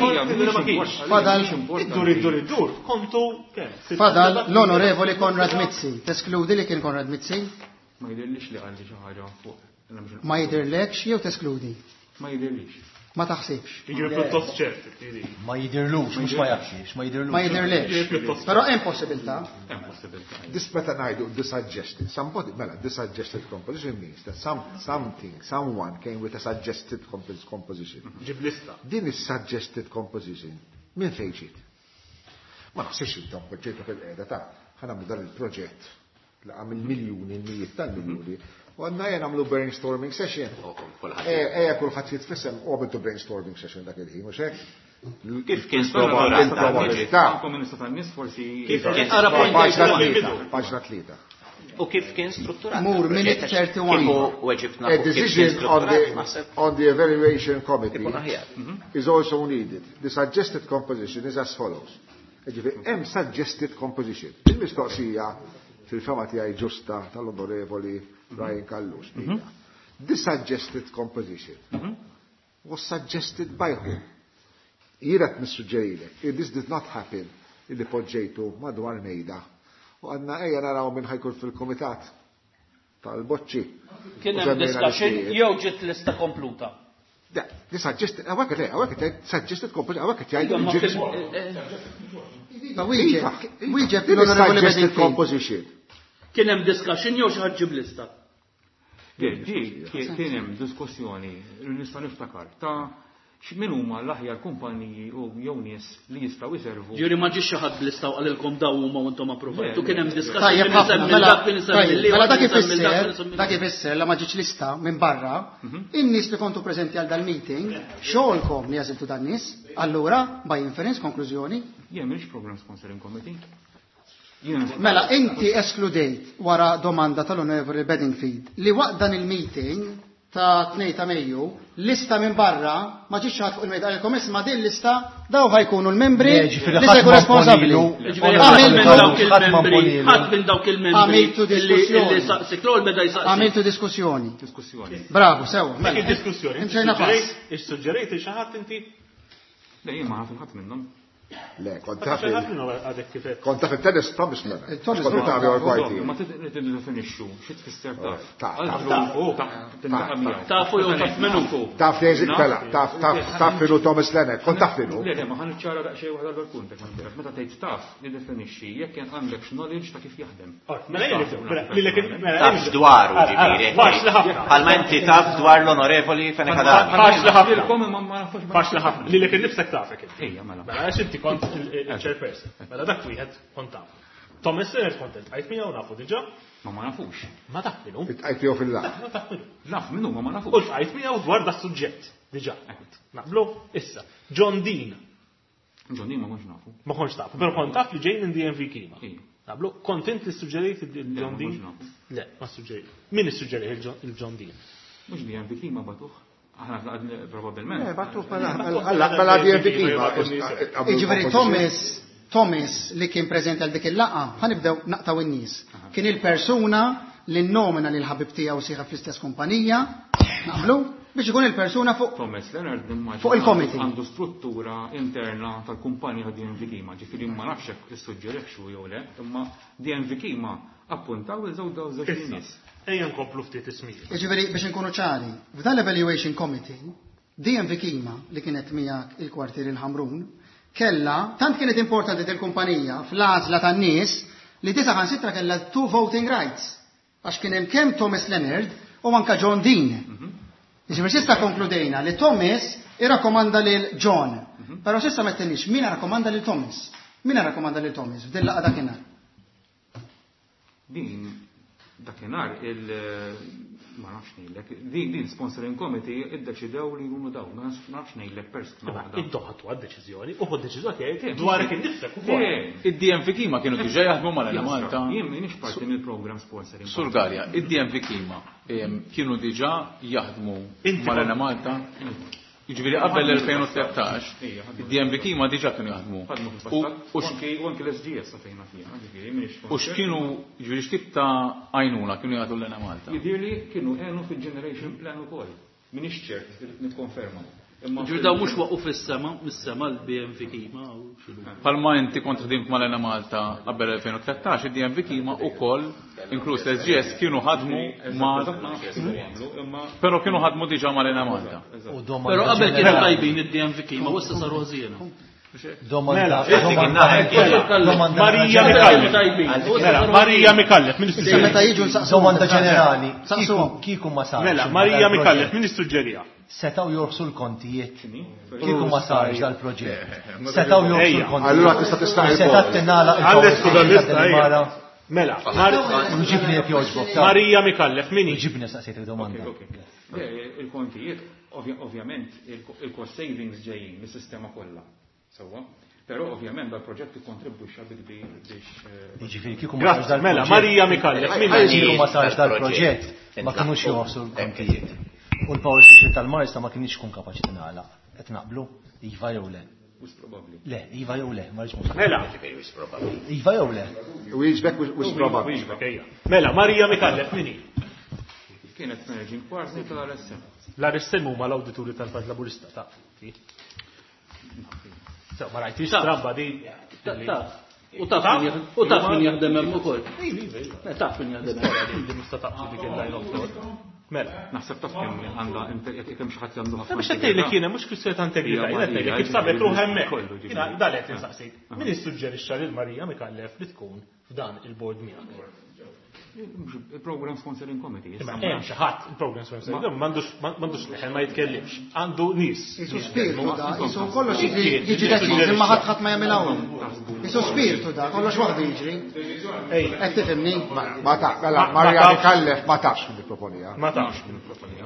Speaker 9: Fadal
Speaker 3: Iddur, iddur, iddur, kontu kemm?
Speaker 9: Fadal l-onorevoli Konrad Mizzi. Teskludi li kien Konrad Mizzi?
Speaker 4: Ma jidhirlix li qalli xi ħaġa fuq.
Speaker 9: Ma jidhirlekx jew teskludi?
Speaker 4: Ma jidhirlix.
Speaker 9: Ma taħsibx.
Speaker 3: Jiġifieri pjuttost ċert, jiġifieri.
Speaker 7: Ma jidhirlux, mhux ma jafx, ma jidhirlux.
Speaker 9: Ma jidhirlekx.
Speaker 3: Jiġifieri pjuttost
Speaker 9: Però hemm possibilità.
Speaker 4: Hemm possibilità.
Speaker 2: This meta ngħidu the suggested, somebody, mela, the suggested composition means that some, something, someone came with a suggested compos-, composition.
Speaker 3: Ġib lista.
Speaker 2: Din is suggested composition minn fejn ġiet? Ma naħsibx intom poġġejtu fil-qiegħda ta' ħa nagħmlu dan il-proġett li għamil miljuni, mijiet tal-miljuni. U għandna jena nagħmlu brainstorming session. Ejja kulħadd jitfissem u għamiltu brainstorming session dak il-ħin, mhux hekk?
Speaker 5: Kif kien
Speaker 2: Il-probabilità.
Speaker 4: Komunista tan-nies forsi.
Speaker 5: Kif kien
Speaker 6: Ara point
Speaker 2: Paġna
Speaker 6: thirty-one.
Speaker 2: tlieta, paġna tlieta.
Speaker 5: U kif kien strutturat?
Speaker 9: Mur, minute thirty-one.
Speaker 5: Kieku weġibna
Speaker 2: A
Speaker 5: fuq kif kien
Speaker 2: decision on
Speaker 5: strutturat,
Speaker 2: the,
Speaker 5: naħseb
Speaker 2: on the evaluation committee
Speaker 5: ikun aħjar.
Speaker 2: is also needed. The suggested composition is as follows. Ġifieri, hemm suggested composition. Il-mistoqsija fil-fema tiegħi ġusta tal-onorevoli Ryan Callus. The suggested composition was suggested by whom? Jiena qed nissuġġerilek, this did not happen illi poġġejtu madwar mejda. U għandna ejja naraw minn ħajkun fil-komitat tal-boċċi.
Speaker 6: Kien
Speaker 2: U
Speaker 6: hemm
Speaker 2: semmejna
Speaker 6: discussion
Speaker 2: l-ismijiet.
Speaker 6: jew ġiet lista kompluta.
Speaker 2: Da, the suggested, hawnhekk le, hawnhekk qed suggested composition, hawnhekk qed jgħidu
Speaker 6: Ma
Speaker 2: ġiet-
Speaker 6: fil-
Speaker 9: Iva, wieġeb, wieġeb
Speaker 2: Din
Speaker 9: l-onorevoli
Speaker 2: suggested
Speaker 9: Bedingfield.
Speaker 2: composition.
Speaker 6: Kien hemm discussion jew xi ħadd ġib lista?
Speaker 4: Di, kien hemm diskussjoni li nista' niftakar ta' x'min huma l-aħjar kumpaniji u jew nies li jistgħu jservu.
Speaker 6: Ġifieri ma ġiex xi ħadd blista u qalilkom daw huma u intom approvajtu. Kien hemm discussion
Speaker 9: Tajjeb
Speaker 6: min
Speaker 9: ħafna,
Speaker 6: isemmi
Speaker 9: mela,
Speaker 6: dak, min isemmi
Speaker 9: tajjeb,
Speaker 6: l-ieħor,
Speaker 9: mela dak
Speaker 6: min isemmi dak,
Speaker 9: ifisser,
Speaker 6: min isemmi
Speaker 9: dak ifisser la ma ġietx lista minn barra, in-nies li kontu preżenti għal dal-meeting, xogħolkom li għażiltu dan-nies, allura by inference konklużjoni.
Speaker 4: Jien m'iniex program sponsoring committee. Jien
Speaker 9: Mela inti eskludejt wara domanda tal-Onorevoli Bedingfield li waqt dan il-meeting ta' tnejn ta' Mejju, lista minn barra ma ġietx ħadd fuq il-mejda qalilkom isma' din lista daw ħajkunu l-membri
Speaker 7: Le, ġifieri
Speaker 9: li se
Speaker 7: ħadd
Speaker 9: jkunu
Speaker 7: ma
Speaker 9: responsabbli.
Speaker 7: mponilu.
Speaker 6: Ġifieri ħadd minn dawk
Speaker 7: Ħadd ma
Speaker 6: il-membri,
Speaker 7: mponilu.
Speaker 6: ħadd minn dawk il-membri
Speaker 9: Għamiltu
Speaker 6: illi
Speaker 9: diskussjoni.
Speaker 6: illi saqsik l-ewwel beda jsaqsik.
Speaker 9: Għamiltu diskussjoni.
Speaker 4: Diskussjoni.
Speaker 9: Bravo, sewa.
Speaker 3: Dik
Speaker 9: Mela.
Speaker 3: id-diskussjoni.
Speaker 9: Imxejna pass.
Speaker 3: Issuġġerejt xi ħadd inti?
Speaker 4: Le, jien ma naf ħadd minnhom.
Speaker 2: Le, kont
Speaker 3: Ma
Speaker 2: taf
Speaker 3: xi ħadd
Speaker 2: il-
Speaker 3: minnhom għadek kif qed.
Speaker 2: kont taf il-tennis Thomas Leonard.
Speaker 9: Eh, Thomas
Speaker 2: Kont
Speaker 9: Leonard.
Speaker 2: taf jew kwarti.
Speaker 4: Ma tiddefinixxu xi tfisser taf.
Speaker 2: Taf, taf,
Speaker 4: Għalfru,
Speaker 3: taf.
Speaker 4: taf, tintaqa' miegħu.
Speaker 6: Tafu jew taf minnu.
Speaker 2: Taf li jeżik mela, taf, taf, taf finu Thomas Leonard, kont taf finu.
Speaker 4: Le, le, ma ħa niċċara daqsxejn waħda l-punt, jekk ma ntilef. Meta tgħid taf, niddefinixxi jekk kien għandek knowledge ta' kif jaħdem.
Speaker 3: Mela jien nibdew, mela, lilek il- mela,
Speaker 5: Taf
Speaker 3: jien nibdew.
Speaker 5: dwaru,
Speaker 3: Ara, ara,
Speaker 5: ġifieri.
Speaker 3: Faċli ħafna.
Speaker 5: Bħalma inti taf dwar l-onorevoli Fenech Adami.
Speaker 3: Faċli ħafna.
Speaker 4: Ilkom imma ma nafux.
Speaker 3: Faċli ħafna. Lilek innifsek tafek inti.
Speaker 4: Ejja, mela.
Speaker 3: Mela għax inti kont il-chairperson. Mela dak wieħed kont taf. Thomas Leonard kont iltqajt miegħu nafu diġà.
Speaker 4: Ma ma nafux.
Speaker 3: Ma taf minnu.
Speaker 2: Itqajt jew fil-laqgħa.
Speaker 3: Ma taf minnu.
Speaker 4: Naf minnu, ma ma
Speaker 3: U
Speaker 4: nafux.
Speaker 3: ltqajt miegħu dwar da suġġett diġà. Naqblu issa. John Dean.
Speaker 4: John Dean ma kontx nafu.
Speaker 3: Ma kontx tafu, però kont taf li ġejn in D M V Kima.
Speaker 4: Ija.
Speaker 3: Naqblu, kont int li suġġerejt il-John
Speaker 4: Le, ma
Speaker 3: Dean?
Speaker 4: kontx nafu.
Speaker 3: Le, ma suġġerejt. Min issuġġerejt il-John, il-John Dean?
Speaker 4: Mhux D M V Kima batuh. Aħna tlaqna probabbilment.
Speaker 2: Eh, battuh mela, mela, mela D M V Kima.
Speaker 9: Jiġifieri Thomas, Thomas li kien preżenti għal dik il-laqgħa, ħanibdew naqtaw in-nies. Kien il-persuna li nnomina lil ħabib tiegħu sieħeb fl-istess kumpanija, naqblu, biex ikun il-persuna fuq
Speaker 4: Thomas Leonard nimmaġina
Speaker 9: Fuq il-committee.
Speaker 4: għandu struttura interna tal-kumpanija ta' D M V Kima, ġifieri ma nafx hekk issuġġerixxu jew le, imma D M V Kima appuntaw il-żewġ daw żewġ
Speaker 3: Issa,
Speaker 4: nies.
Speaker 3: ejja nkomplu ftit ismijiet.
Speaker 9: Jiġifieri biex inkunu ċari, f'dan l-evaluation committee, D M V Kima li kienet miegħek il-kwartier il-Ħamrun, kella, tant kienet importanti del-kumpanija fl-għażla tan-nies li disa ħansitra kella two voting rights. Għax kien hemm kemm Thomas Leonard u anka John Dean. Jiġifieri s'issa konkludejna li Thomas irrakkomanda lil John. Però s'issa ma ttenniex min irrakkomanda lil Thomas. Min irrakkomanda lil Thomas f'din laqgħa dakinhar?
Speaker 4: Din dakinhar il Ma nafx ngħidlek. Din din sponsoring committee iddeċidew li jkunu dawn, ma nafx ngħidlek persuna waħda.
Speaker 3: Intom ħadtu għad-deċiżjoni u ħod deċiżjoni tiegħek dwarek innifsek ukoll.
Speaker 8: Id-D M V Kima kienu diġà jaħdmu mal-Enemalta.
Speaker 4: Jien m'iniex parti mill-program sponsoring.
Speaker 8: Sur Galea, id-D M V Kima kienu diġà jaħdmu mal-Enemalta. Jiġifieri qabel l-elfejn u tlettax, id-D M V Kima diġà kienu jaħdmu.
Speaker 4: U anki l-S G S fejna fiha, ġifieri m'iniex.
Speaker 8: U x'kienu, ġifieri x'tip ta' għajnuna kienu jagħtu l-Enemalta?
Speaker 4: Jidhirli kienu għenu fil-generation plan ukoll. M'iniex ċert, irrid nikkonferma.
Speaker 6: Ġifieri daw mhux waqgħu fis-sema, mis-sema l-B M V Kima u x'inhu.
Speaker 8: Palma inti kont ħdimt mal-Enemalta qabel elfejn u tlettax, id-D M V Kima ukoll, inkluż l-S G S, kienu ħadmu ma' Però kienu ħadmu diġà mal-Enemalta.
Speaker 6: Però qabel kienu tajbin id-D M V Kima, u issa saru ħżiena.
Speaker 7: Domanda.
Speaker 3: Marija Micallef. Mela, Marija Micallef, min
Speaker 9: Issa meta jiġu nsaqsu.
Speaker 7: Domanda ġenerali. Kieku ma sarx.
Speaker 3: Mela, Marija Micallef, min issuġġerija?
Speaker 7: Setgħu jorħsu l-kontijiet. Kieku ma sarx dal-proġett. Setgħu jorħsu l-kontijiet.
Speaker 2: Allura tista' tista'
Speaker 7: Setgħet tingħalaq
Speaker 3: il-Delimara. Mela,
Speaker 7: Ġibni jekk jogħġbok.
Speaker 3: Marija Micallef, min hi?
Speaker 7: Ġibni saqsejt il-domanda.
Speaker 4: Il-kontijiet, ovvjament, il-cost savings ġejjin mis-sistema kollha. Sewwa. Però ovvjament dal-proġett ikkontribwixxa bi kbir biex.
Speaker 7: Jiġifieri kieku ma sarx dal-proġett.
Speaker 3: Mela, Marija Micallef, min hi?
Speaker 7: Kieku ma sarx dal-proġett, ma kinux jorħsu l-kontijiet. U l-power station tal-Marsa ma kienx kun kapaċi tingħalaq. Qed naqblu? Iva jew le?
Speaker 4: Wis probabbli.
Speaker 7: Le, iva jew le, ma rridx.
Speaker 3: Mela.
Speaker 7: Iva jew le?
Speaker 2: Wieġbek wis probabbli.
Speaker 3: Wieġbek, ejja. Mela, Marija Micallef, min hi?
Speaker 4: Kienet managing partner tal-R S M.
Speaker 3: L-R S M huma l-awdituri tal-Partit Laburista ta' Ma rajtix stramba di.
Speaker 6: U taf u taf min jaħdem hemm ukoll. Taf min jaħdem hemm.
Speaker 3: Di mista taqsi dik il-line of thought. Mela.
Speaker 4: Naħseb taf kemm għandha kemm xi ħadd għandu ħafna.
Speaker 3: Biex qed tgħidlek jiena mhux kwistjoni ta' integrità, jiena tgħidlek kif sabet ruħ hemmhekk. Jiena dan qed insaqsik. Min issuġġerixxa lil Marija Micallef li tkun f'dan il-board miegħek?
Speaker 4: Il-Program Sponsoring Committee.
Speaker 3: Imma hemm xi ħadd il-Program Sponsoring m'għandux m'għandux leħen ma jitkellimx. Għandu nies.
Speaker 9: Isu spiritu da, isu kollox jiġi deċiż imma ħadd ħadd ma jagħmel hawn. Isu spiritu da, kollox waħdu jiġri. Qed tifhimni?
Speaker 2: Ma ta' mela Marija Micallef ma tafx min ipproponija.
Speaker 3: Ma tafx min ipproponija.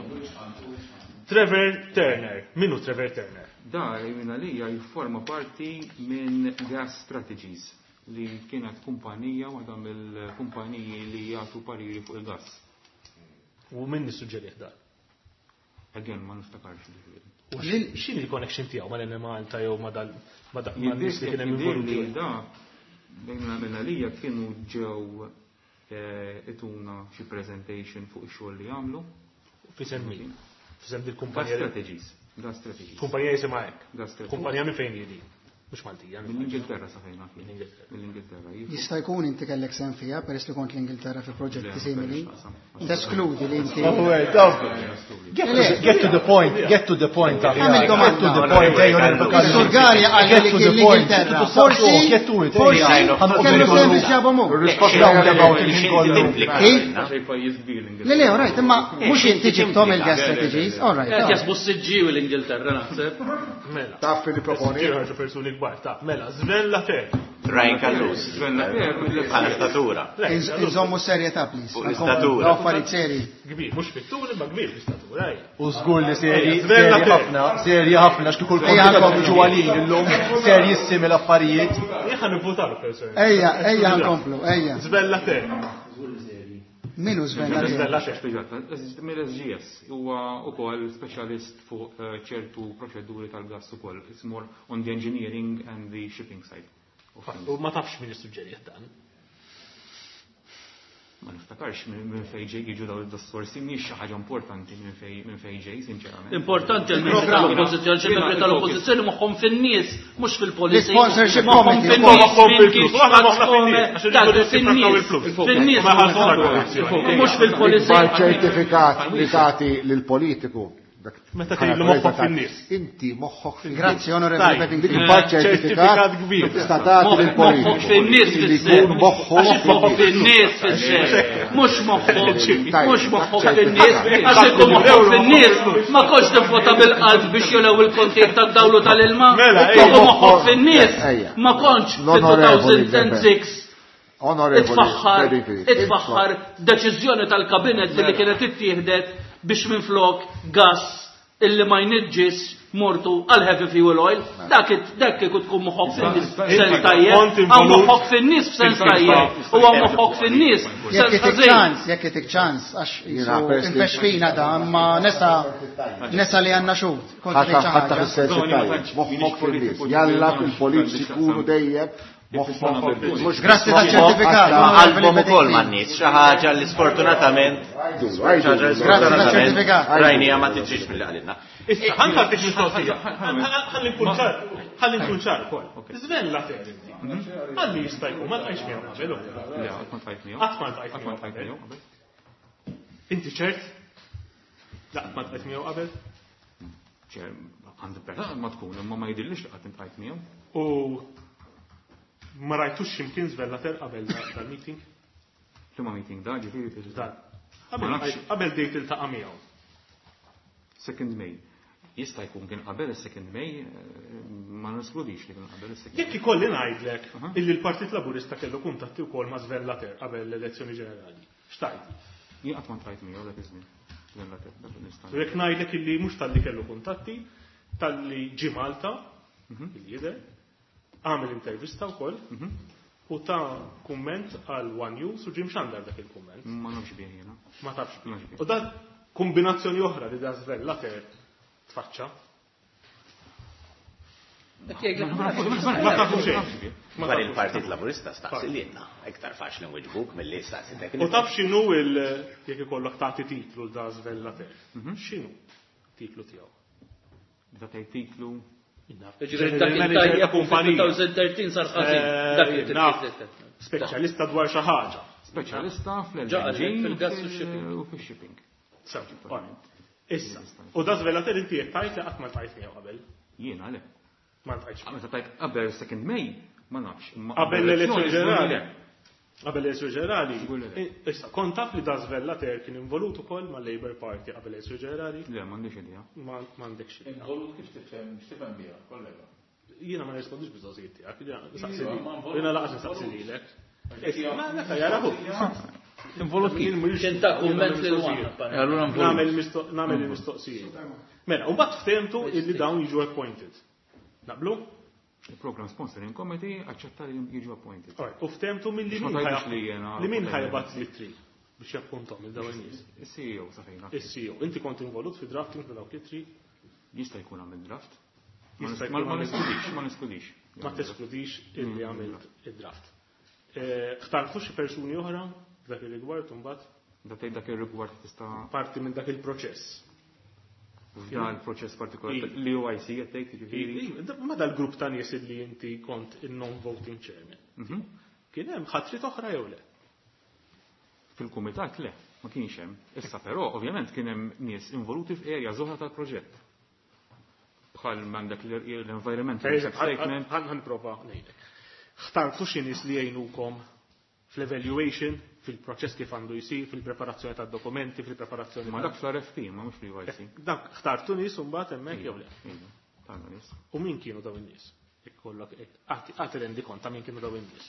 Speaker 3: Trevor Turner. Min hu Trevor Turner?
Speaker 4: Da, minn għalija jifforma parti minn Gas Strategies li kienet kumpanija, waħda mill-kumpaniji li jagħtu pariri fuq il-gas.
Speaker 3: U min nissuġġerih dan?
Speaker 4: Again, ma niftakarx ġifieri.
Speaker 3: U x'inhi l-connection tiegħu mal-Enemalta jew ma dal ma nies li kien hemm involuti?
Speaker 4: Da, minn għalija kienu ġew ituna xi presentation fuq ix-xogħol li jagħmlu.
Speaker 3: F'isem min? F'isem dil-kumpanija.
Speaker 4: Gas Strategies. Gas Strategies.
Speaker 3: Kumpanija jisimha hekk.
Speaker 4: Gas Strategies.
Speaker 3: Kumpanija minn fejn jiedi? Mhux Maltija.
Speaker 4: Mill-Ingilterra sa fejn naf. Mill-Ingilterra.
Speaker 9: Jista' jkun inti kellek sehem fiha peress li kont l-Ingilterra fi proġetti simili. Teskludi li inti.
Speaker 7: Get to the point, get to the point.
Speaker 9: Għamil
Speaker 7: Get to the point.
Speaker 9: Sur Galea qal li kien l-Ingilterra. Forsi, forsi, kellu sehem biex ġabhom hu. Kif? Le, le, all right, imma mhux inti ġibthom il-Gas Strategies, all right.
Speaker 6: Qed jasbu s-siġġiewi l-Ingilterra naħseb.
Speaker 3: Mela.
Speaker 2: Taf li proponi.
Speaker 3: Ħarġu persuni kbar, taf. Mela, Sven Lafer.
Speaker 5: Ryan Callus.
Speaker 4: Sven Lafer.
Speaker 5: Bħala statura.
Speaker 9: Inżommu serjetà, please.
Speaker 5: Fuq l-istatura.
Speaker 9: Affarijiet seri.
Speaker 3: Kbir, mhux fit-tul imma kbir fl-istatura.
Speaker 7: U żgur li seri, seri ħafna, seri ħafna, x'kieku l-konti jiġu għalin illum, serjissimi l-affarijiet.
Speaker 3: Jien ħa nivvutalu persuni.
Speaker 9: Ejja, ejja nkomplu, ejja.
Speaker 3: Sven Lafer.
Speaker 9: Min hu Sven Lafer?
Speaker 3: Sven Lafer.
Speaker 4: Mill-S G S huwa ukoll speċjalist fuq ċertu proċeduri tal-gas ukoll. It's more on the engineering and the shipping side.
Speaker 3: U ma tafx min issuġġerih dan.
Speaker 4: Ma niftakarx minn fejn ġej jiġu dawn id-diskorsi, mhix xi ħaġa importanti minn fejn minn fejn ġej, sinċerament.
Speaker 6: Importanti għal-membri tal-oppożizzjoni, xi membri tal-oppożizzjoni moħħhom fin-nies, mhux fil-policy.
Speaker 9: L-sponsorship
Speaker 6: Moħħhom
Speaker 9: committee.
Speaker 6: fin-nies,
Speaker 3: Moħħhom
Speaker 6: min
Speaker 3: fil-flus.
Speaker 6: kif
Speaker 3: Aħna moħħna fin-nies, għax irridu
Speaker 6: fin-nies,
Speaker 3: il-flus.
Speaker 6: fin-nies,
Speaker 3: Ma ħallsuna korruzzjoni.
Speaker 6: mhux fil-policy.
Speaker 2: Ikbar ċertifikat li tagħti lill-politiku. Dak
Speaker 3: Meta
Speaker 2: bħala
Speaker 3: tgħidlu moħħok
Speaker 2: preżentat,
Speaker 3: fin-nies.
Speaker 2: Inti moħħok fin-nies.
Speaker 9: Grazzi, onorevoli
Speaker 3: Tajb,
Speaker 9: Bedingfield.
Speaker 2: Dik ikbar
Speaker 3: Ċertifikat
Speaker 2: ċertifikat
Speaker 3: kbir.
Speaker 2: tista' tagħti
Speaker 6: Moħħok
Speaker 2: lill-politiku.
Speaker 6: fin-nies
Speaker 2: Li
Speaker 6: fisser.
Speaker 2: jkun moħħu
Speaker 6: Għax moħħok fin-nies fisser. Mhux moħħok,
Speaker 2: Tajb,
Speaker 6: mhux moħħok
Speaker 2: ċertifikat.
Speaker 6: fin-nies, għax ikun moħħok fin-nies, ma kontx tivvota bil-qalb biex jolew il-kontijiet tad-dawlu tal-ilma.
Speaker 3: Mela,
Speaker 6: Kieku
Speaker 2: ejja.
Speaker 6: moħħok fin-nies,
Speaker 2: Ejja.
Speaker 6: ma kontx
Speaker 2: L-onorevoli
Speaker 6: fit-two thousand six
Speaker 2: Onorevoli,
Speaker 6: Itfaħħar deċiżjoni tal-kabinet li kienet ittieħdet biex minflok gas illi ma jniġġis mortu għal heavy fuel oil, dak dak kieku tkun moħħok fin-nies f'sens tajjeb, hawn moħħok fin-nies f'sens tajjeb, u hawn moħħok fin-nies f'sens
Speaker 9: ħażin. Jekk itik ċans, għax infexxina da, ma nesa nesa li għandna xhud.
Speaker 2: Ħatta fis-sens tajjeb, moħħok fin-nies, jalla il-politiċi jkunu dejjem.
Speaker 9: Grazzi ta' ċertifikat.
Speaker 5: Qalbhom ukoll man-nies, xi ħaġa li sfortunatament rajnija ma tiġix milli qalilna.
Speaker 3: Issa, ħa nagħtik mistoqsija. Ħalli nkun ċar, ħalli nkun ċar ukoll. Sven Later inti. Ħalli jista' jkun ma ltqajtx miegħu qabel.
Speaker 4: Le, qatt ma ltqajt miegħu.
Speaker 3: Qatt ma ltqajt miegħu qabel. Inti ċert? La qatt ma ltqajt miegħu qabel?
Speaker 4: Ċer, għandi ma tkun, imma ma jidhirlix li qatt iltqajt miegħu.
Speaker 3: U ma rajtux x'imkien Sven Later qabel dal-meeting?
Speaker 4: Liema meeting da, ġifieri
Speaker 3: Dan. Qabel dejt iltaqa' miegħu.
Speaker 4: Second May. Jista' jkun kien qabel is-second May, ma neskludix li kien qabel is-second.
Speaker 3: Jekk ikolli ngħidlek illi l-Partit Laburista kellu kuntatti wkoll ma' Sven Later qabel l-elezzjoni ġenerali. X'tgħid?
Speaker 4: Jien qatt ma ltqajt miegħu dak iż-żmien. Sven Later, dak nista'.
Speaker 3: Jekk ngħidlek illi mhux talli kellu kuntatti, talli ġie Malta, il-jidher, għamel intervista wkoll u ta' kumment għal One News u ġie mxandar dak il-kumment.
Speaker 4: Ma nafx bih jiena.
Speaker 3: Ma tafx. U dan kombinazzjoni oħra li da Sven Later tfaċċa. Ma tafu xejn.
Speaker 5: Dwar il-Partit Laburista staqsi lilna, iktar faċli nwiġbuk milli staqsi dak.
Speaker 3: U taf x'inhu il jekk ikollok tagħti titlu l da Sven Later. X'inhu titlu tiegħu?
Speaker 4: Meta tgħid titlu
Speaker 6: Ġifieri dak il-tajjeb duemientetnaċ sar ħażin. Dak
Speaker 3: Speċjalista dwar xi ħaġa.
Speaker 4: Speċjalista fl-L N G
Speaker 6: fil-gas u shipping.
Speaker 4: U fix-shipping.
Speaker 3: Issa, u da Sven Later inti qed tgħid li qatt ma ltqajt miegħu qabel.
Speaker 4: Jiena le.
Speaker 3: Ma ltqajtx.
Speaker 4: Meta tgħid qabel second May, ma nafx.
Speaker 3: Qabel l-elezzjoni ġenerali. Qabel l-elezzjoni ġenerali. Issa, kont taf li da Sven Later kien involut ukoll mal-Labour Party qabel l-elezzjoni ġenerali?
Speaker 4: Le, m'għandix idea.
Speaker 3: M'għandekx idea.
Speaker 8: Involut kif tifhem, x'tifhem biha, kollega?
Speaker 3: Jiena ma nirrispondix biżgħożijiet tiegħek, jiena laqas nistaqsi lilek. Ma neka jarahu.
Speaker 8: Involut kif?
Speaker 6: Kien ta' kumment lil One.
Speaker 8: Allura involut.
Speaker 3: Nagħmel il-mistoqsijiet. Mela, u mbagħad ftehmtu illi dawn jiġu appointed. Naqblu?
Speaker 4: Il-Program Sponsoring Committee aċċetta li jiġu appointed.
Speaker 3: U ftehmtu milli li min ħajbat l-ittri biex jappuntom il dawn in-nies.
Speaker 4: Is-C E O sa fejn.
Speaker 3: Is-C E O. Inti kont involut fi drafting ta' dawk l-ittri?
Speaker 4: Jista' jkun għamil draft. Ma neskludix, ma neskludix.
Speaker 3: Ma teskludix illi għamilt id-draft. Ħtartu xi persuni oħra f'dak ir-rigward imbagħad?
Speaker 4: Da tgħid dak ir-rigward tista'
Speaker 3: parti minn dak il-proċess.
Speaker 4: F'dan il-proċess partikolari li U I C qed tgħid jiġifieri.
Speaker 3: Ma dal-grupp ta' nies illi inti kont il-non-voting chairman. Kien hemm ħatrit oħra jew le?
Speaker 4: Fil-kumitat le, ma kienx hemm. Issa però ovvjament kien hemm nies involuti f'erja oħra tal-proġett. Bħal m'għandek l-environmental
Speaker 3: Per eżempju,
Speaker 4: statement.
Speaker 3: ħan prova ngħidlek. Ħtartu xi nies li jgħinukom fl-evaluation, fil-proċess kif għandu jsir, fil-preparazzjoni tad-dokumenti, fil-preparazzjoni
Speaker 4: Ma
Speaker 3: tal-
Speaker 4: dak fl-R F P, ma mhux fl-U I C.
Speaker 3: Dak ħtartu nies u mbagħad hemmhekk jew le?
Speaker 4: Iva, ħtarna nies.
Speaker 3: U min kienu dawn in-nies? Ikollok għati rendi kont ta' min kienu dawn in-nies.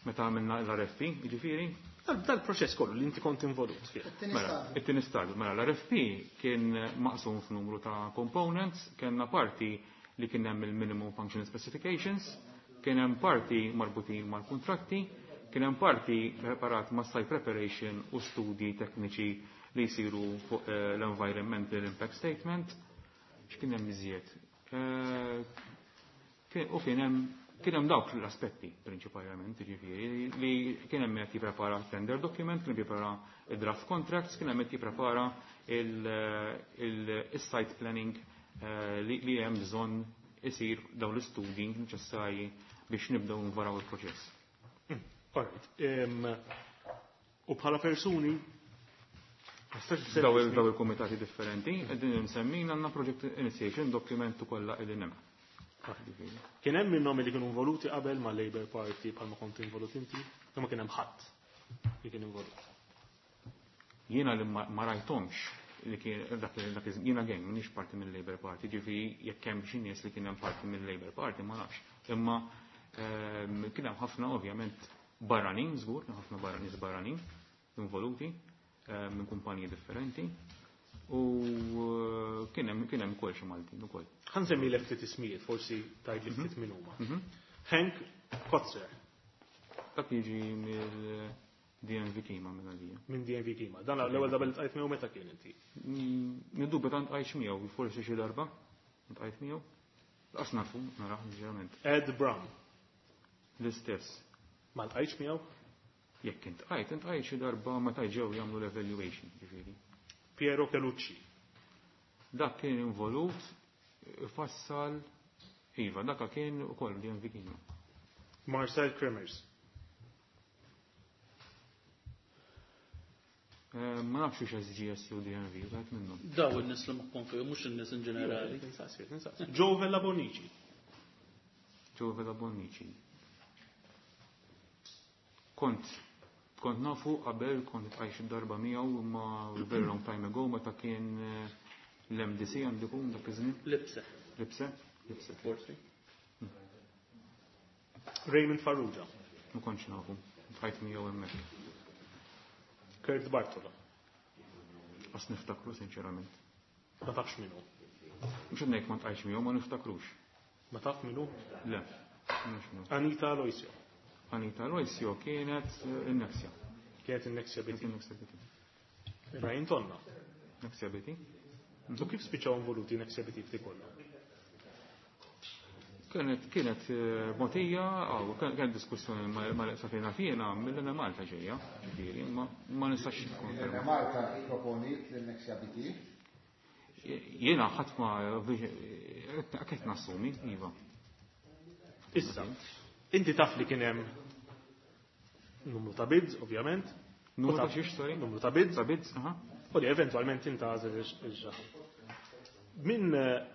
Speaker 4: Meta għamilna l-R F P, jiġifieri?
Speaker 3: Dal-proċess kollu li inti kont involut fih.
Speaker 4: Mela, it-tieni stadju. Mela, l-R F P kien maqsum f'numru ta' components, kellna parti li kien hemm il-minimum functional specifications, kien hemm parti marbutin mal-kuntratti, kien hemm parti preparat ma' site preparation u studji tekniċi li jsiru fuq, eh, l-environmental impact statement. X'kien hemm iżjed? Eh, kien, u kien hemm Kien hemm dawk l-aspetti prinċipalment, jiġifieri, li kien hemm qed jipprepara tender document, kien jipprepara draft contracts, kien hemm qed jipprepara il-site planning, eh, li, li hemm bżonn isir dawn l-istudji neċessarji biex nibdew nvaraw il-proċess.
Speaker 3: Mm, all right. Em, u bħala persuni,
Speaker 4: Daw il-, daw il-komitati differenti, qegħdin insemmin għandna project initiation document ukoll qegħdin hemm.
Speaker 3: Kien hemm minnhom li kienu involuti qabel ma' Labour Party bħalma kont involut inti, imma kien hemm ħadd li kien involut.
Speaker 4: Jiena li ma, ma rajthomx li kien dak li dak iż-żmien, jiena gejn m'iniex parti mill-Labour Party, ġifieri jekk hemm xi nies li kien hemm parti mill-Labour Party ma nafx. Imma, ehm, kien hemm ħafna ovvjament Barranin, żgur, ħafna barranin barranin involuti eh, minn kumpaniji differenti. U eh, kien hemm kien hemm ukoll xi Maltin ukoll.
Speaker 3: Ħa nsemmilek ftit ismijiet, forsi tgħid li ftit min huma.
Speaker 4: Mhm.
Speaker 3: Henk Kotzer
Speaker 4: Dak jiġi mill-D N V Kima minn għalija.
Speaker 3: Minn D N V Kima. Dan l-ewwel darba li ltqajt miegħu meta kien inti?
Speaker 4: Mm, Niddubita ltqajtx miegħu, forsi xi darba ltqajt miegħu. Lanqas nafu, nara, sinċerament.
Speaker 3: Ed Brown.
Speaker 4: L-istess.
Speaker 3: Ma ltqajtx miegħu?
Speaker 4: Jekk iltqajt, iltqajt xi darba meta ġew jagħmlu l-evaluation, ġifieri.
Speaker 3: Piero Chelucci.
Speaker 4: Dak kien involut, fassal, iva, dak kien ukoll D N V Kima.
Speaker 3: Marcel Kremers.
Speaker 4: Eh, Ma nafx hux S G S jew D N V, wieħed minnhom.
Speaker 6: Daw in-nies li moħħhom fihom, mhux in-nies in ġenerali.
Speaker 3: Insaqsi, insaqsi. Joe Vella Bonici.
Speaker 4: Joe Vella Bonnici. Kont kont nafu qabel, kont iltqajt xi darba miegħu imma very long time ago meta kien eh, l-M D C għandu jkun dak iż-żmien.
Speaker 6: Lipse.
Speaker 4: Lipse? Lipse.
Speaker 6: Forsi.
Speaker 3: Raymond Farrugia.
Speaker 4: Ma kontx nafu. Iltqajt miegħu hemmhekk.
Speaker 3: Kurt Bartola.
Speaker 4: Lanqas niftakru, sinċerament.
Speaker 3: Ma tafx min hu.
Speaker 4: Mhux qed ngħid ma ltqajtx miegħu, ma niftakrux.
Speaker 3: Ma taf min hu?
Speaker 4: Le. Ma nafx min hu.
Speaker 3: Anita Aloisio.
Speaker 4: Anita Aloisio kienet eh, in-Nexia.
Speaker 3: Kienet in-Nexia
Speaker 4: Kienet
Speaker 3: B T.
Speaker 4: in-Nexia B T.
Speaker 3: Brian Tonna.
Speaker 4: Nexia B T.
Speaker 3: U kif spiċċaw involuti Nexia B T f'di kollha?
Speaker 4: Kienet kienet eh, motija, aw, kienet diskussjoni ma ma safina fjena mill-Enemalta ġejja, ġifieri, ma ma nistax nikkonferma.
Speaker 2: Malta proponit l-Nexia B T.
Speaker 4: Jiena ħadd ma qed nassumi, iva.
Speaker 3: Issa, inti taf li kien hemm numru ta' bids, ovvjament.
Speaker 4: Numru
Speaker 3: U
Speaker 4: ta'
Speaker 3: taf-
Speaker 4: xiex, sorry?
Speaker 3: Numru ta' bids.
Speaker 4: Ta' bids, aha.
Speaker 3: U li eventualment intgħażel il-xaħam. Min eh,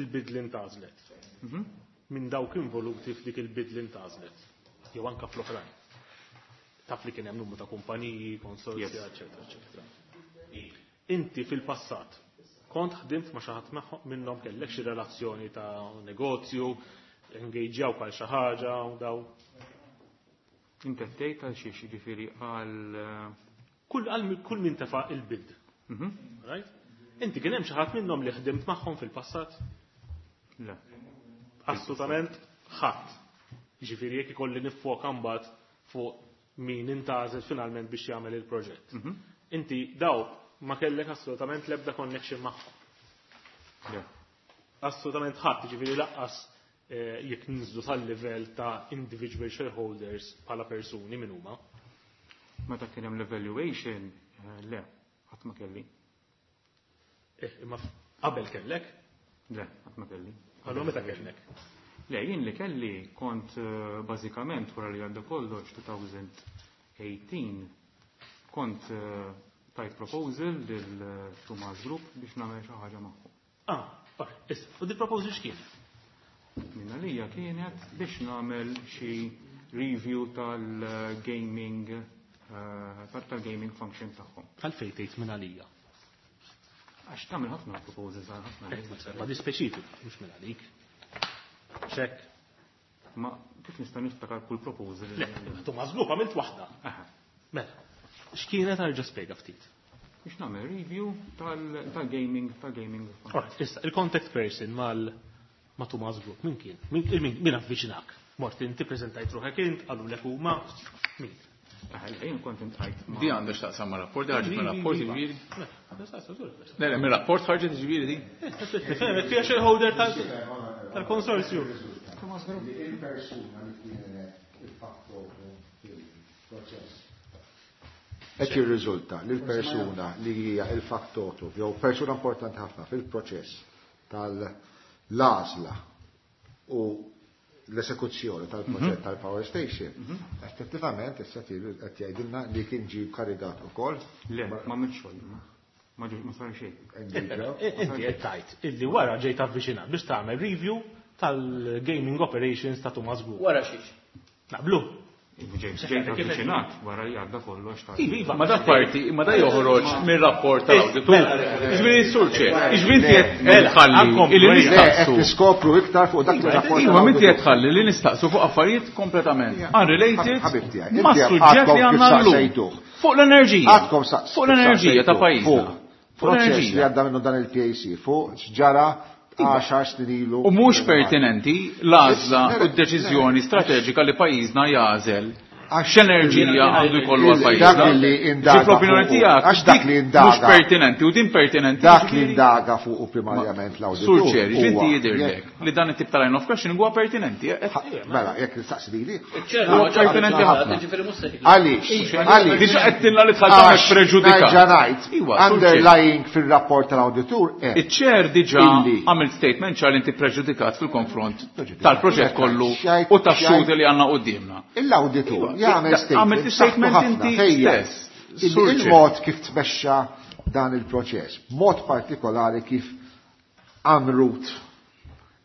Speaker 3: il-bid li intgħażlet?
Speaker 4: Mhm.
Speaker 3: Min dawk involuti f'dik il-bid li intgħażlet? Jew anka fl-oħrajn. Taf li kien hemm numru ta' kumpaniji, konsorzja,
Speaker 4: Yes.
Speaker 3: eċetera, eċetera. Inti fil-passat kont ħdimt ma' xi ħadd magħhom- minnhom, kellek xi relazzjoni ta' negozju, engagejawk għal xi ħaġa u daw?
Speaker 4: Inti qed tgħid għal xiex, jiġifieri għal eh,
Speaker 3: Kull għal kull min tefa' il-bid.
Speaker 4: mhm.
Speaker 3: Right? Inti kien hemm xi ħadd minnhom li ħdimt magħhom fil-passat?
Speaker 4: Le.
Speaker 3: Assolutament ħadd. Jiġifieri jekk ikolli niffoka mbagħad fuq min intgħażel finalment biex jagħmel il-proġett.
Speaker 4: Mhm.
Speaker 3: Inti daw ma kellek assolutament l-ebda connection magħhom.
Speaker 4: Le.
Speaker 3: Assolutament ħadd, jiġifieri lanqas eh, jekk ninżlu sal-livell ta' individual shareholders bħala persuni min huma.
Speaker 4: Meta kien hemm l-evaluation, eh, le, ħadd ma kelli.
Speaker 3: Eh, imma f- qabel kellek,
Speaker 4: Le, ħadd ma kelli.
Speaker 3: allura meta kellek?
Speaker 4: Le, jien li kelli kont eh, bażikament wara li għadda kollox elfejn u tmintax kont eh, tajt proposal lil eh, Tumas Group biex nagħmel xi ħaġa magħhom.
Speaker 3: Ah, ok, issa, u di proposal x'kien?
Speaker 4: Min għalija kienet biex nagħmel xi review tal-gaming eh, tal-gaming function tagħhom.
Speaker 3: Għalfejn tgħid minn għalija?
Speaker 4: Għax tagħmel ħafna proposals għal ħafna
Speaker 3: Eh,
Speaker 4: nies.
Speaker 3: Ma di speċifik, mhux minn għalik. Xek.
Speaker 4: Ma kif nista' niftakar kull proposal li
Speaker 3: Le, Tumas Group għamilt waħda.
Speaker 4: Aha.
Speaker 3: Mela, x'kienet, arġa' spjega ftit?
Speaker 4: Biex nagħmel review tal- tal-gaming tal-gaming function.
Speaker 3: Alright, issa, il-contact person mal ma' Tumas Group, min kien? Min, min, min avviċinak? Mort inti, prezentajt ruħek int, qalulek huma, min?
Speaker 4: Ah, jien kont iltqajt ma'
Speaker 8: Di għandha x'taqsam ma' rapport, di ħarġet ma' rapport ġifieri.
Speaker 3: Mela,
Speaker 8: Le, le, mir-rapport ħarġet ġifieri di.
Speaker 3: Tifhem, fija shareholder tal- tal-konsorzju.
Speaker 9: Thomas Group.
Speaker 2: Li il-persuna li kienet il-fattor fil-proċess. Qed jirriżulta li l-persuna li hija il-factotum jew persuna importanti ħafna fil-proċess tal-għażla u l-esekuzzjoni tal-proġett tal-power station, effettivament issa qed jgħidilna li kien ġie karigat ukoll.
Speaker 4: Le, ma għamilt xogħol. Ma ġi- ma sar xejn.
Speaker 2: Engage.
Speaker 3: Inti qed tgħid illi wara ġejt avviċinat biex tagħmel review tal-gaming operations ta' Tumas Group.
Speaker 6: Wara xiex.
Speaker 3: Naqblu.
Speaker 4: Ġejt avviċinat wara li għadda kollox ta'
Speaker 8: Iva, ma dak parti, ma da joħroġ mir-rapport tal-awditur. Jiġifieri sur ċe, jiġifieri inti qed tħalli illi nistaqsu.
Speaker 2: Qed niskopru iktar fuq dak ir-rapport.
Speaker 8: Iva, inti qed tħalli li nistaqsu fuq affarijiet kompletament unrelated ma' suġġett li għandna llum. Fuq l-enerġija. Fuq l-enerġija ta' pajjiżna.
Speaker 2: Fuq l-enerġija li għadda minnu dan il-P A C, fuq x'ġara għaxar snin ilu.
Speaker 8: U mhux pertinenti l-għażla u d-deċiżjoni strateġika li pajjiżna jagħżel x'enerġija għandu jkollu għal pajjiżna.
Speaker 2: Dak li indaga
Speaker 8: Fl-opinjoni
Speaker 2: fuq-
Speaker 8: tiegħek,
Speaker 2: għax dak li
Speaker 8: dik
Speaker 2: indaga.
Speaker 8: mhux pertinenti u din pertinenti.
Speaker 2: Dak li indaga fuq u primarjament l-awditur.
Speaker 8: Sur ċeri, x'inti
Speaker 2: huwa
Speaker 8: jidhirlek
Speaker 2: jekk
Speaker 8: li dan it-tip ta' line of questioning huwa pertinenti, eh?
Speaker 2: Mela, jekk nistaqsi lili.
Speaker 6: Ċertu,
Speaker 8: Huwa pertinenti ħafna.
Speaker 6: Ġifieri mhux se jkun.
Speaker 2: Għaliex? Għaliex?
Speaker 8: Diġà qed tilna li tħall tagħmel
Speaker 2: Għax
Speaker 8: preġudikat.
Speaker 2: nerġa' ngħid,
Speaker 8: Iwa, sur ċer.
Speaker 2: underlying fir-rapport tal-awditur hemm
Speaker 8: Iċ-ċer diġà
Speaker 2: illi
Speaker 8: għamilt statement ċar li inti preġudikat fil-konfront
Speaker 2: Preġudikat.
Speaker 8: tal-proġett kollu
Speaker 2: Xajt,
Speaker 8: u tax-xhud
Speaker 2: xajt.
Speaker 8: li għandna quddiemna.
Speaker 2: Il-awditur
Speaker 8: Iva,
Speaker 2: jagħmel
Speaker 8: għamilt
Speaker 2: statement
Speaker 8: statement
Speaker 2: saħħtu
Speaker 8: inti
Speaker 2: ħafna fejn
Speaker 8: stess.
Speaker 2: il-
Speaker 8: Sur ċer.
Speaker 2: il-mod kif tmexxa dan il-proċess, mod partikolari kif għamrut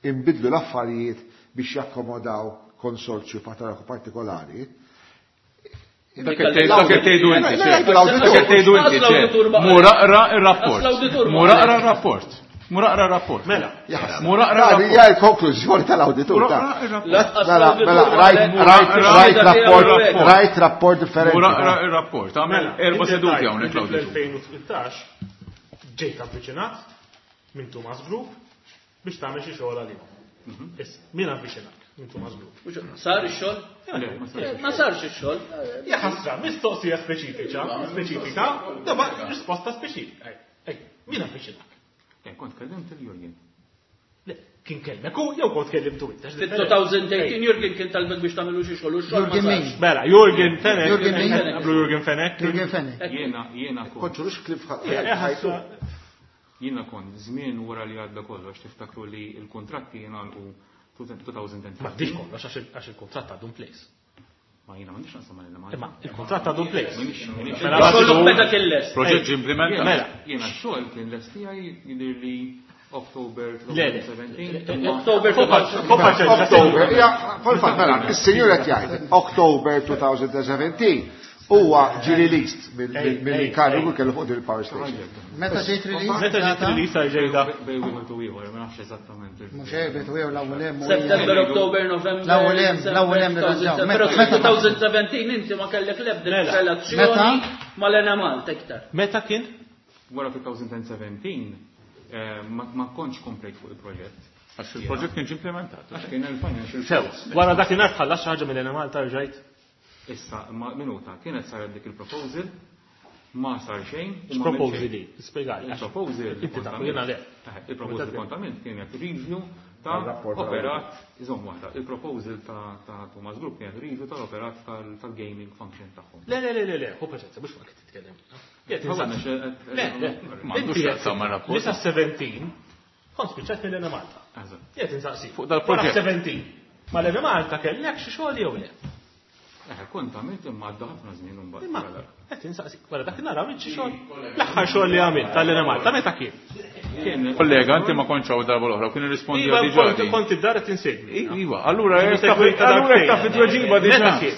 Speaker 2: imbidlu l-affarijiet biex jakkomodaw konsorzju partikolari.
Speaker 8: Dak qed tgħidu, dak qed tgħidu inti,
Speaker 2: Le, le,
Speaker 8: ċer.
Speaker 2: l-awditur.
Speaker 8: Dak qed tgħidu inti, ċer.
Speaker 6: L-awditur ma-
Speaker 8: Mur aqra r-rapport.
Speaker 6: L-awditur ma-
Speaker 8: Mur aqra r-rapport. Mur aqra r-rapport.
Speaker 3: Mela.
Speaker 8: Mur aqra
Speaker 2: Għadi,
Speaker 8: r-rapport.
Speaker 2: hija l-konklużjoni tal-awditur,
Speaker 8: Mur
Speaker 2: ta'
Speaker 8: aqra r-rapport.
Speaker 6: Lanqas
Speaker 2: Mela,
Speaker 6: l-awditur
Speaker 2: mela,
Speaker 6: ma
Speaker 2: rajt,
Speaker 6: qal-
Speaker 2: rajt,
Speaker 6: Mela,
Speaker 2: rajt
Speaker 6: mela,
Speaker 2: rapport,
Speaker 6: mela,
Speaker 2: rajt rapport differenti.
Speaker 8: Mur aqra r-rapport. Għamel
Speaker 3: Mela,
Speaker 8: erba'
Speaker 3: inti
Speaker 8: seduti
Speaker 3: tajt
Speaker 8: hawnhekk
Speaker 3: inti
Speaker 8: l-awditur.
Speaker 3: fl-elfejn u tmintax ġejt avviċinat minn Tumas Group biex tagħmel xi xogħol għalihom. Issa, min avviċinak minn Tumas Group?
Speaker 6: Sar ix-xogħol?
Speaker 4: Le, ma sarx.
Speaker 6: Ma sarx ix-xogħol.
Speaker 3: Ja ħasra, mistoqsija speċifika, speċifika, daba risposta speċifika. Ej, ej, min avviċinak?
Speaker 4: Eh, kont kellimt il-Jurgen.
Speaker 3: Le, kien kellmek u jew kont kellimtu inti, għax
Speaker 6: Fit-two thousand eighteen Jurgen kien talbek biex tagħmlu xi xogħol u x-xogħol ma
Speaker 9: Jurgen
Speaker 6: sarx.
Speaker 9: min?
Speaker 3: Mela, Jurgen Fenech.
Speaker 9: Jurgen min?
Speaker 3: Qablu Jurgen Fenech.
Speaker 9: Jurgen Fenech.
Speaker 4: Jiena, jiena kont.
Speaker 2: Kont xurux klif ħa-
Speaker 3: Eh,
Speaker 2: ħajtu.
Speaker 4: Jiena kont żmien wara li għadda kollox, tiftakru li l-kontratti jingħalqu two thousand and
Speaker 3: Ma dix kollox għax il-, għax il-kontratt għadu in place.
Speaker 4: Ma jiena m'għandix naqsam mal-Enemalta.
Speaker 3: Imma il-kontratt għadu in place.
Speaker 4: Minix, minix.
Speaker 3: Mela,
Speaker 6: Xogħol
Speaker 3: għadu-
Speaker 6: meta kien lest.
Speaker 8: Proġett ġie implementat.
Speaker 3: Mela.
Speaker 4: Jiena x-xogħol kien lest tiegħi jidher li October
Speaker 3: Le, le.
Speaker 4: two thousand seventeen.
Speaker 6: October two thousand
Speaker 2: October, ja, fil-fatt, mela, is-sinjur qed jgħid October two thousand seventeen huwa ġie released mill-inkarigu kellu fuq din il-power station.
Speaker 9: Meta ġejt released?
Speaker 3: Meta ġejt released għal ġejda?
Speaker 4: Bej wieħed u ieħor, ma nafx eżattament il-
Speaker 9: Mhux hekk, bejt u ieħor l-ewwel hemm u
Speaker 6: September, October, November,
Speaker 9: L-ewwel hemm, l-ewwel hemm nirranġaw.
Speaker 6: Pero
Speaker 9: Meta- meta-
Speaker 6: two thousand seventeen inti ma kellek l-ebda
Speaker 3: Mela.
Speaker 6: relazzjoni
Speaker 9: Meta?
Speaker 6: mal-Enemalta iktar.
Speaker 3: Meta kien?
Speaker 4: Wara two thousand seventeen, eh, ma, ma kontx komplejt fuq il-proġett.
Speaker 8: Għax il-proġett kien ġie implementat.
Speaker 4: Għax kien il-financial
Speaker 3: Sew, wara dakinhar tħallas xi ħaġa mill-Enemalta rġajt?
Speaker 4: Issa, ma minuta, kienet saret dik il-proposal, ma sar xejn u ma
Speaker 3: X'proposal
Speaker 4: għamilt
Speaker 3: li?
Speaker 4: xejn.
Speaker 3: Spjegali.
Speaker 4: Il-proposal
Speaker 3: Inti
Speaker 4: kont
Speaker 3: taf,
Speaker 4: għamilt.
Speaker 3: jiena le.
Speaker 4: Eh, il-proposal kont għamilt kienet review ta'
Speaker 2: Tal-rapport
Speaker 4: operat, iżomm waħda, il-proposal ta', ta' Tumas Group kienet review tal-operat tal-, tal-gaming function tagħhom.
Speaker 3: Le, le, le, le, le, hu paċenza, mhux ma kien titkellem. Jgħid
Speaker 4: Ħawa,
Speaker 3: insaqsi.
Speaker 4: għax, eh,
Speaker 3: Le, le.
Speaker 8: Ma għandux
Speaker 3: Inti
Speaker 8: x'jaqsam mar-rapport.
Speaker 3: Li sa seventeen, kont spiċċat mill-Enemalta.
Speaker 4: Eżatt.
Speaker 3: Jgħid insaqsi.
Speaker 8: Fuq dal-proġett.
Speaker 3: Wara seventeen, ma l-Enemalta kellek xi xogħol jew le?
Speaker 4: Eh, kont għamilt imma għadda ħafna żmien imbagħad.
Speaker 3: Imma qed insaqsi, wara dak in-nhar għamilt xi xogħol. L-aħħar xogħol li għamilt tal-Enemalta meta kien?
Speaker 4: Kien
Speaker 8: Kollega, inti ma kontx hawn darba l-oħra, kien irrispondi
Speaker 3: Iva,
Speaker 8: diġà
Speaker 3: kont-
Speaker 8: di.
Speaker 3: kont id-dar qed insegwi.
Speaker 8: Iva, allura
Speaker 3: Kien
Speaker 8: jekk taf
Speaker 3: segwi ta'
Speaker 8: allura jekk taf
Speaker 3: darbtejn.
Speaker 8: it-tweġiba diġà.
Speaker 3: Meta kien?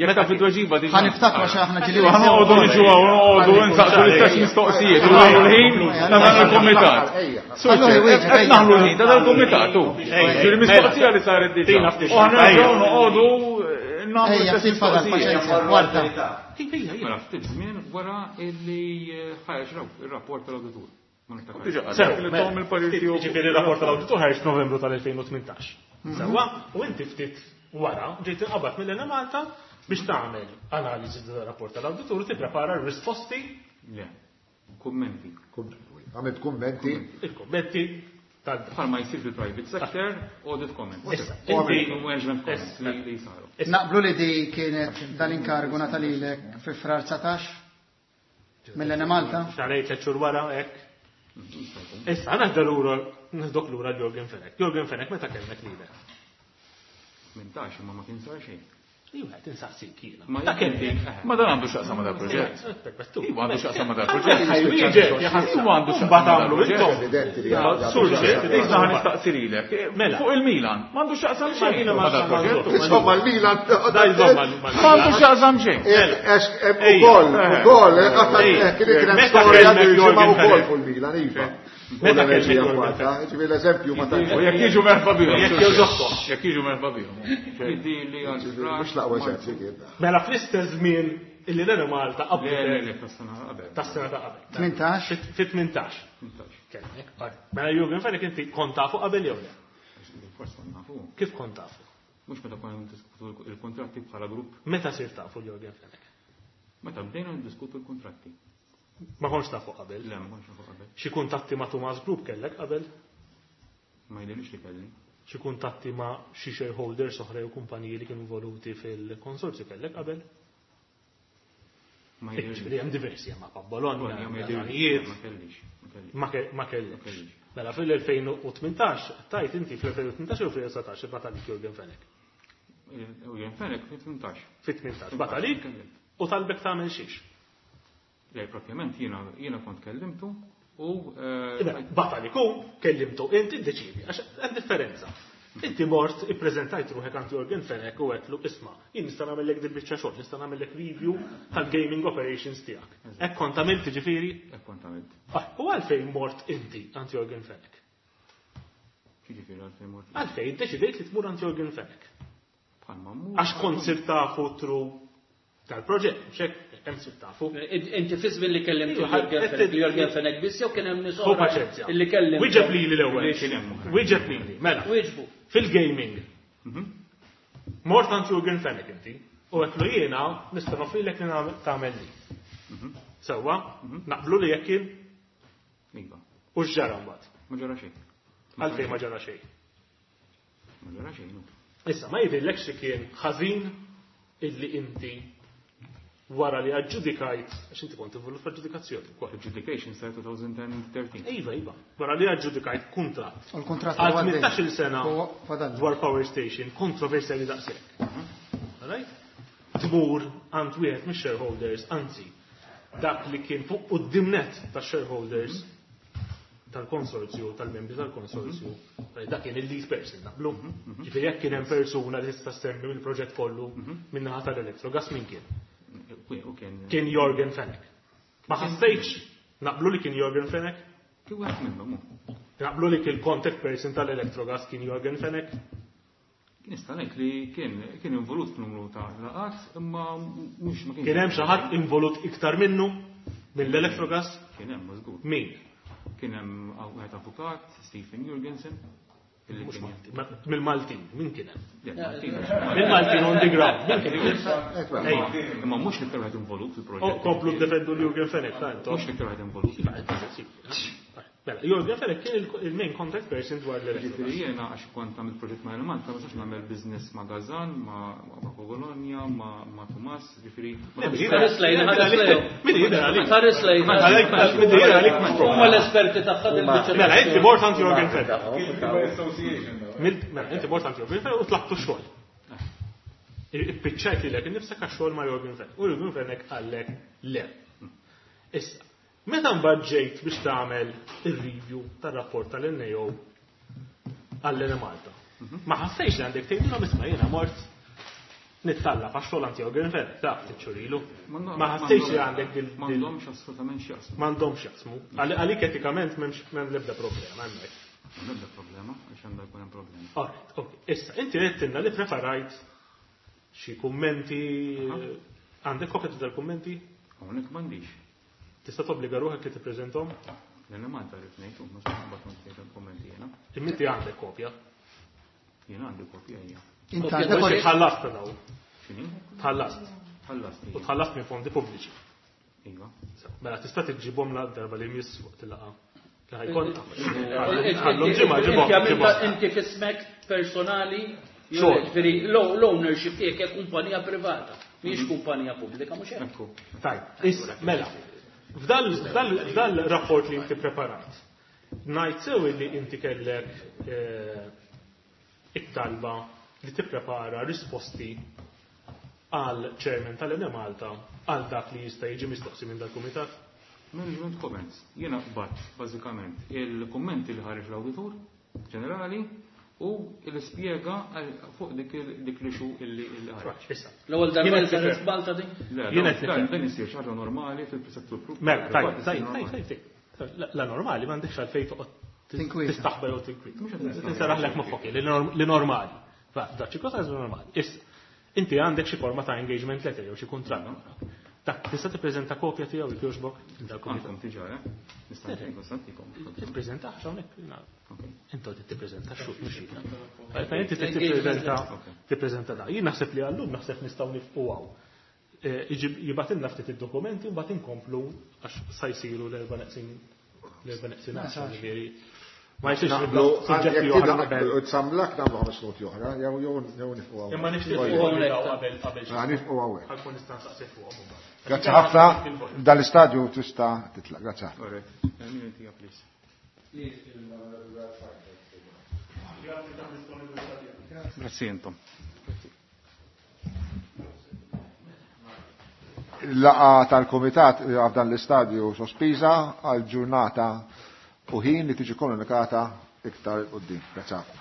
Speaker 8: Jekk taf it-tweġiba diġà.
Speaker 9: Ħa niftakru għax aħna ġieli
Speaker 8: Iva, ħa noqogħdu niġu hawn, noqogħdu nsaqsu l-istess mistoqsijiet u naħlu l-ħin ta' dan il-kumitat. Sur
Speaker 9: Allura,
Speaker 8: ċer,
Speaker 9: wieġeb,
Speaker 8: qed
Speaker 9: ejja.
Speaker 8: naħlu l-ħin ta' dan il-kumitat, hu. Ġieli mistoqsija li saret diġà.
Speaker 3: Tina ftit
Speaker 8: U aħna
Speaker 3: ejja.
Speaker 8: nerġgħu noqogħdu nagħmlu
Speaker 9: Ejja,
Speaker 8: l-istess
Speaker 9: ftit fadal
Speaker 8: mistoqsijiet.
Speaker 9: paċenzja, warda.
Speaker 4: Mela, ftit żmien wara illi ħareġ ir-rapport tal-awditur. Ma niftakarx.
Speaker 8: Diġà,
Speaker 3: Sew,
Speaker 8: li
Speaker 3: mela,
Speaker 8: tom il-parir
Speaker 3: ftit,
Speaker 8: tiegħu.
Speaker 3: Jiġifieri r-rapport tal-awditur ħareġ f'Novembru tal-elfejn u tmintax. Sewwa, u inti ftit wara ġejt inqabad mill-Enemalta biex tagħmel analiżi tal-rapport tal-awditur u tipprepara r-risposti.
Speaker 4: Le, kummenti.
Speaker 2: Għamilt kummenti.
Speaker 3: Il-kummenti tal-
Speaker 4: Bħalma jsir fil-private sector, audit comments.
Speaker 3: Issa,
Speaker 4: Inti
Speaker 3: inti-
Speaker 4: management comments
Speaker 3: Issa.
Speaker 4: li li saru.
Speaker 9: Naqblu li di kienet dal-inkargu natalilek fi frar dsatax? Mill-Enemalta?
Speaker 3: Xarej tliet xhur wara hekk. Issa, naħda lura, naħdok lura Jurgen Fenech. Jurgen Fenech meta kellmek lilek?
Speaker 4: Tmintax, imma ma kien sar xejn.
Speaker 3: Iva, qed insaqsik jiena.
Speaker 4: Ma
Speaker 3: Ta'
Speaker 4: jekk
Speaker 3: kemm
Speaker 4: inti-
Speaker 8: Ma dan għandu x'jaqsam ma dal-proġett. Iva għandu x'jaqsam ma dal-proġett.
Speaker 3: Iva
Speaker 8: għandu x'jaqsam ma dal-proġett.
Speaker 2: Evidenti li għandu
Speaker 3: Sur
Speaker 2: x'jaqsam.
Speaker 8: Issa ħa nistaqsi lilek.
Speaker 3: Mela.
Speaker 8: Fuq il-Milan, m'għandu x'jaqsam xejn
Speaker 3: Ma
Speaker 8: ma dal-proġett.
Speaker 2: Insomma, l-Milan.
Speaker 3: Da jżomm mal-
Speaker 8: Ma għandu x'jaqsam xejn.
Speaker 2: Ukoll, ukoll, kien kien hemm
Speaker 3: Meta
Speaker 2: storja
Speaker 3: kellek
Speaker 2: dil-ġimgħa
Speaker 3: Jorgen
Speaker 2: ukoll
Speaker 3: Fenech.
Speaker 2: fuq il-Milan, iva.
Speaker 3: Meta
Speaker 2: U l-enerġija
Speaker 3: kellek Jorgen
Speaker 2: f'Malta, ġifieri l-eżempju ma tantx.
Speaker 8: U jekk jiġu merħba bihom.
Speaker 3: Jekk jogħġobkom.
Speaker 8: Jekk jiġu merħba bihom.
Speaker 4: Jiddi li għal
Speaker 2: Ġifieri mhux l-aqwa eżempju kien.
Speaker 3: Mela fl-istess żmien illi l-Enemalta
Speaker 4: Le, le,
Speaker 3: qabdet
Speaker 4: le, tas-sena qabel.
Speaker 3: tas-sena ta' qabel.
Speaker 9: tmintax.
Speaker 3: Fit-tmintax.
Speaker 4: Tmintax.
Speaker 3: Kellek. Mela Jürgen Fenech inti kont tafu qabel jew le?
Speaker 4: Forse kont nafu.
Speaker 3: Kif kont tafu?
Speaker 4: Mhux meta konna niddiskutu il-kontratti bħala grupp.
Speaker 3: Meta sirt tafu Jürgen Fenech?
Speaker 4: Meta bdejna niddiskutu l-kontratti.
Speaker 3: Ma kontx tafu qabel.
Speaker 4: Le, ma kontx nafu qabel.
Speaker 3: Xi kuntatti ma' Tumas Group kellek qabel?
Speaker 4: Ma jidhirlix li kelli.
Speaker 3: Xi kuntatti ma' xi shareholders oħra jew kumpaniji li kienu involuti fil-konsorzju kellek qabel?
Speaker 4: Ma jidhirlix.
Speaker 3: Ġifieri hemm diversi hemm ma' Bologna,
Speaker 4: Ma jidhirlix.
Speaker 3: Danijiet.
Speaker 4: Ma kellix. Ma kellix.
Speaker 3: Ma ke- ma kellekx.
Speaker 4: Ma kellix.
Speaker 3: Mela fil-elfejn u tmintax, tajt inti fl-elfejn u tmintax jew fl-elfejn u sbatax bagħat għalik Jürgen Fenech.
Speaker 4: Jürgen Fenech fit-tmintax.
Speaker 3: Fit-tmintax bagħat għalik u talbek tagħmel xiex.
Speaker 4: Le, propjament jiena jiena kont kellimtu u eh,
Speaker 3: Iba, bagħat għalik hu, kellimtu inti ddeċidi, għax hemm differenza. Inti mort ippreżentajt ruħek għand Jürgen Fenech u għedtlu isma' jien nista' nagħmellek dil biċċa xogħol, nista' nagħmellek review tal-gaming operations tiegħek. Hekk kont għamilt ġifieri?
Speaker 4: Hekk kont għamilt.
Speaker 3: Ah, u għalfejn mort inti għand Jürgen Fenech?
Speaker 4: Ġifieri għalfejn mort.
Speaker 3: Għalfejn deċidejt li tmur għand Jürgen Fenech?
Speaker 4: Bħalma mmur.
Speaker 3: Għax kont sirt tafu through tal-proġett, mhux hekk hemm sirt tafu.
Speaker 6: Inti fi żmien li kellimtu
Speaker 3: Iva,
Speaker 6: Jürgen
Speaker 3: qed-
Speaker 6: Fenech, Jürgen Fenech biss jew kien hemm nies
Speaker 3: Hu
Speaker 6: oħra
Speaker 3: paċenzja.
Speaker 6: illi kellimtu.
Speaker 3: Wieġeb lili l-ewwel.
Speaker 4: Li kien hemm oħra.
Speaker 3: Wieġeb lili, mela.
Speaker 6: Wieġbu.
Speaker 3: Fil-gaming. Mort għand Jürgen Fenech inti, u għedtlu jiena nista' noffrilek li nagħmel- tagħmel li. Sewwa, naqblu li jekk kien
Speaker 4: Iva.
Speaker 3: u x'ġara mbagħad.
Speaker 4: Ma ġara xejn.
Speaker 3: Għalfejn ma ġara xejn.
Speaker 4: Ma ġara xejn. no.
Speaker 3: Issa, ma jidhirlekx li kien ħażin illi inti wara li aġġudikajt, għax inti kont involut fl-aġġudikazzjoni wkoll.
Speaker 4: Adjudication sar twenty thirteen.
Speaker 3: Iva, iva, wara li aġġudikajt kuntratt
Speaker 9: U l-kuntratt
Speaker 3: għal
Speaker 9: huwa għaddej.
Speaker 3: tmintax-il sena
Speaker 9: Huwa fadal.
Speaker 3: dwar power station, kontroversjali daqshekk. Alright? Tmur għand wieħed mix-shareholders, anzi, dak li kien fuq quddiem net tax-shareholders tal-konsorzju, tal-membri tal-konsorzju, dak kien il-lead person, naqblu. Ġifieri jekk kien hemm persuna li tista' semmi mill-proġett kollu min-naħa tal-Electrogas min kien?
Speaker 4: U kien.
Speaker 3: Kien Jürgen Fenech. Ma ħassejtx naqblu li kien Jürgen Fenech?
Speaker 4: Kien wieħed minnhom hu.
Speaker 3: Naqblu li kien contact person tal-Electrogas kien Jürgen Fenech?
Speaker 4: Nista' ngħid li kien kien involut f'numru ta' laqat, imma mhux ma kienx.
Speaker 3: Kien hemm xi ħadd involut iktar minnu mill-Electrogas?
Speaker 4: Kien hemm żgur.
Speaker 3: Min?
Speaker 4: Kien hemm wieħed avukat, Stephen Jurgensen. illi
Speaker 3: Mhux
Speaker 4: kien-
Speaker 3: Malti, ma- mill-Maltin, min kien hemm?
Speaker 4: Le, Maltin.
Speaker 3: Mill-Maltin on the ground, min kien hemm? Ejja.
Speaker 4: Imma mhux l-iktar wieħed involut
Speaker 3: Oh,
Speaker 4: fil-proġett.
Speaker 3: komplu defendu l-Jürgen Fenech, ta' intom.
Speaker 4: Mhux l-iktar wieħed involut.
Speaker 3: Mela, Jürgen Fenech kien il- il-main contact person dwar l-Electrogas.
Speaker 4: Ġifieri jiena għax kont għamilt proġett ma' Malta, ma nistax nagħmel business ma' Gazan, ma' ma' Bologna, ma' ma' Tumas, ġifieri. ma
Speaker 3: Le,
Speaker 4: tantx-
Speaker 6: Ħares lejn, ħares lejn.
Speaker 3: Min jidher għalik?
Speaker 6: Ħares lejn.
Speaker 3: Min jidher għalik mhux
Speaker 6: Huma
Speaker 3: problema.
Speaker 6: l-esperti tagħha dil-biċċa.
Speaker 3: Mela, inti mort għand Jürgen Fenech.
Speaker 8: Association.
Speaker 3: Mil- Mela, inti mort għand Jürgen Fenech u tlabtu xogħol. Ippiċċajt lilek innifsek għax-xogħol ma' Jürgen Fenech. U Jürgen Fenech qallek le. Issa, meta mbagħad ġejt biex tagħmel ir-review tar-rapport tal-N A O għall-Enemalta, ma ħassejx li għandek tgħidilhom isma' jiena mort nittallab għax-xogħol għand Jürgen Fenech, taf tiċċurilu. Ma ħassejx li għandek dil- dil-
Speaker 4: M'għandhomx assolutament x'jaqsmu.
Speaker 3: M'għandhomx jaqsmu. Għal- Għalik etikament m'hemmx m'hemm l-ebda problema hemmhekk.
Speaker 4: M'hemm problema, għax għandha jkun hemm problema.
Speaker 3: Alright, ok. Issa, inti għedtilna li preparajt xi kummenti, għandek kopja ta' dal-kummenti?
Speaker 4: Hawnhekk m'għandix.
Speaker 3: Tista' tobbliga ruħek li tippreżentom?
Speaker 4: L-Enemalta rrid ngħid, u ma mbagħad ngħid kummenti jiena.
Speaker 3: Imma inti għandek kopja.
Speaker 4: Jiena għandi kopja hija.
Speaker 9: Inti
Speaker 6: Kopja
Speaker 9: għandek
Speaker 6: ta'
Speaker 9: kopja.
Speaker 3: Tħallast daw.
Speaker 4: X'inhi?
Speaker 3: Tħallast.
Speaker 4: Ħallast.
Speaker 3: U tħallast minn fondi pubbliċi.
Speaker 4: Iva.
Speaker 3: Mela tista' tiġġibhom la darba li jmiss waqt il-laqgħa. Li ħajkun. Ħallhom ġimgħa ġibhom.
Speaker 6: Inti għamilta
Speaker 3: ġibhom.
Speaker 6: inti fismek personali,
Speaker 3: Xogħol.
Speaker 6: ġifieri l-ownership tiegħek hija kumpanija privata, mhijiex kumpanija pubblika, mhux hekk.
Speaker 4: Ekku.
Speaker 3: Tajb, issa, mela, f'dal f'dal- f'dal rapport li inti preparat, ngħid sew li inti kellek eh, it-talba li tipprepara risposti għal chairman tal-Enemalta għal dak li jista' jiġi mistoqsi minn dal-kumitat?
Speaker 4: Management comments. Jiena qbadt bażikament il-kummenti li ħareġ l-awditur ġenerali u l-ispjega fuq dik dik li xu illi ħareġ.
Speaker 3: Issa.
Speaker 6: L-ewwel darba li saret Malta din?
Speaker 4: Le, dan isir xi ħaġa normali fil-settur pubbliku.
Speaker 3: Mela, tajjeb, tajjeb, tajjeb. La normali m'għandekx għalfejn toqgħod tistaħba jew tinkwieta. Tinseraħlek moħħok li normali. Da xi cosa normali. Issa, inti għandek xi forma ta' engagement letter jew xi kuntratt. Dak tista' tippreżenta kopja tiegħu jekk jogħġbok
Speaker 4: dal-kumitat. Diġà, eh? Nista' nagħtikom.
Speaker 3: Tippreżenta hawnhekk. Inti tippreżenta xut mhux jiena. Inti tippreżenta tippreżenta da. Jien naħseb li għallum naħseb nistgħu nifqu hawn. Jibgħatilna ftit id-dokumenti u mbagħad inkomplu għax sa jsiru l-erba' neqsin l-erba' neqsin ġifieri. Ma jsirx nibdew suġġetti oħra qabel.
Speaker 2: Samlak nagħmlu ħames minuti oħra, jew jew jew nifqu hawn.
Speaker 3: Imma nixtieq qabel qabel.
Speaker 2: Nifqu hawnhekk.
Speaker 3: Ħankun nista' nsaqsi fuqhom imbagħad.
Speaker 2: Grazzi ħafna, dan l-istadju tista' titlaq. Grazzi ħafna.
Speaker 4: Grazzi intom.
Speaker 2: Il-laqgħa tal-Kumitat f'dan l-istadju sospiża għal ġurnata u ħin li tiġi komunikata iktar quddiem. Grazzi ħafna.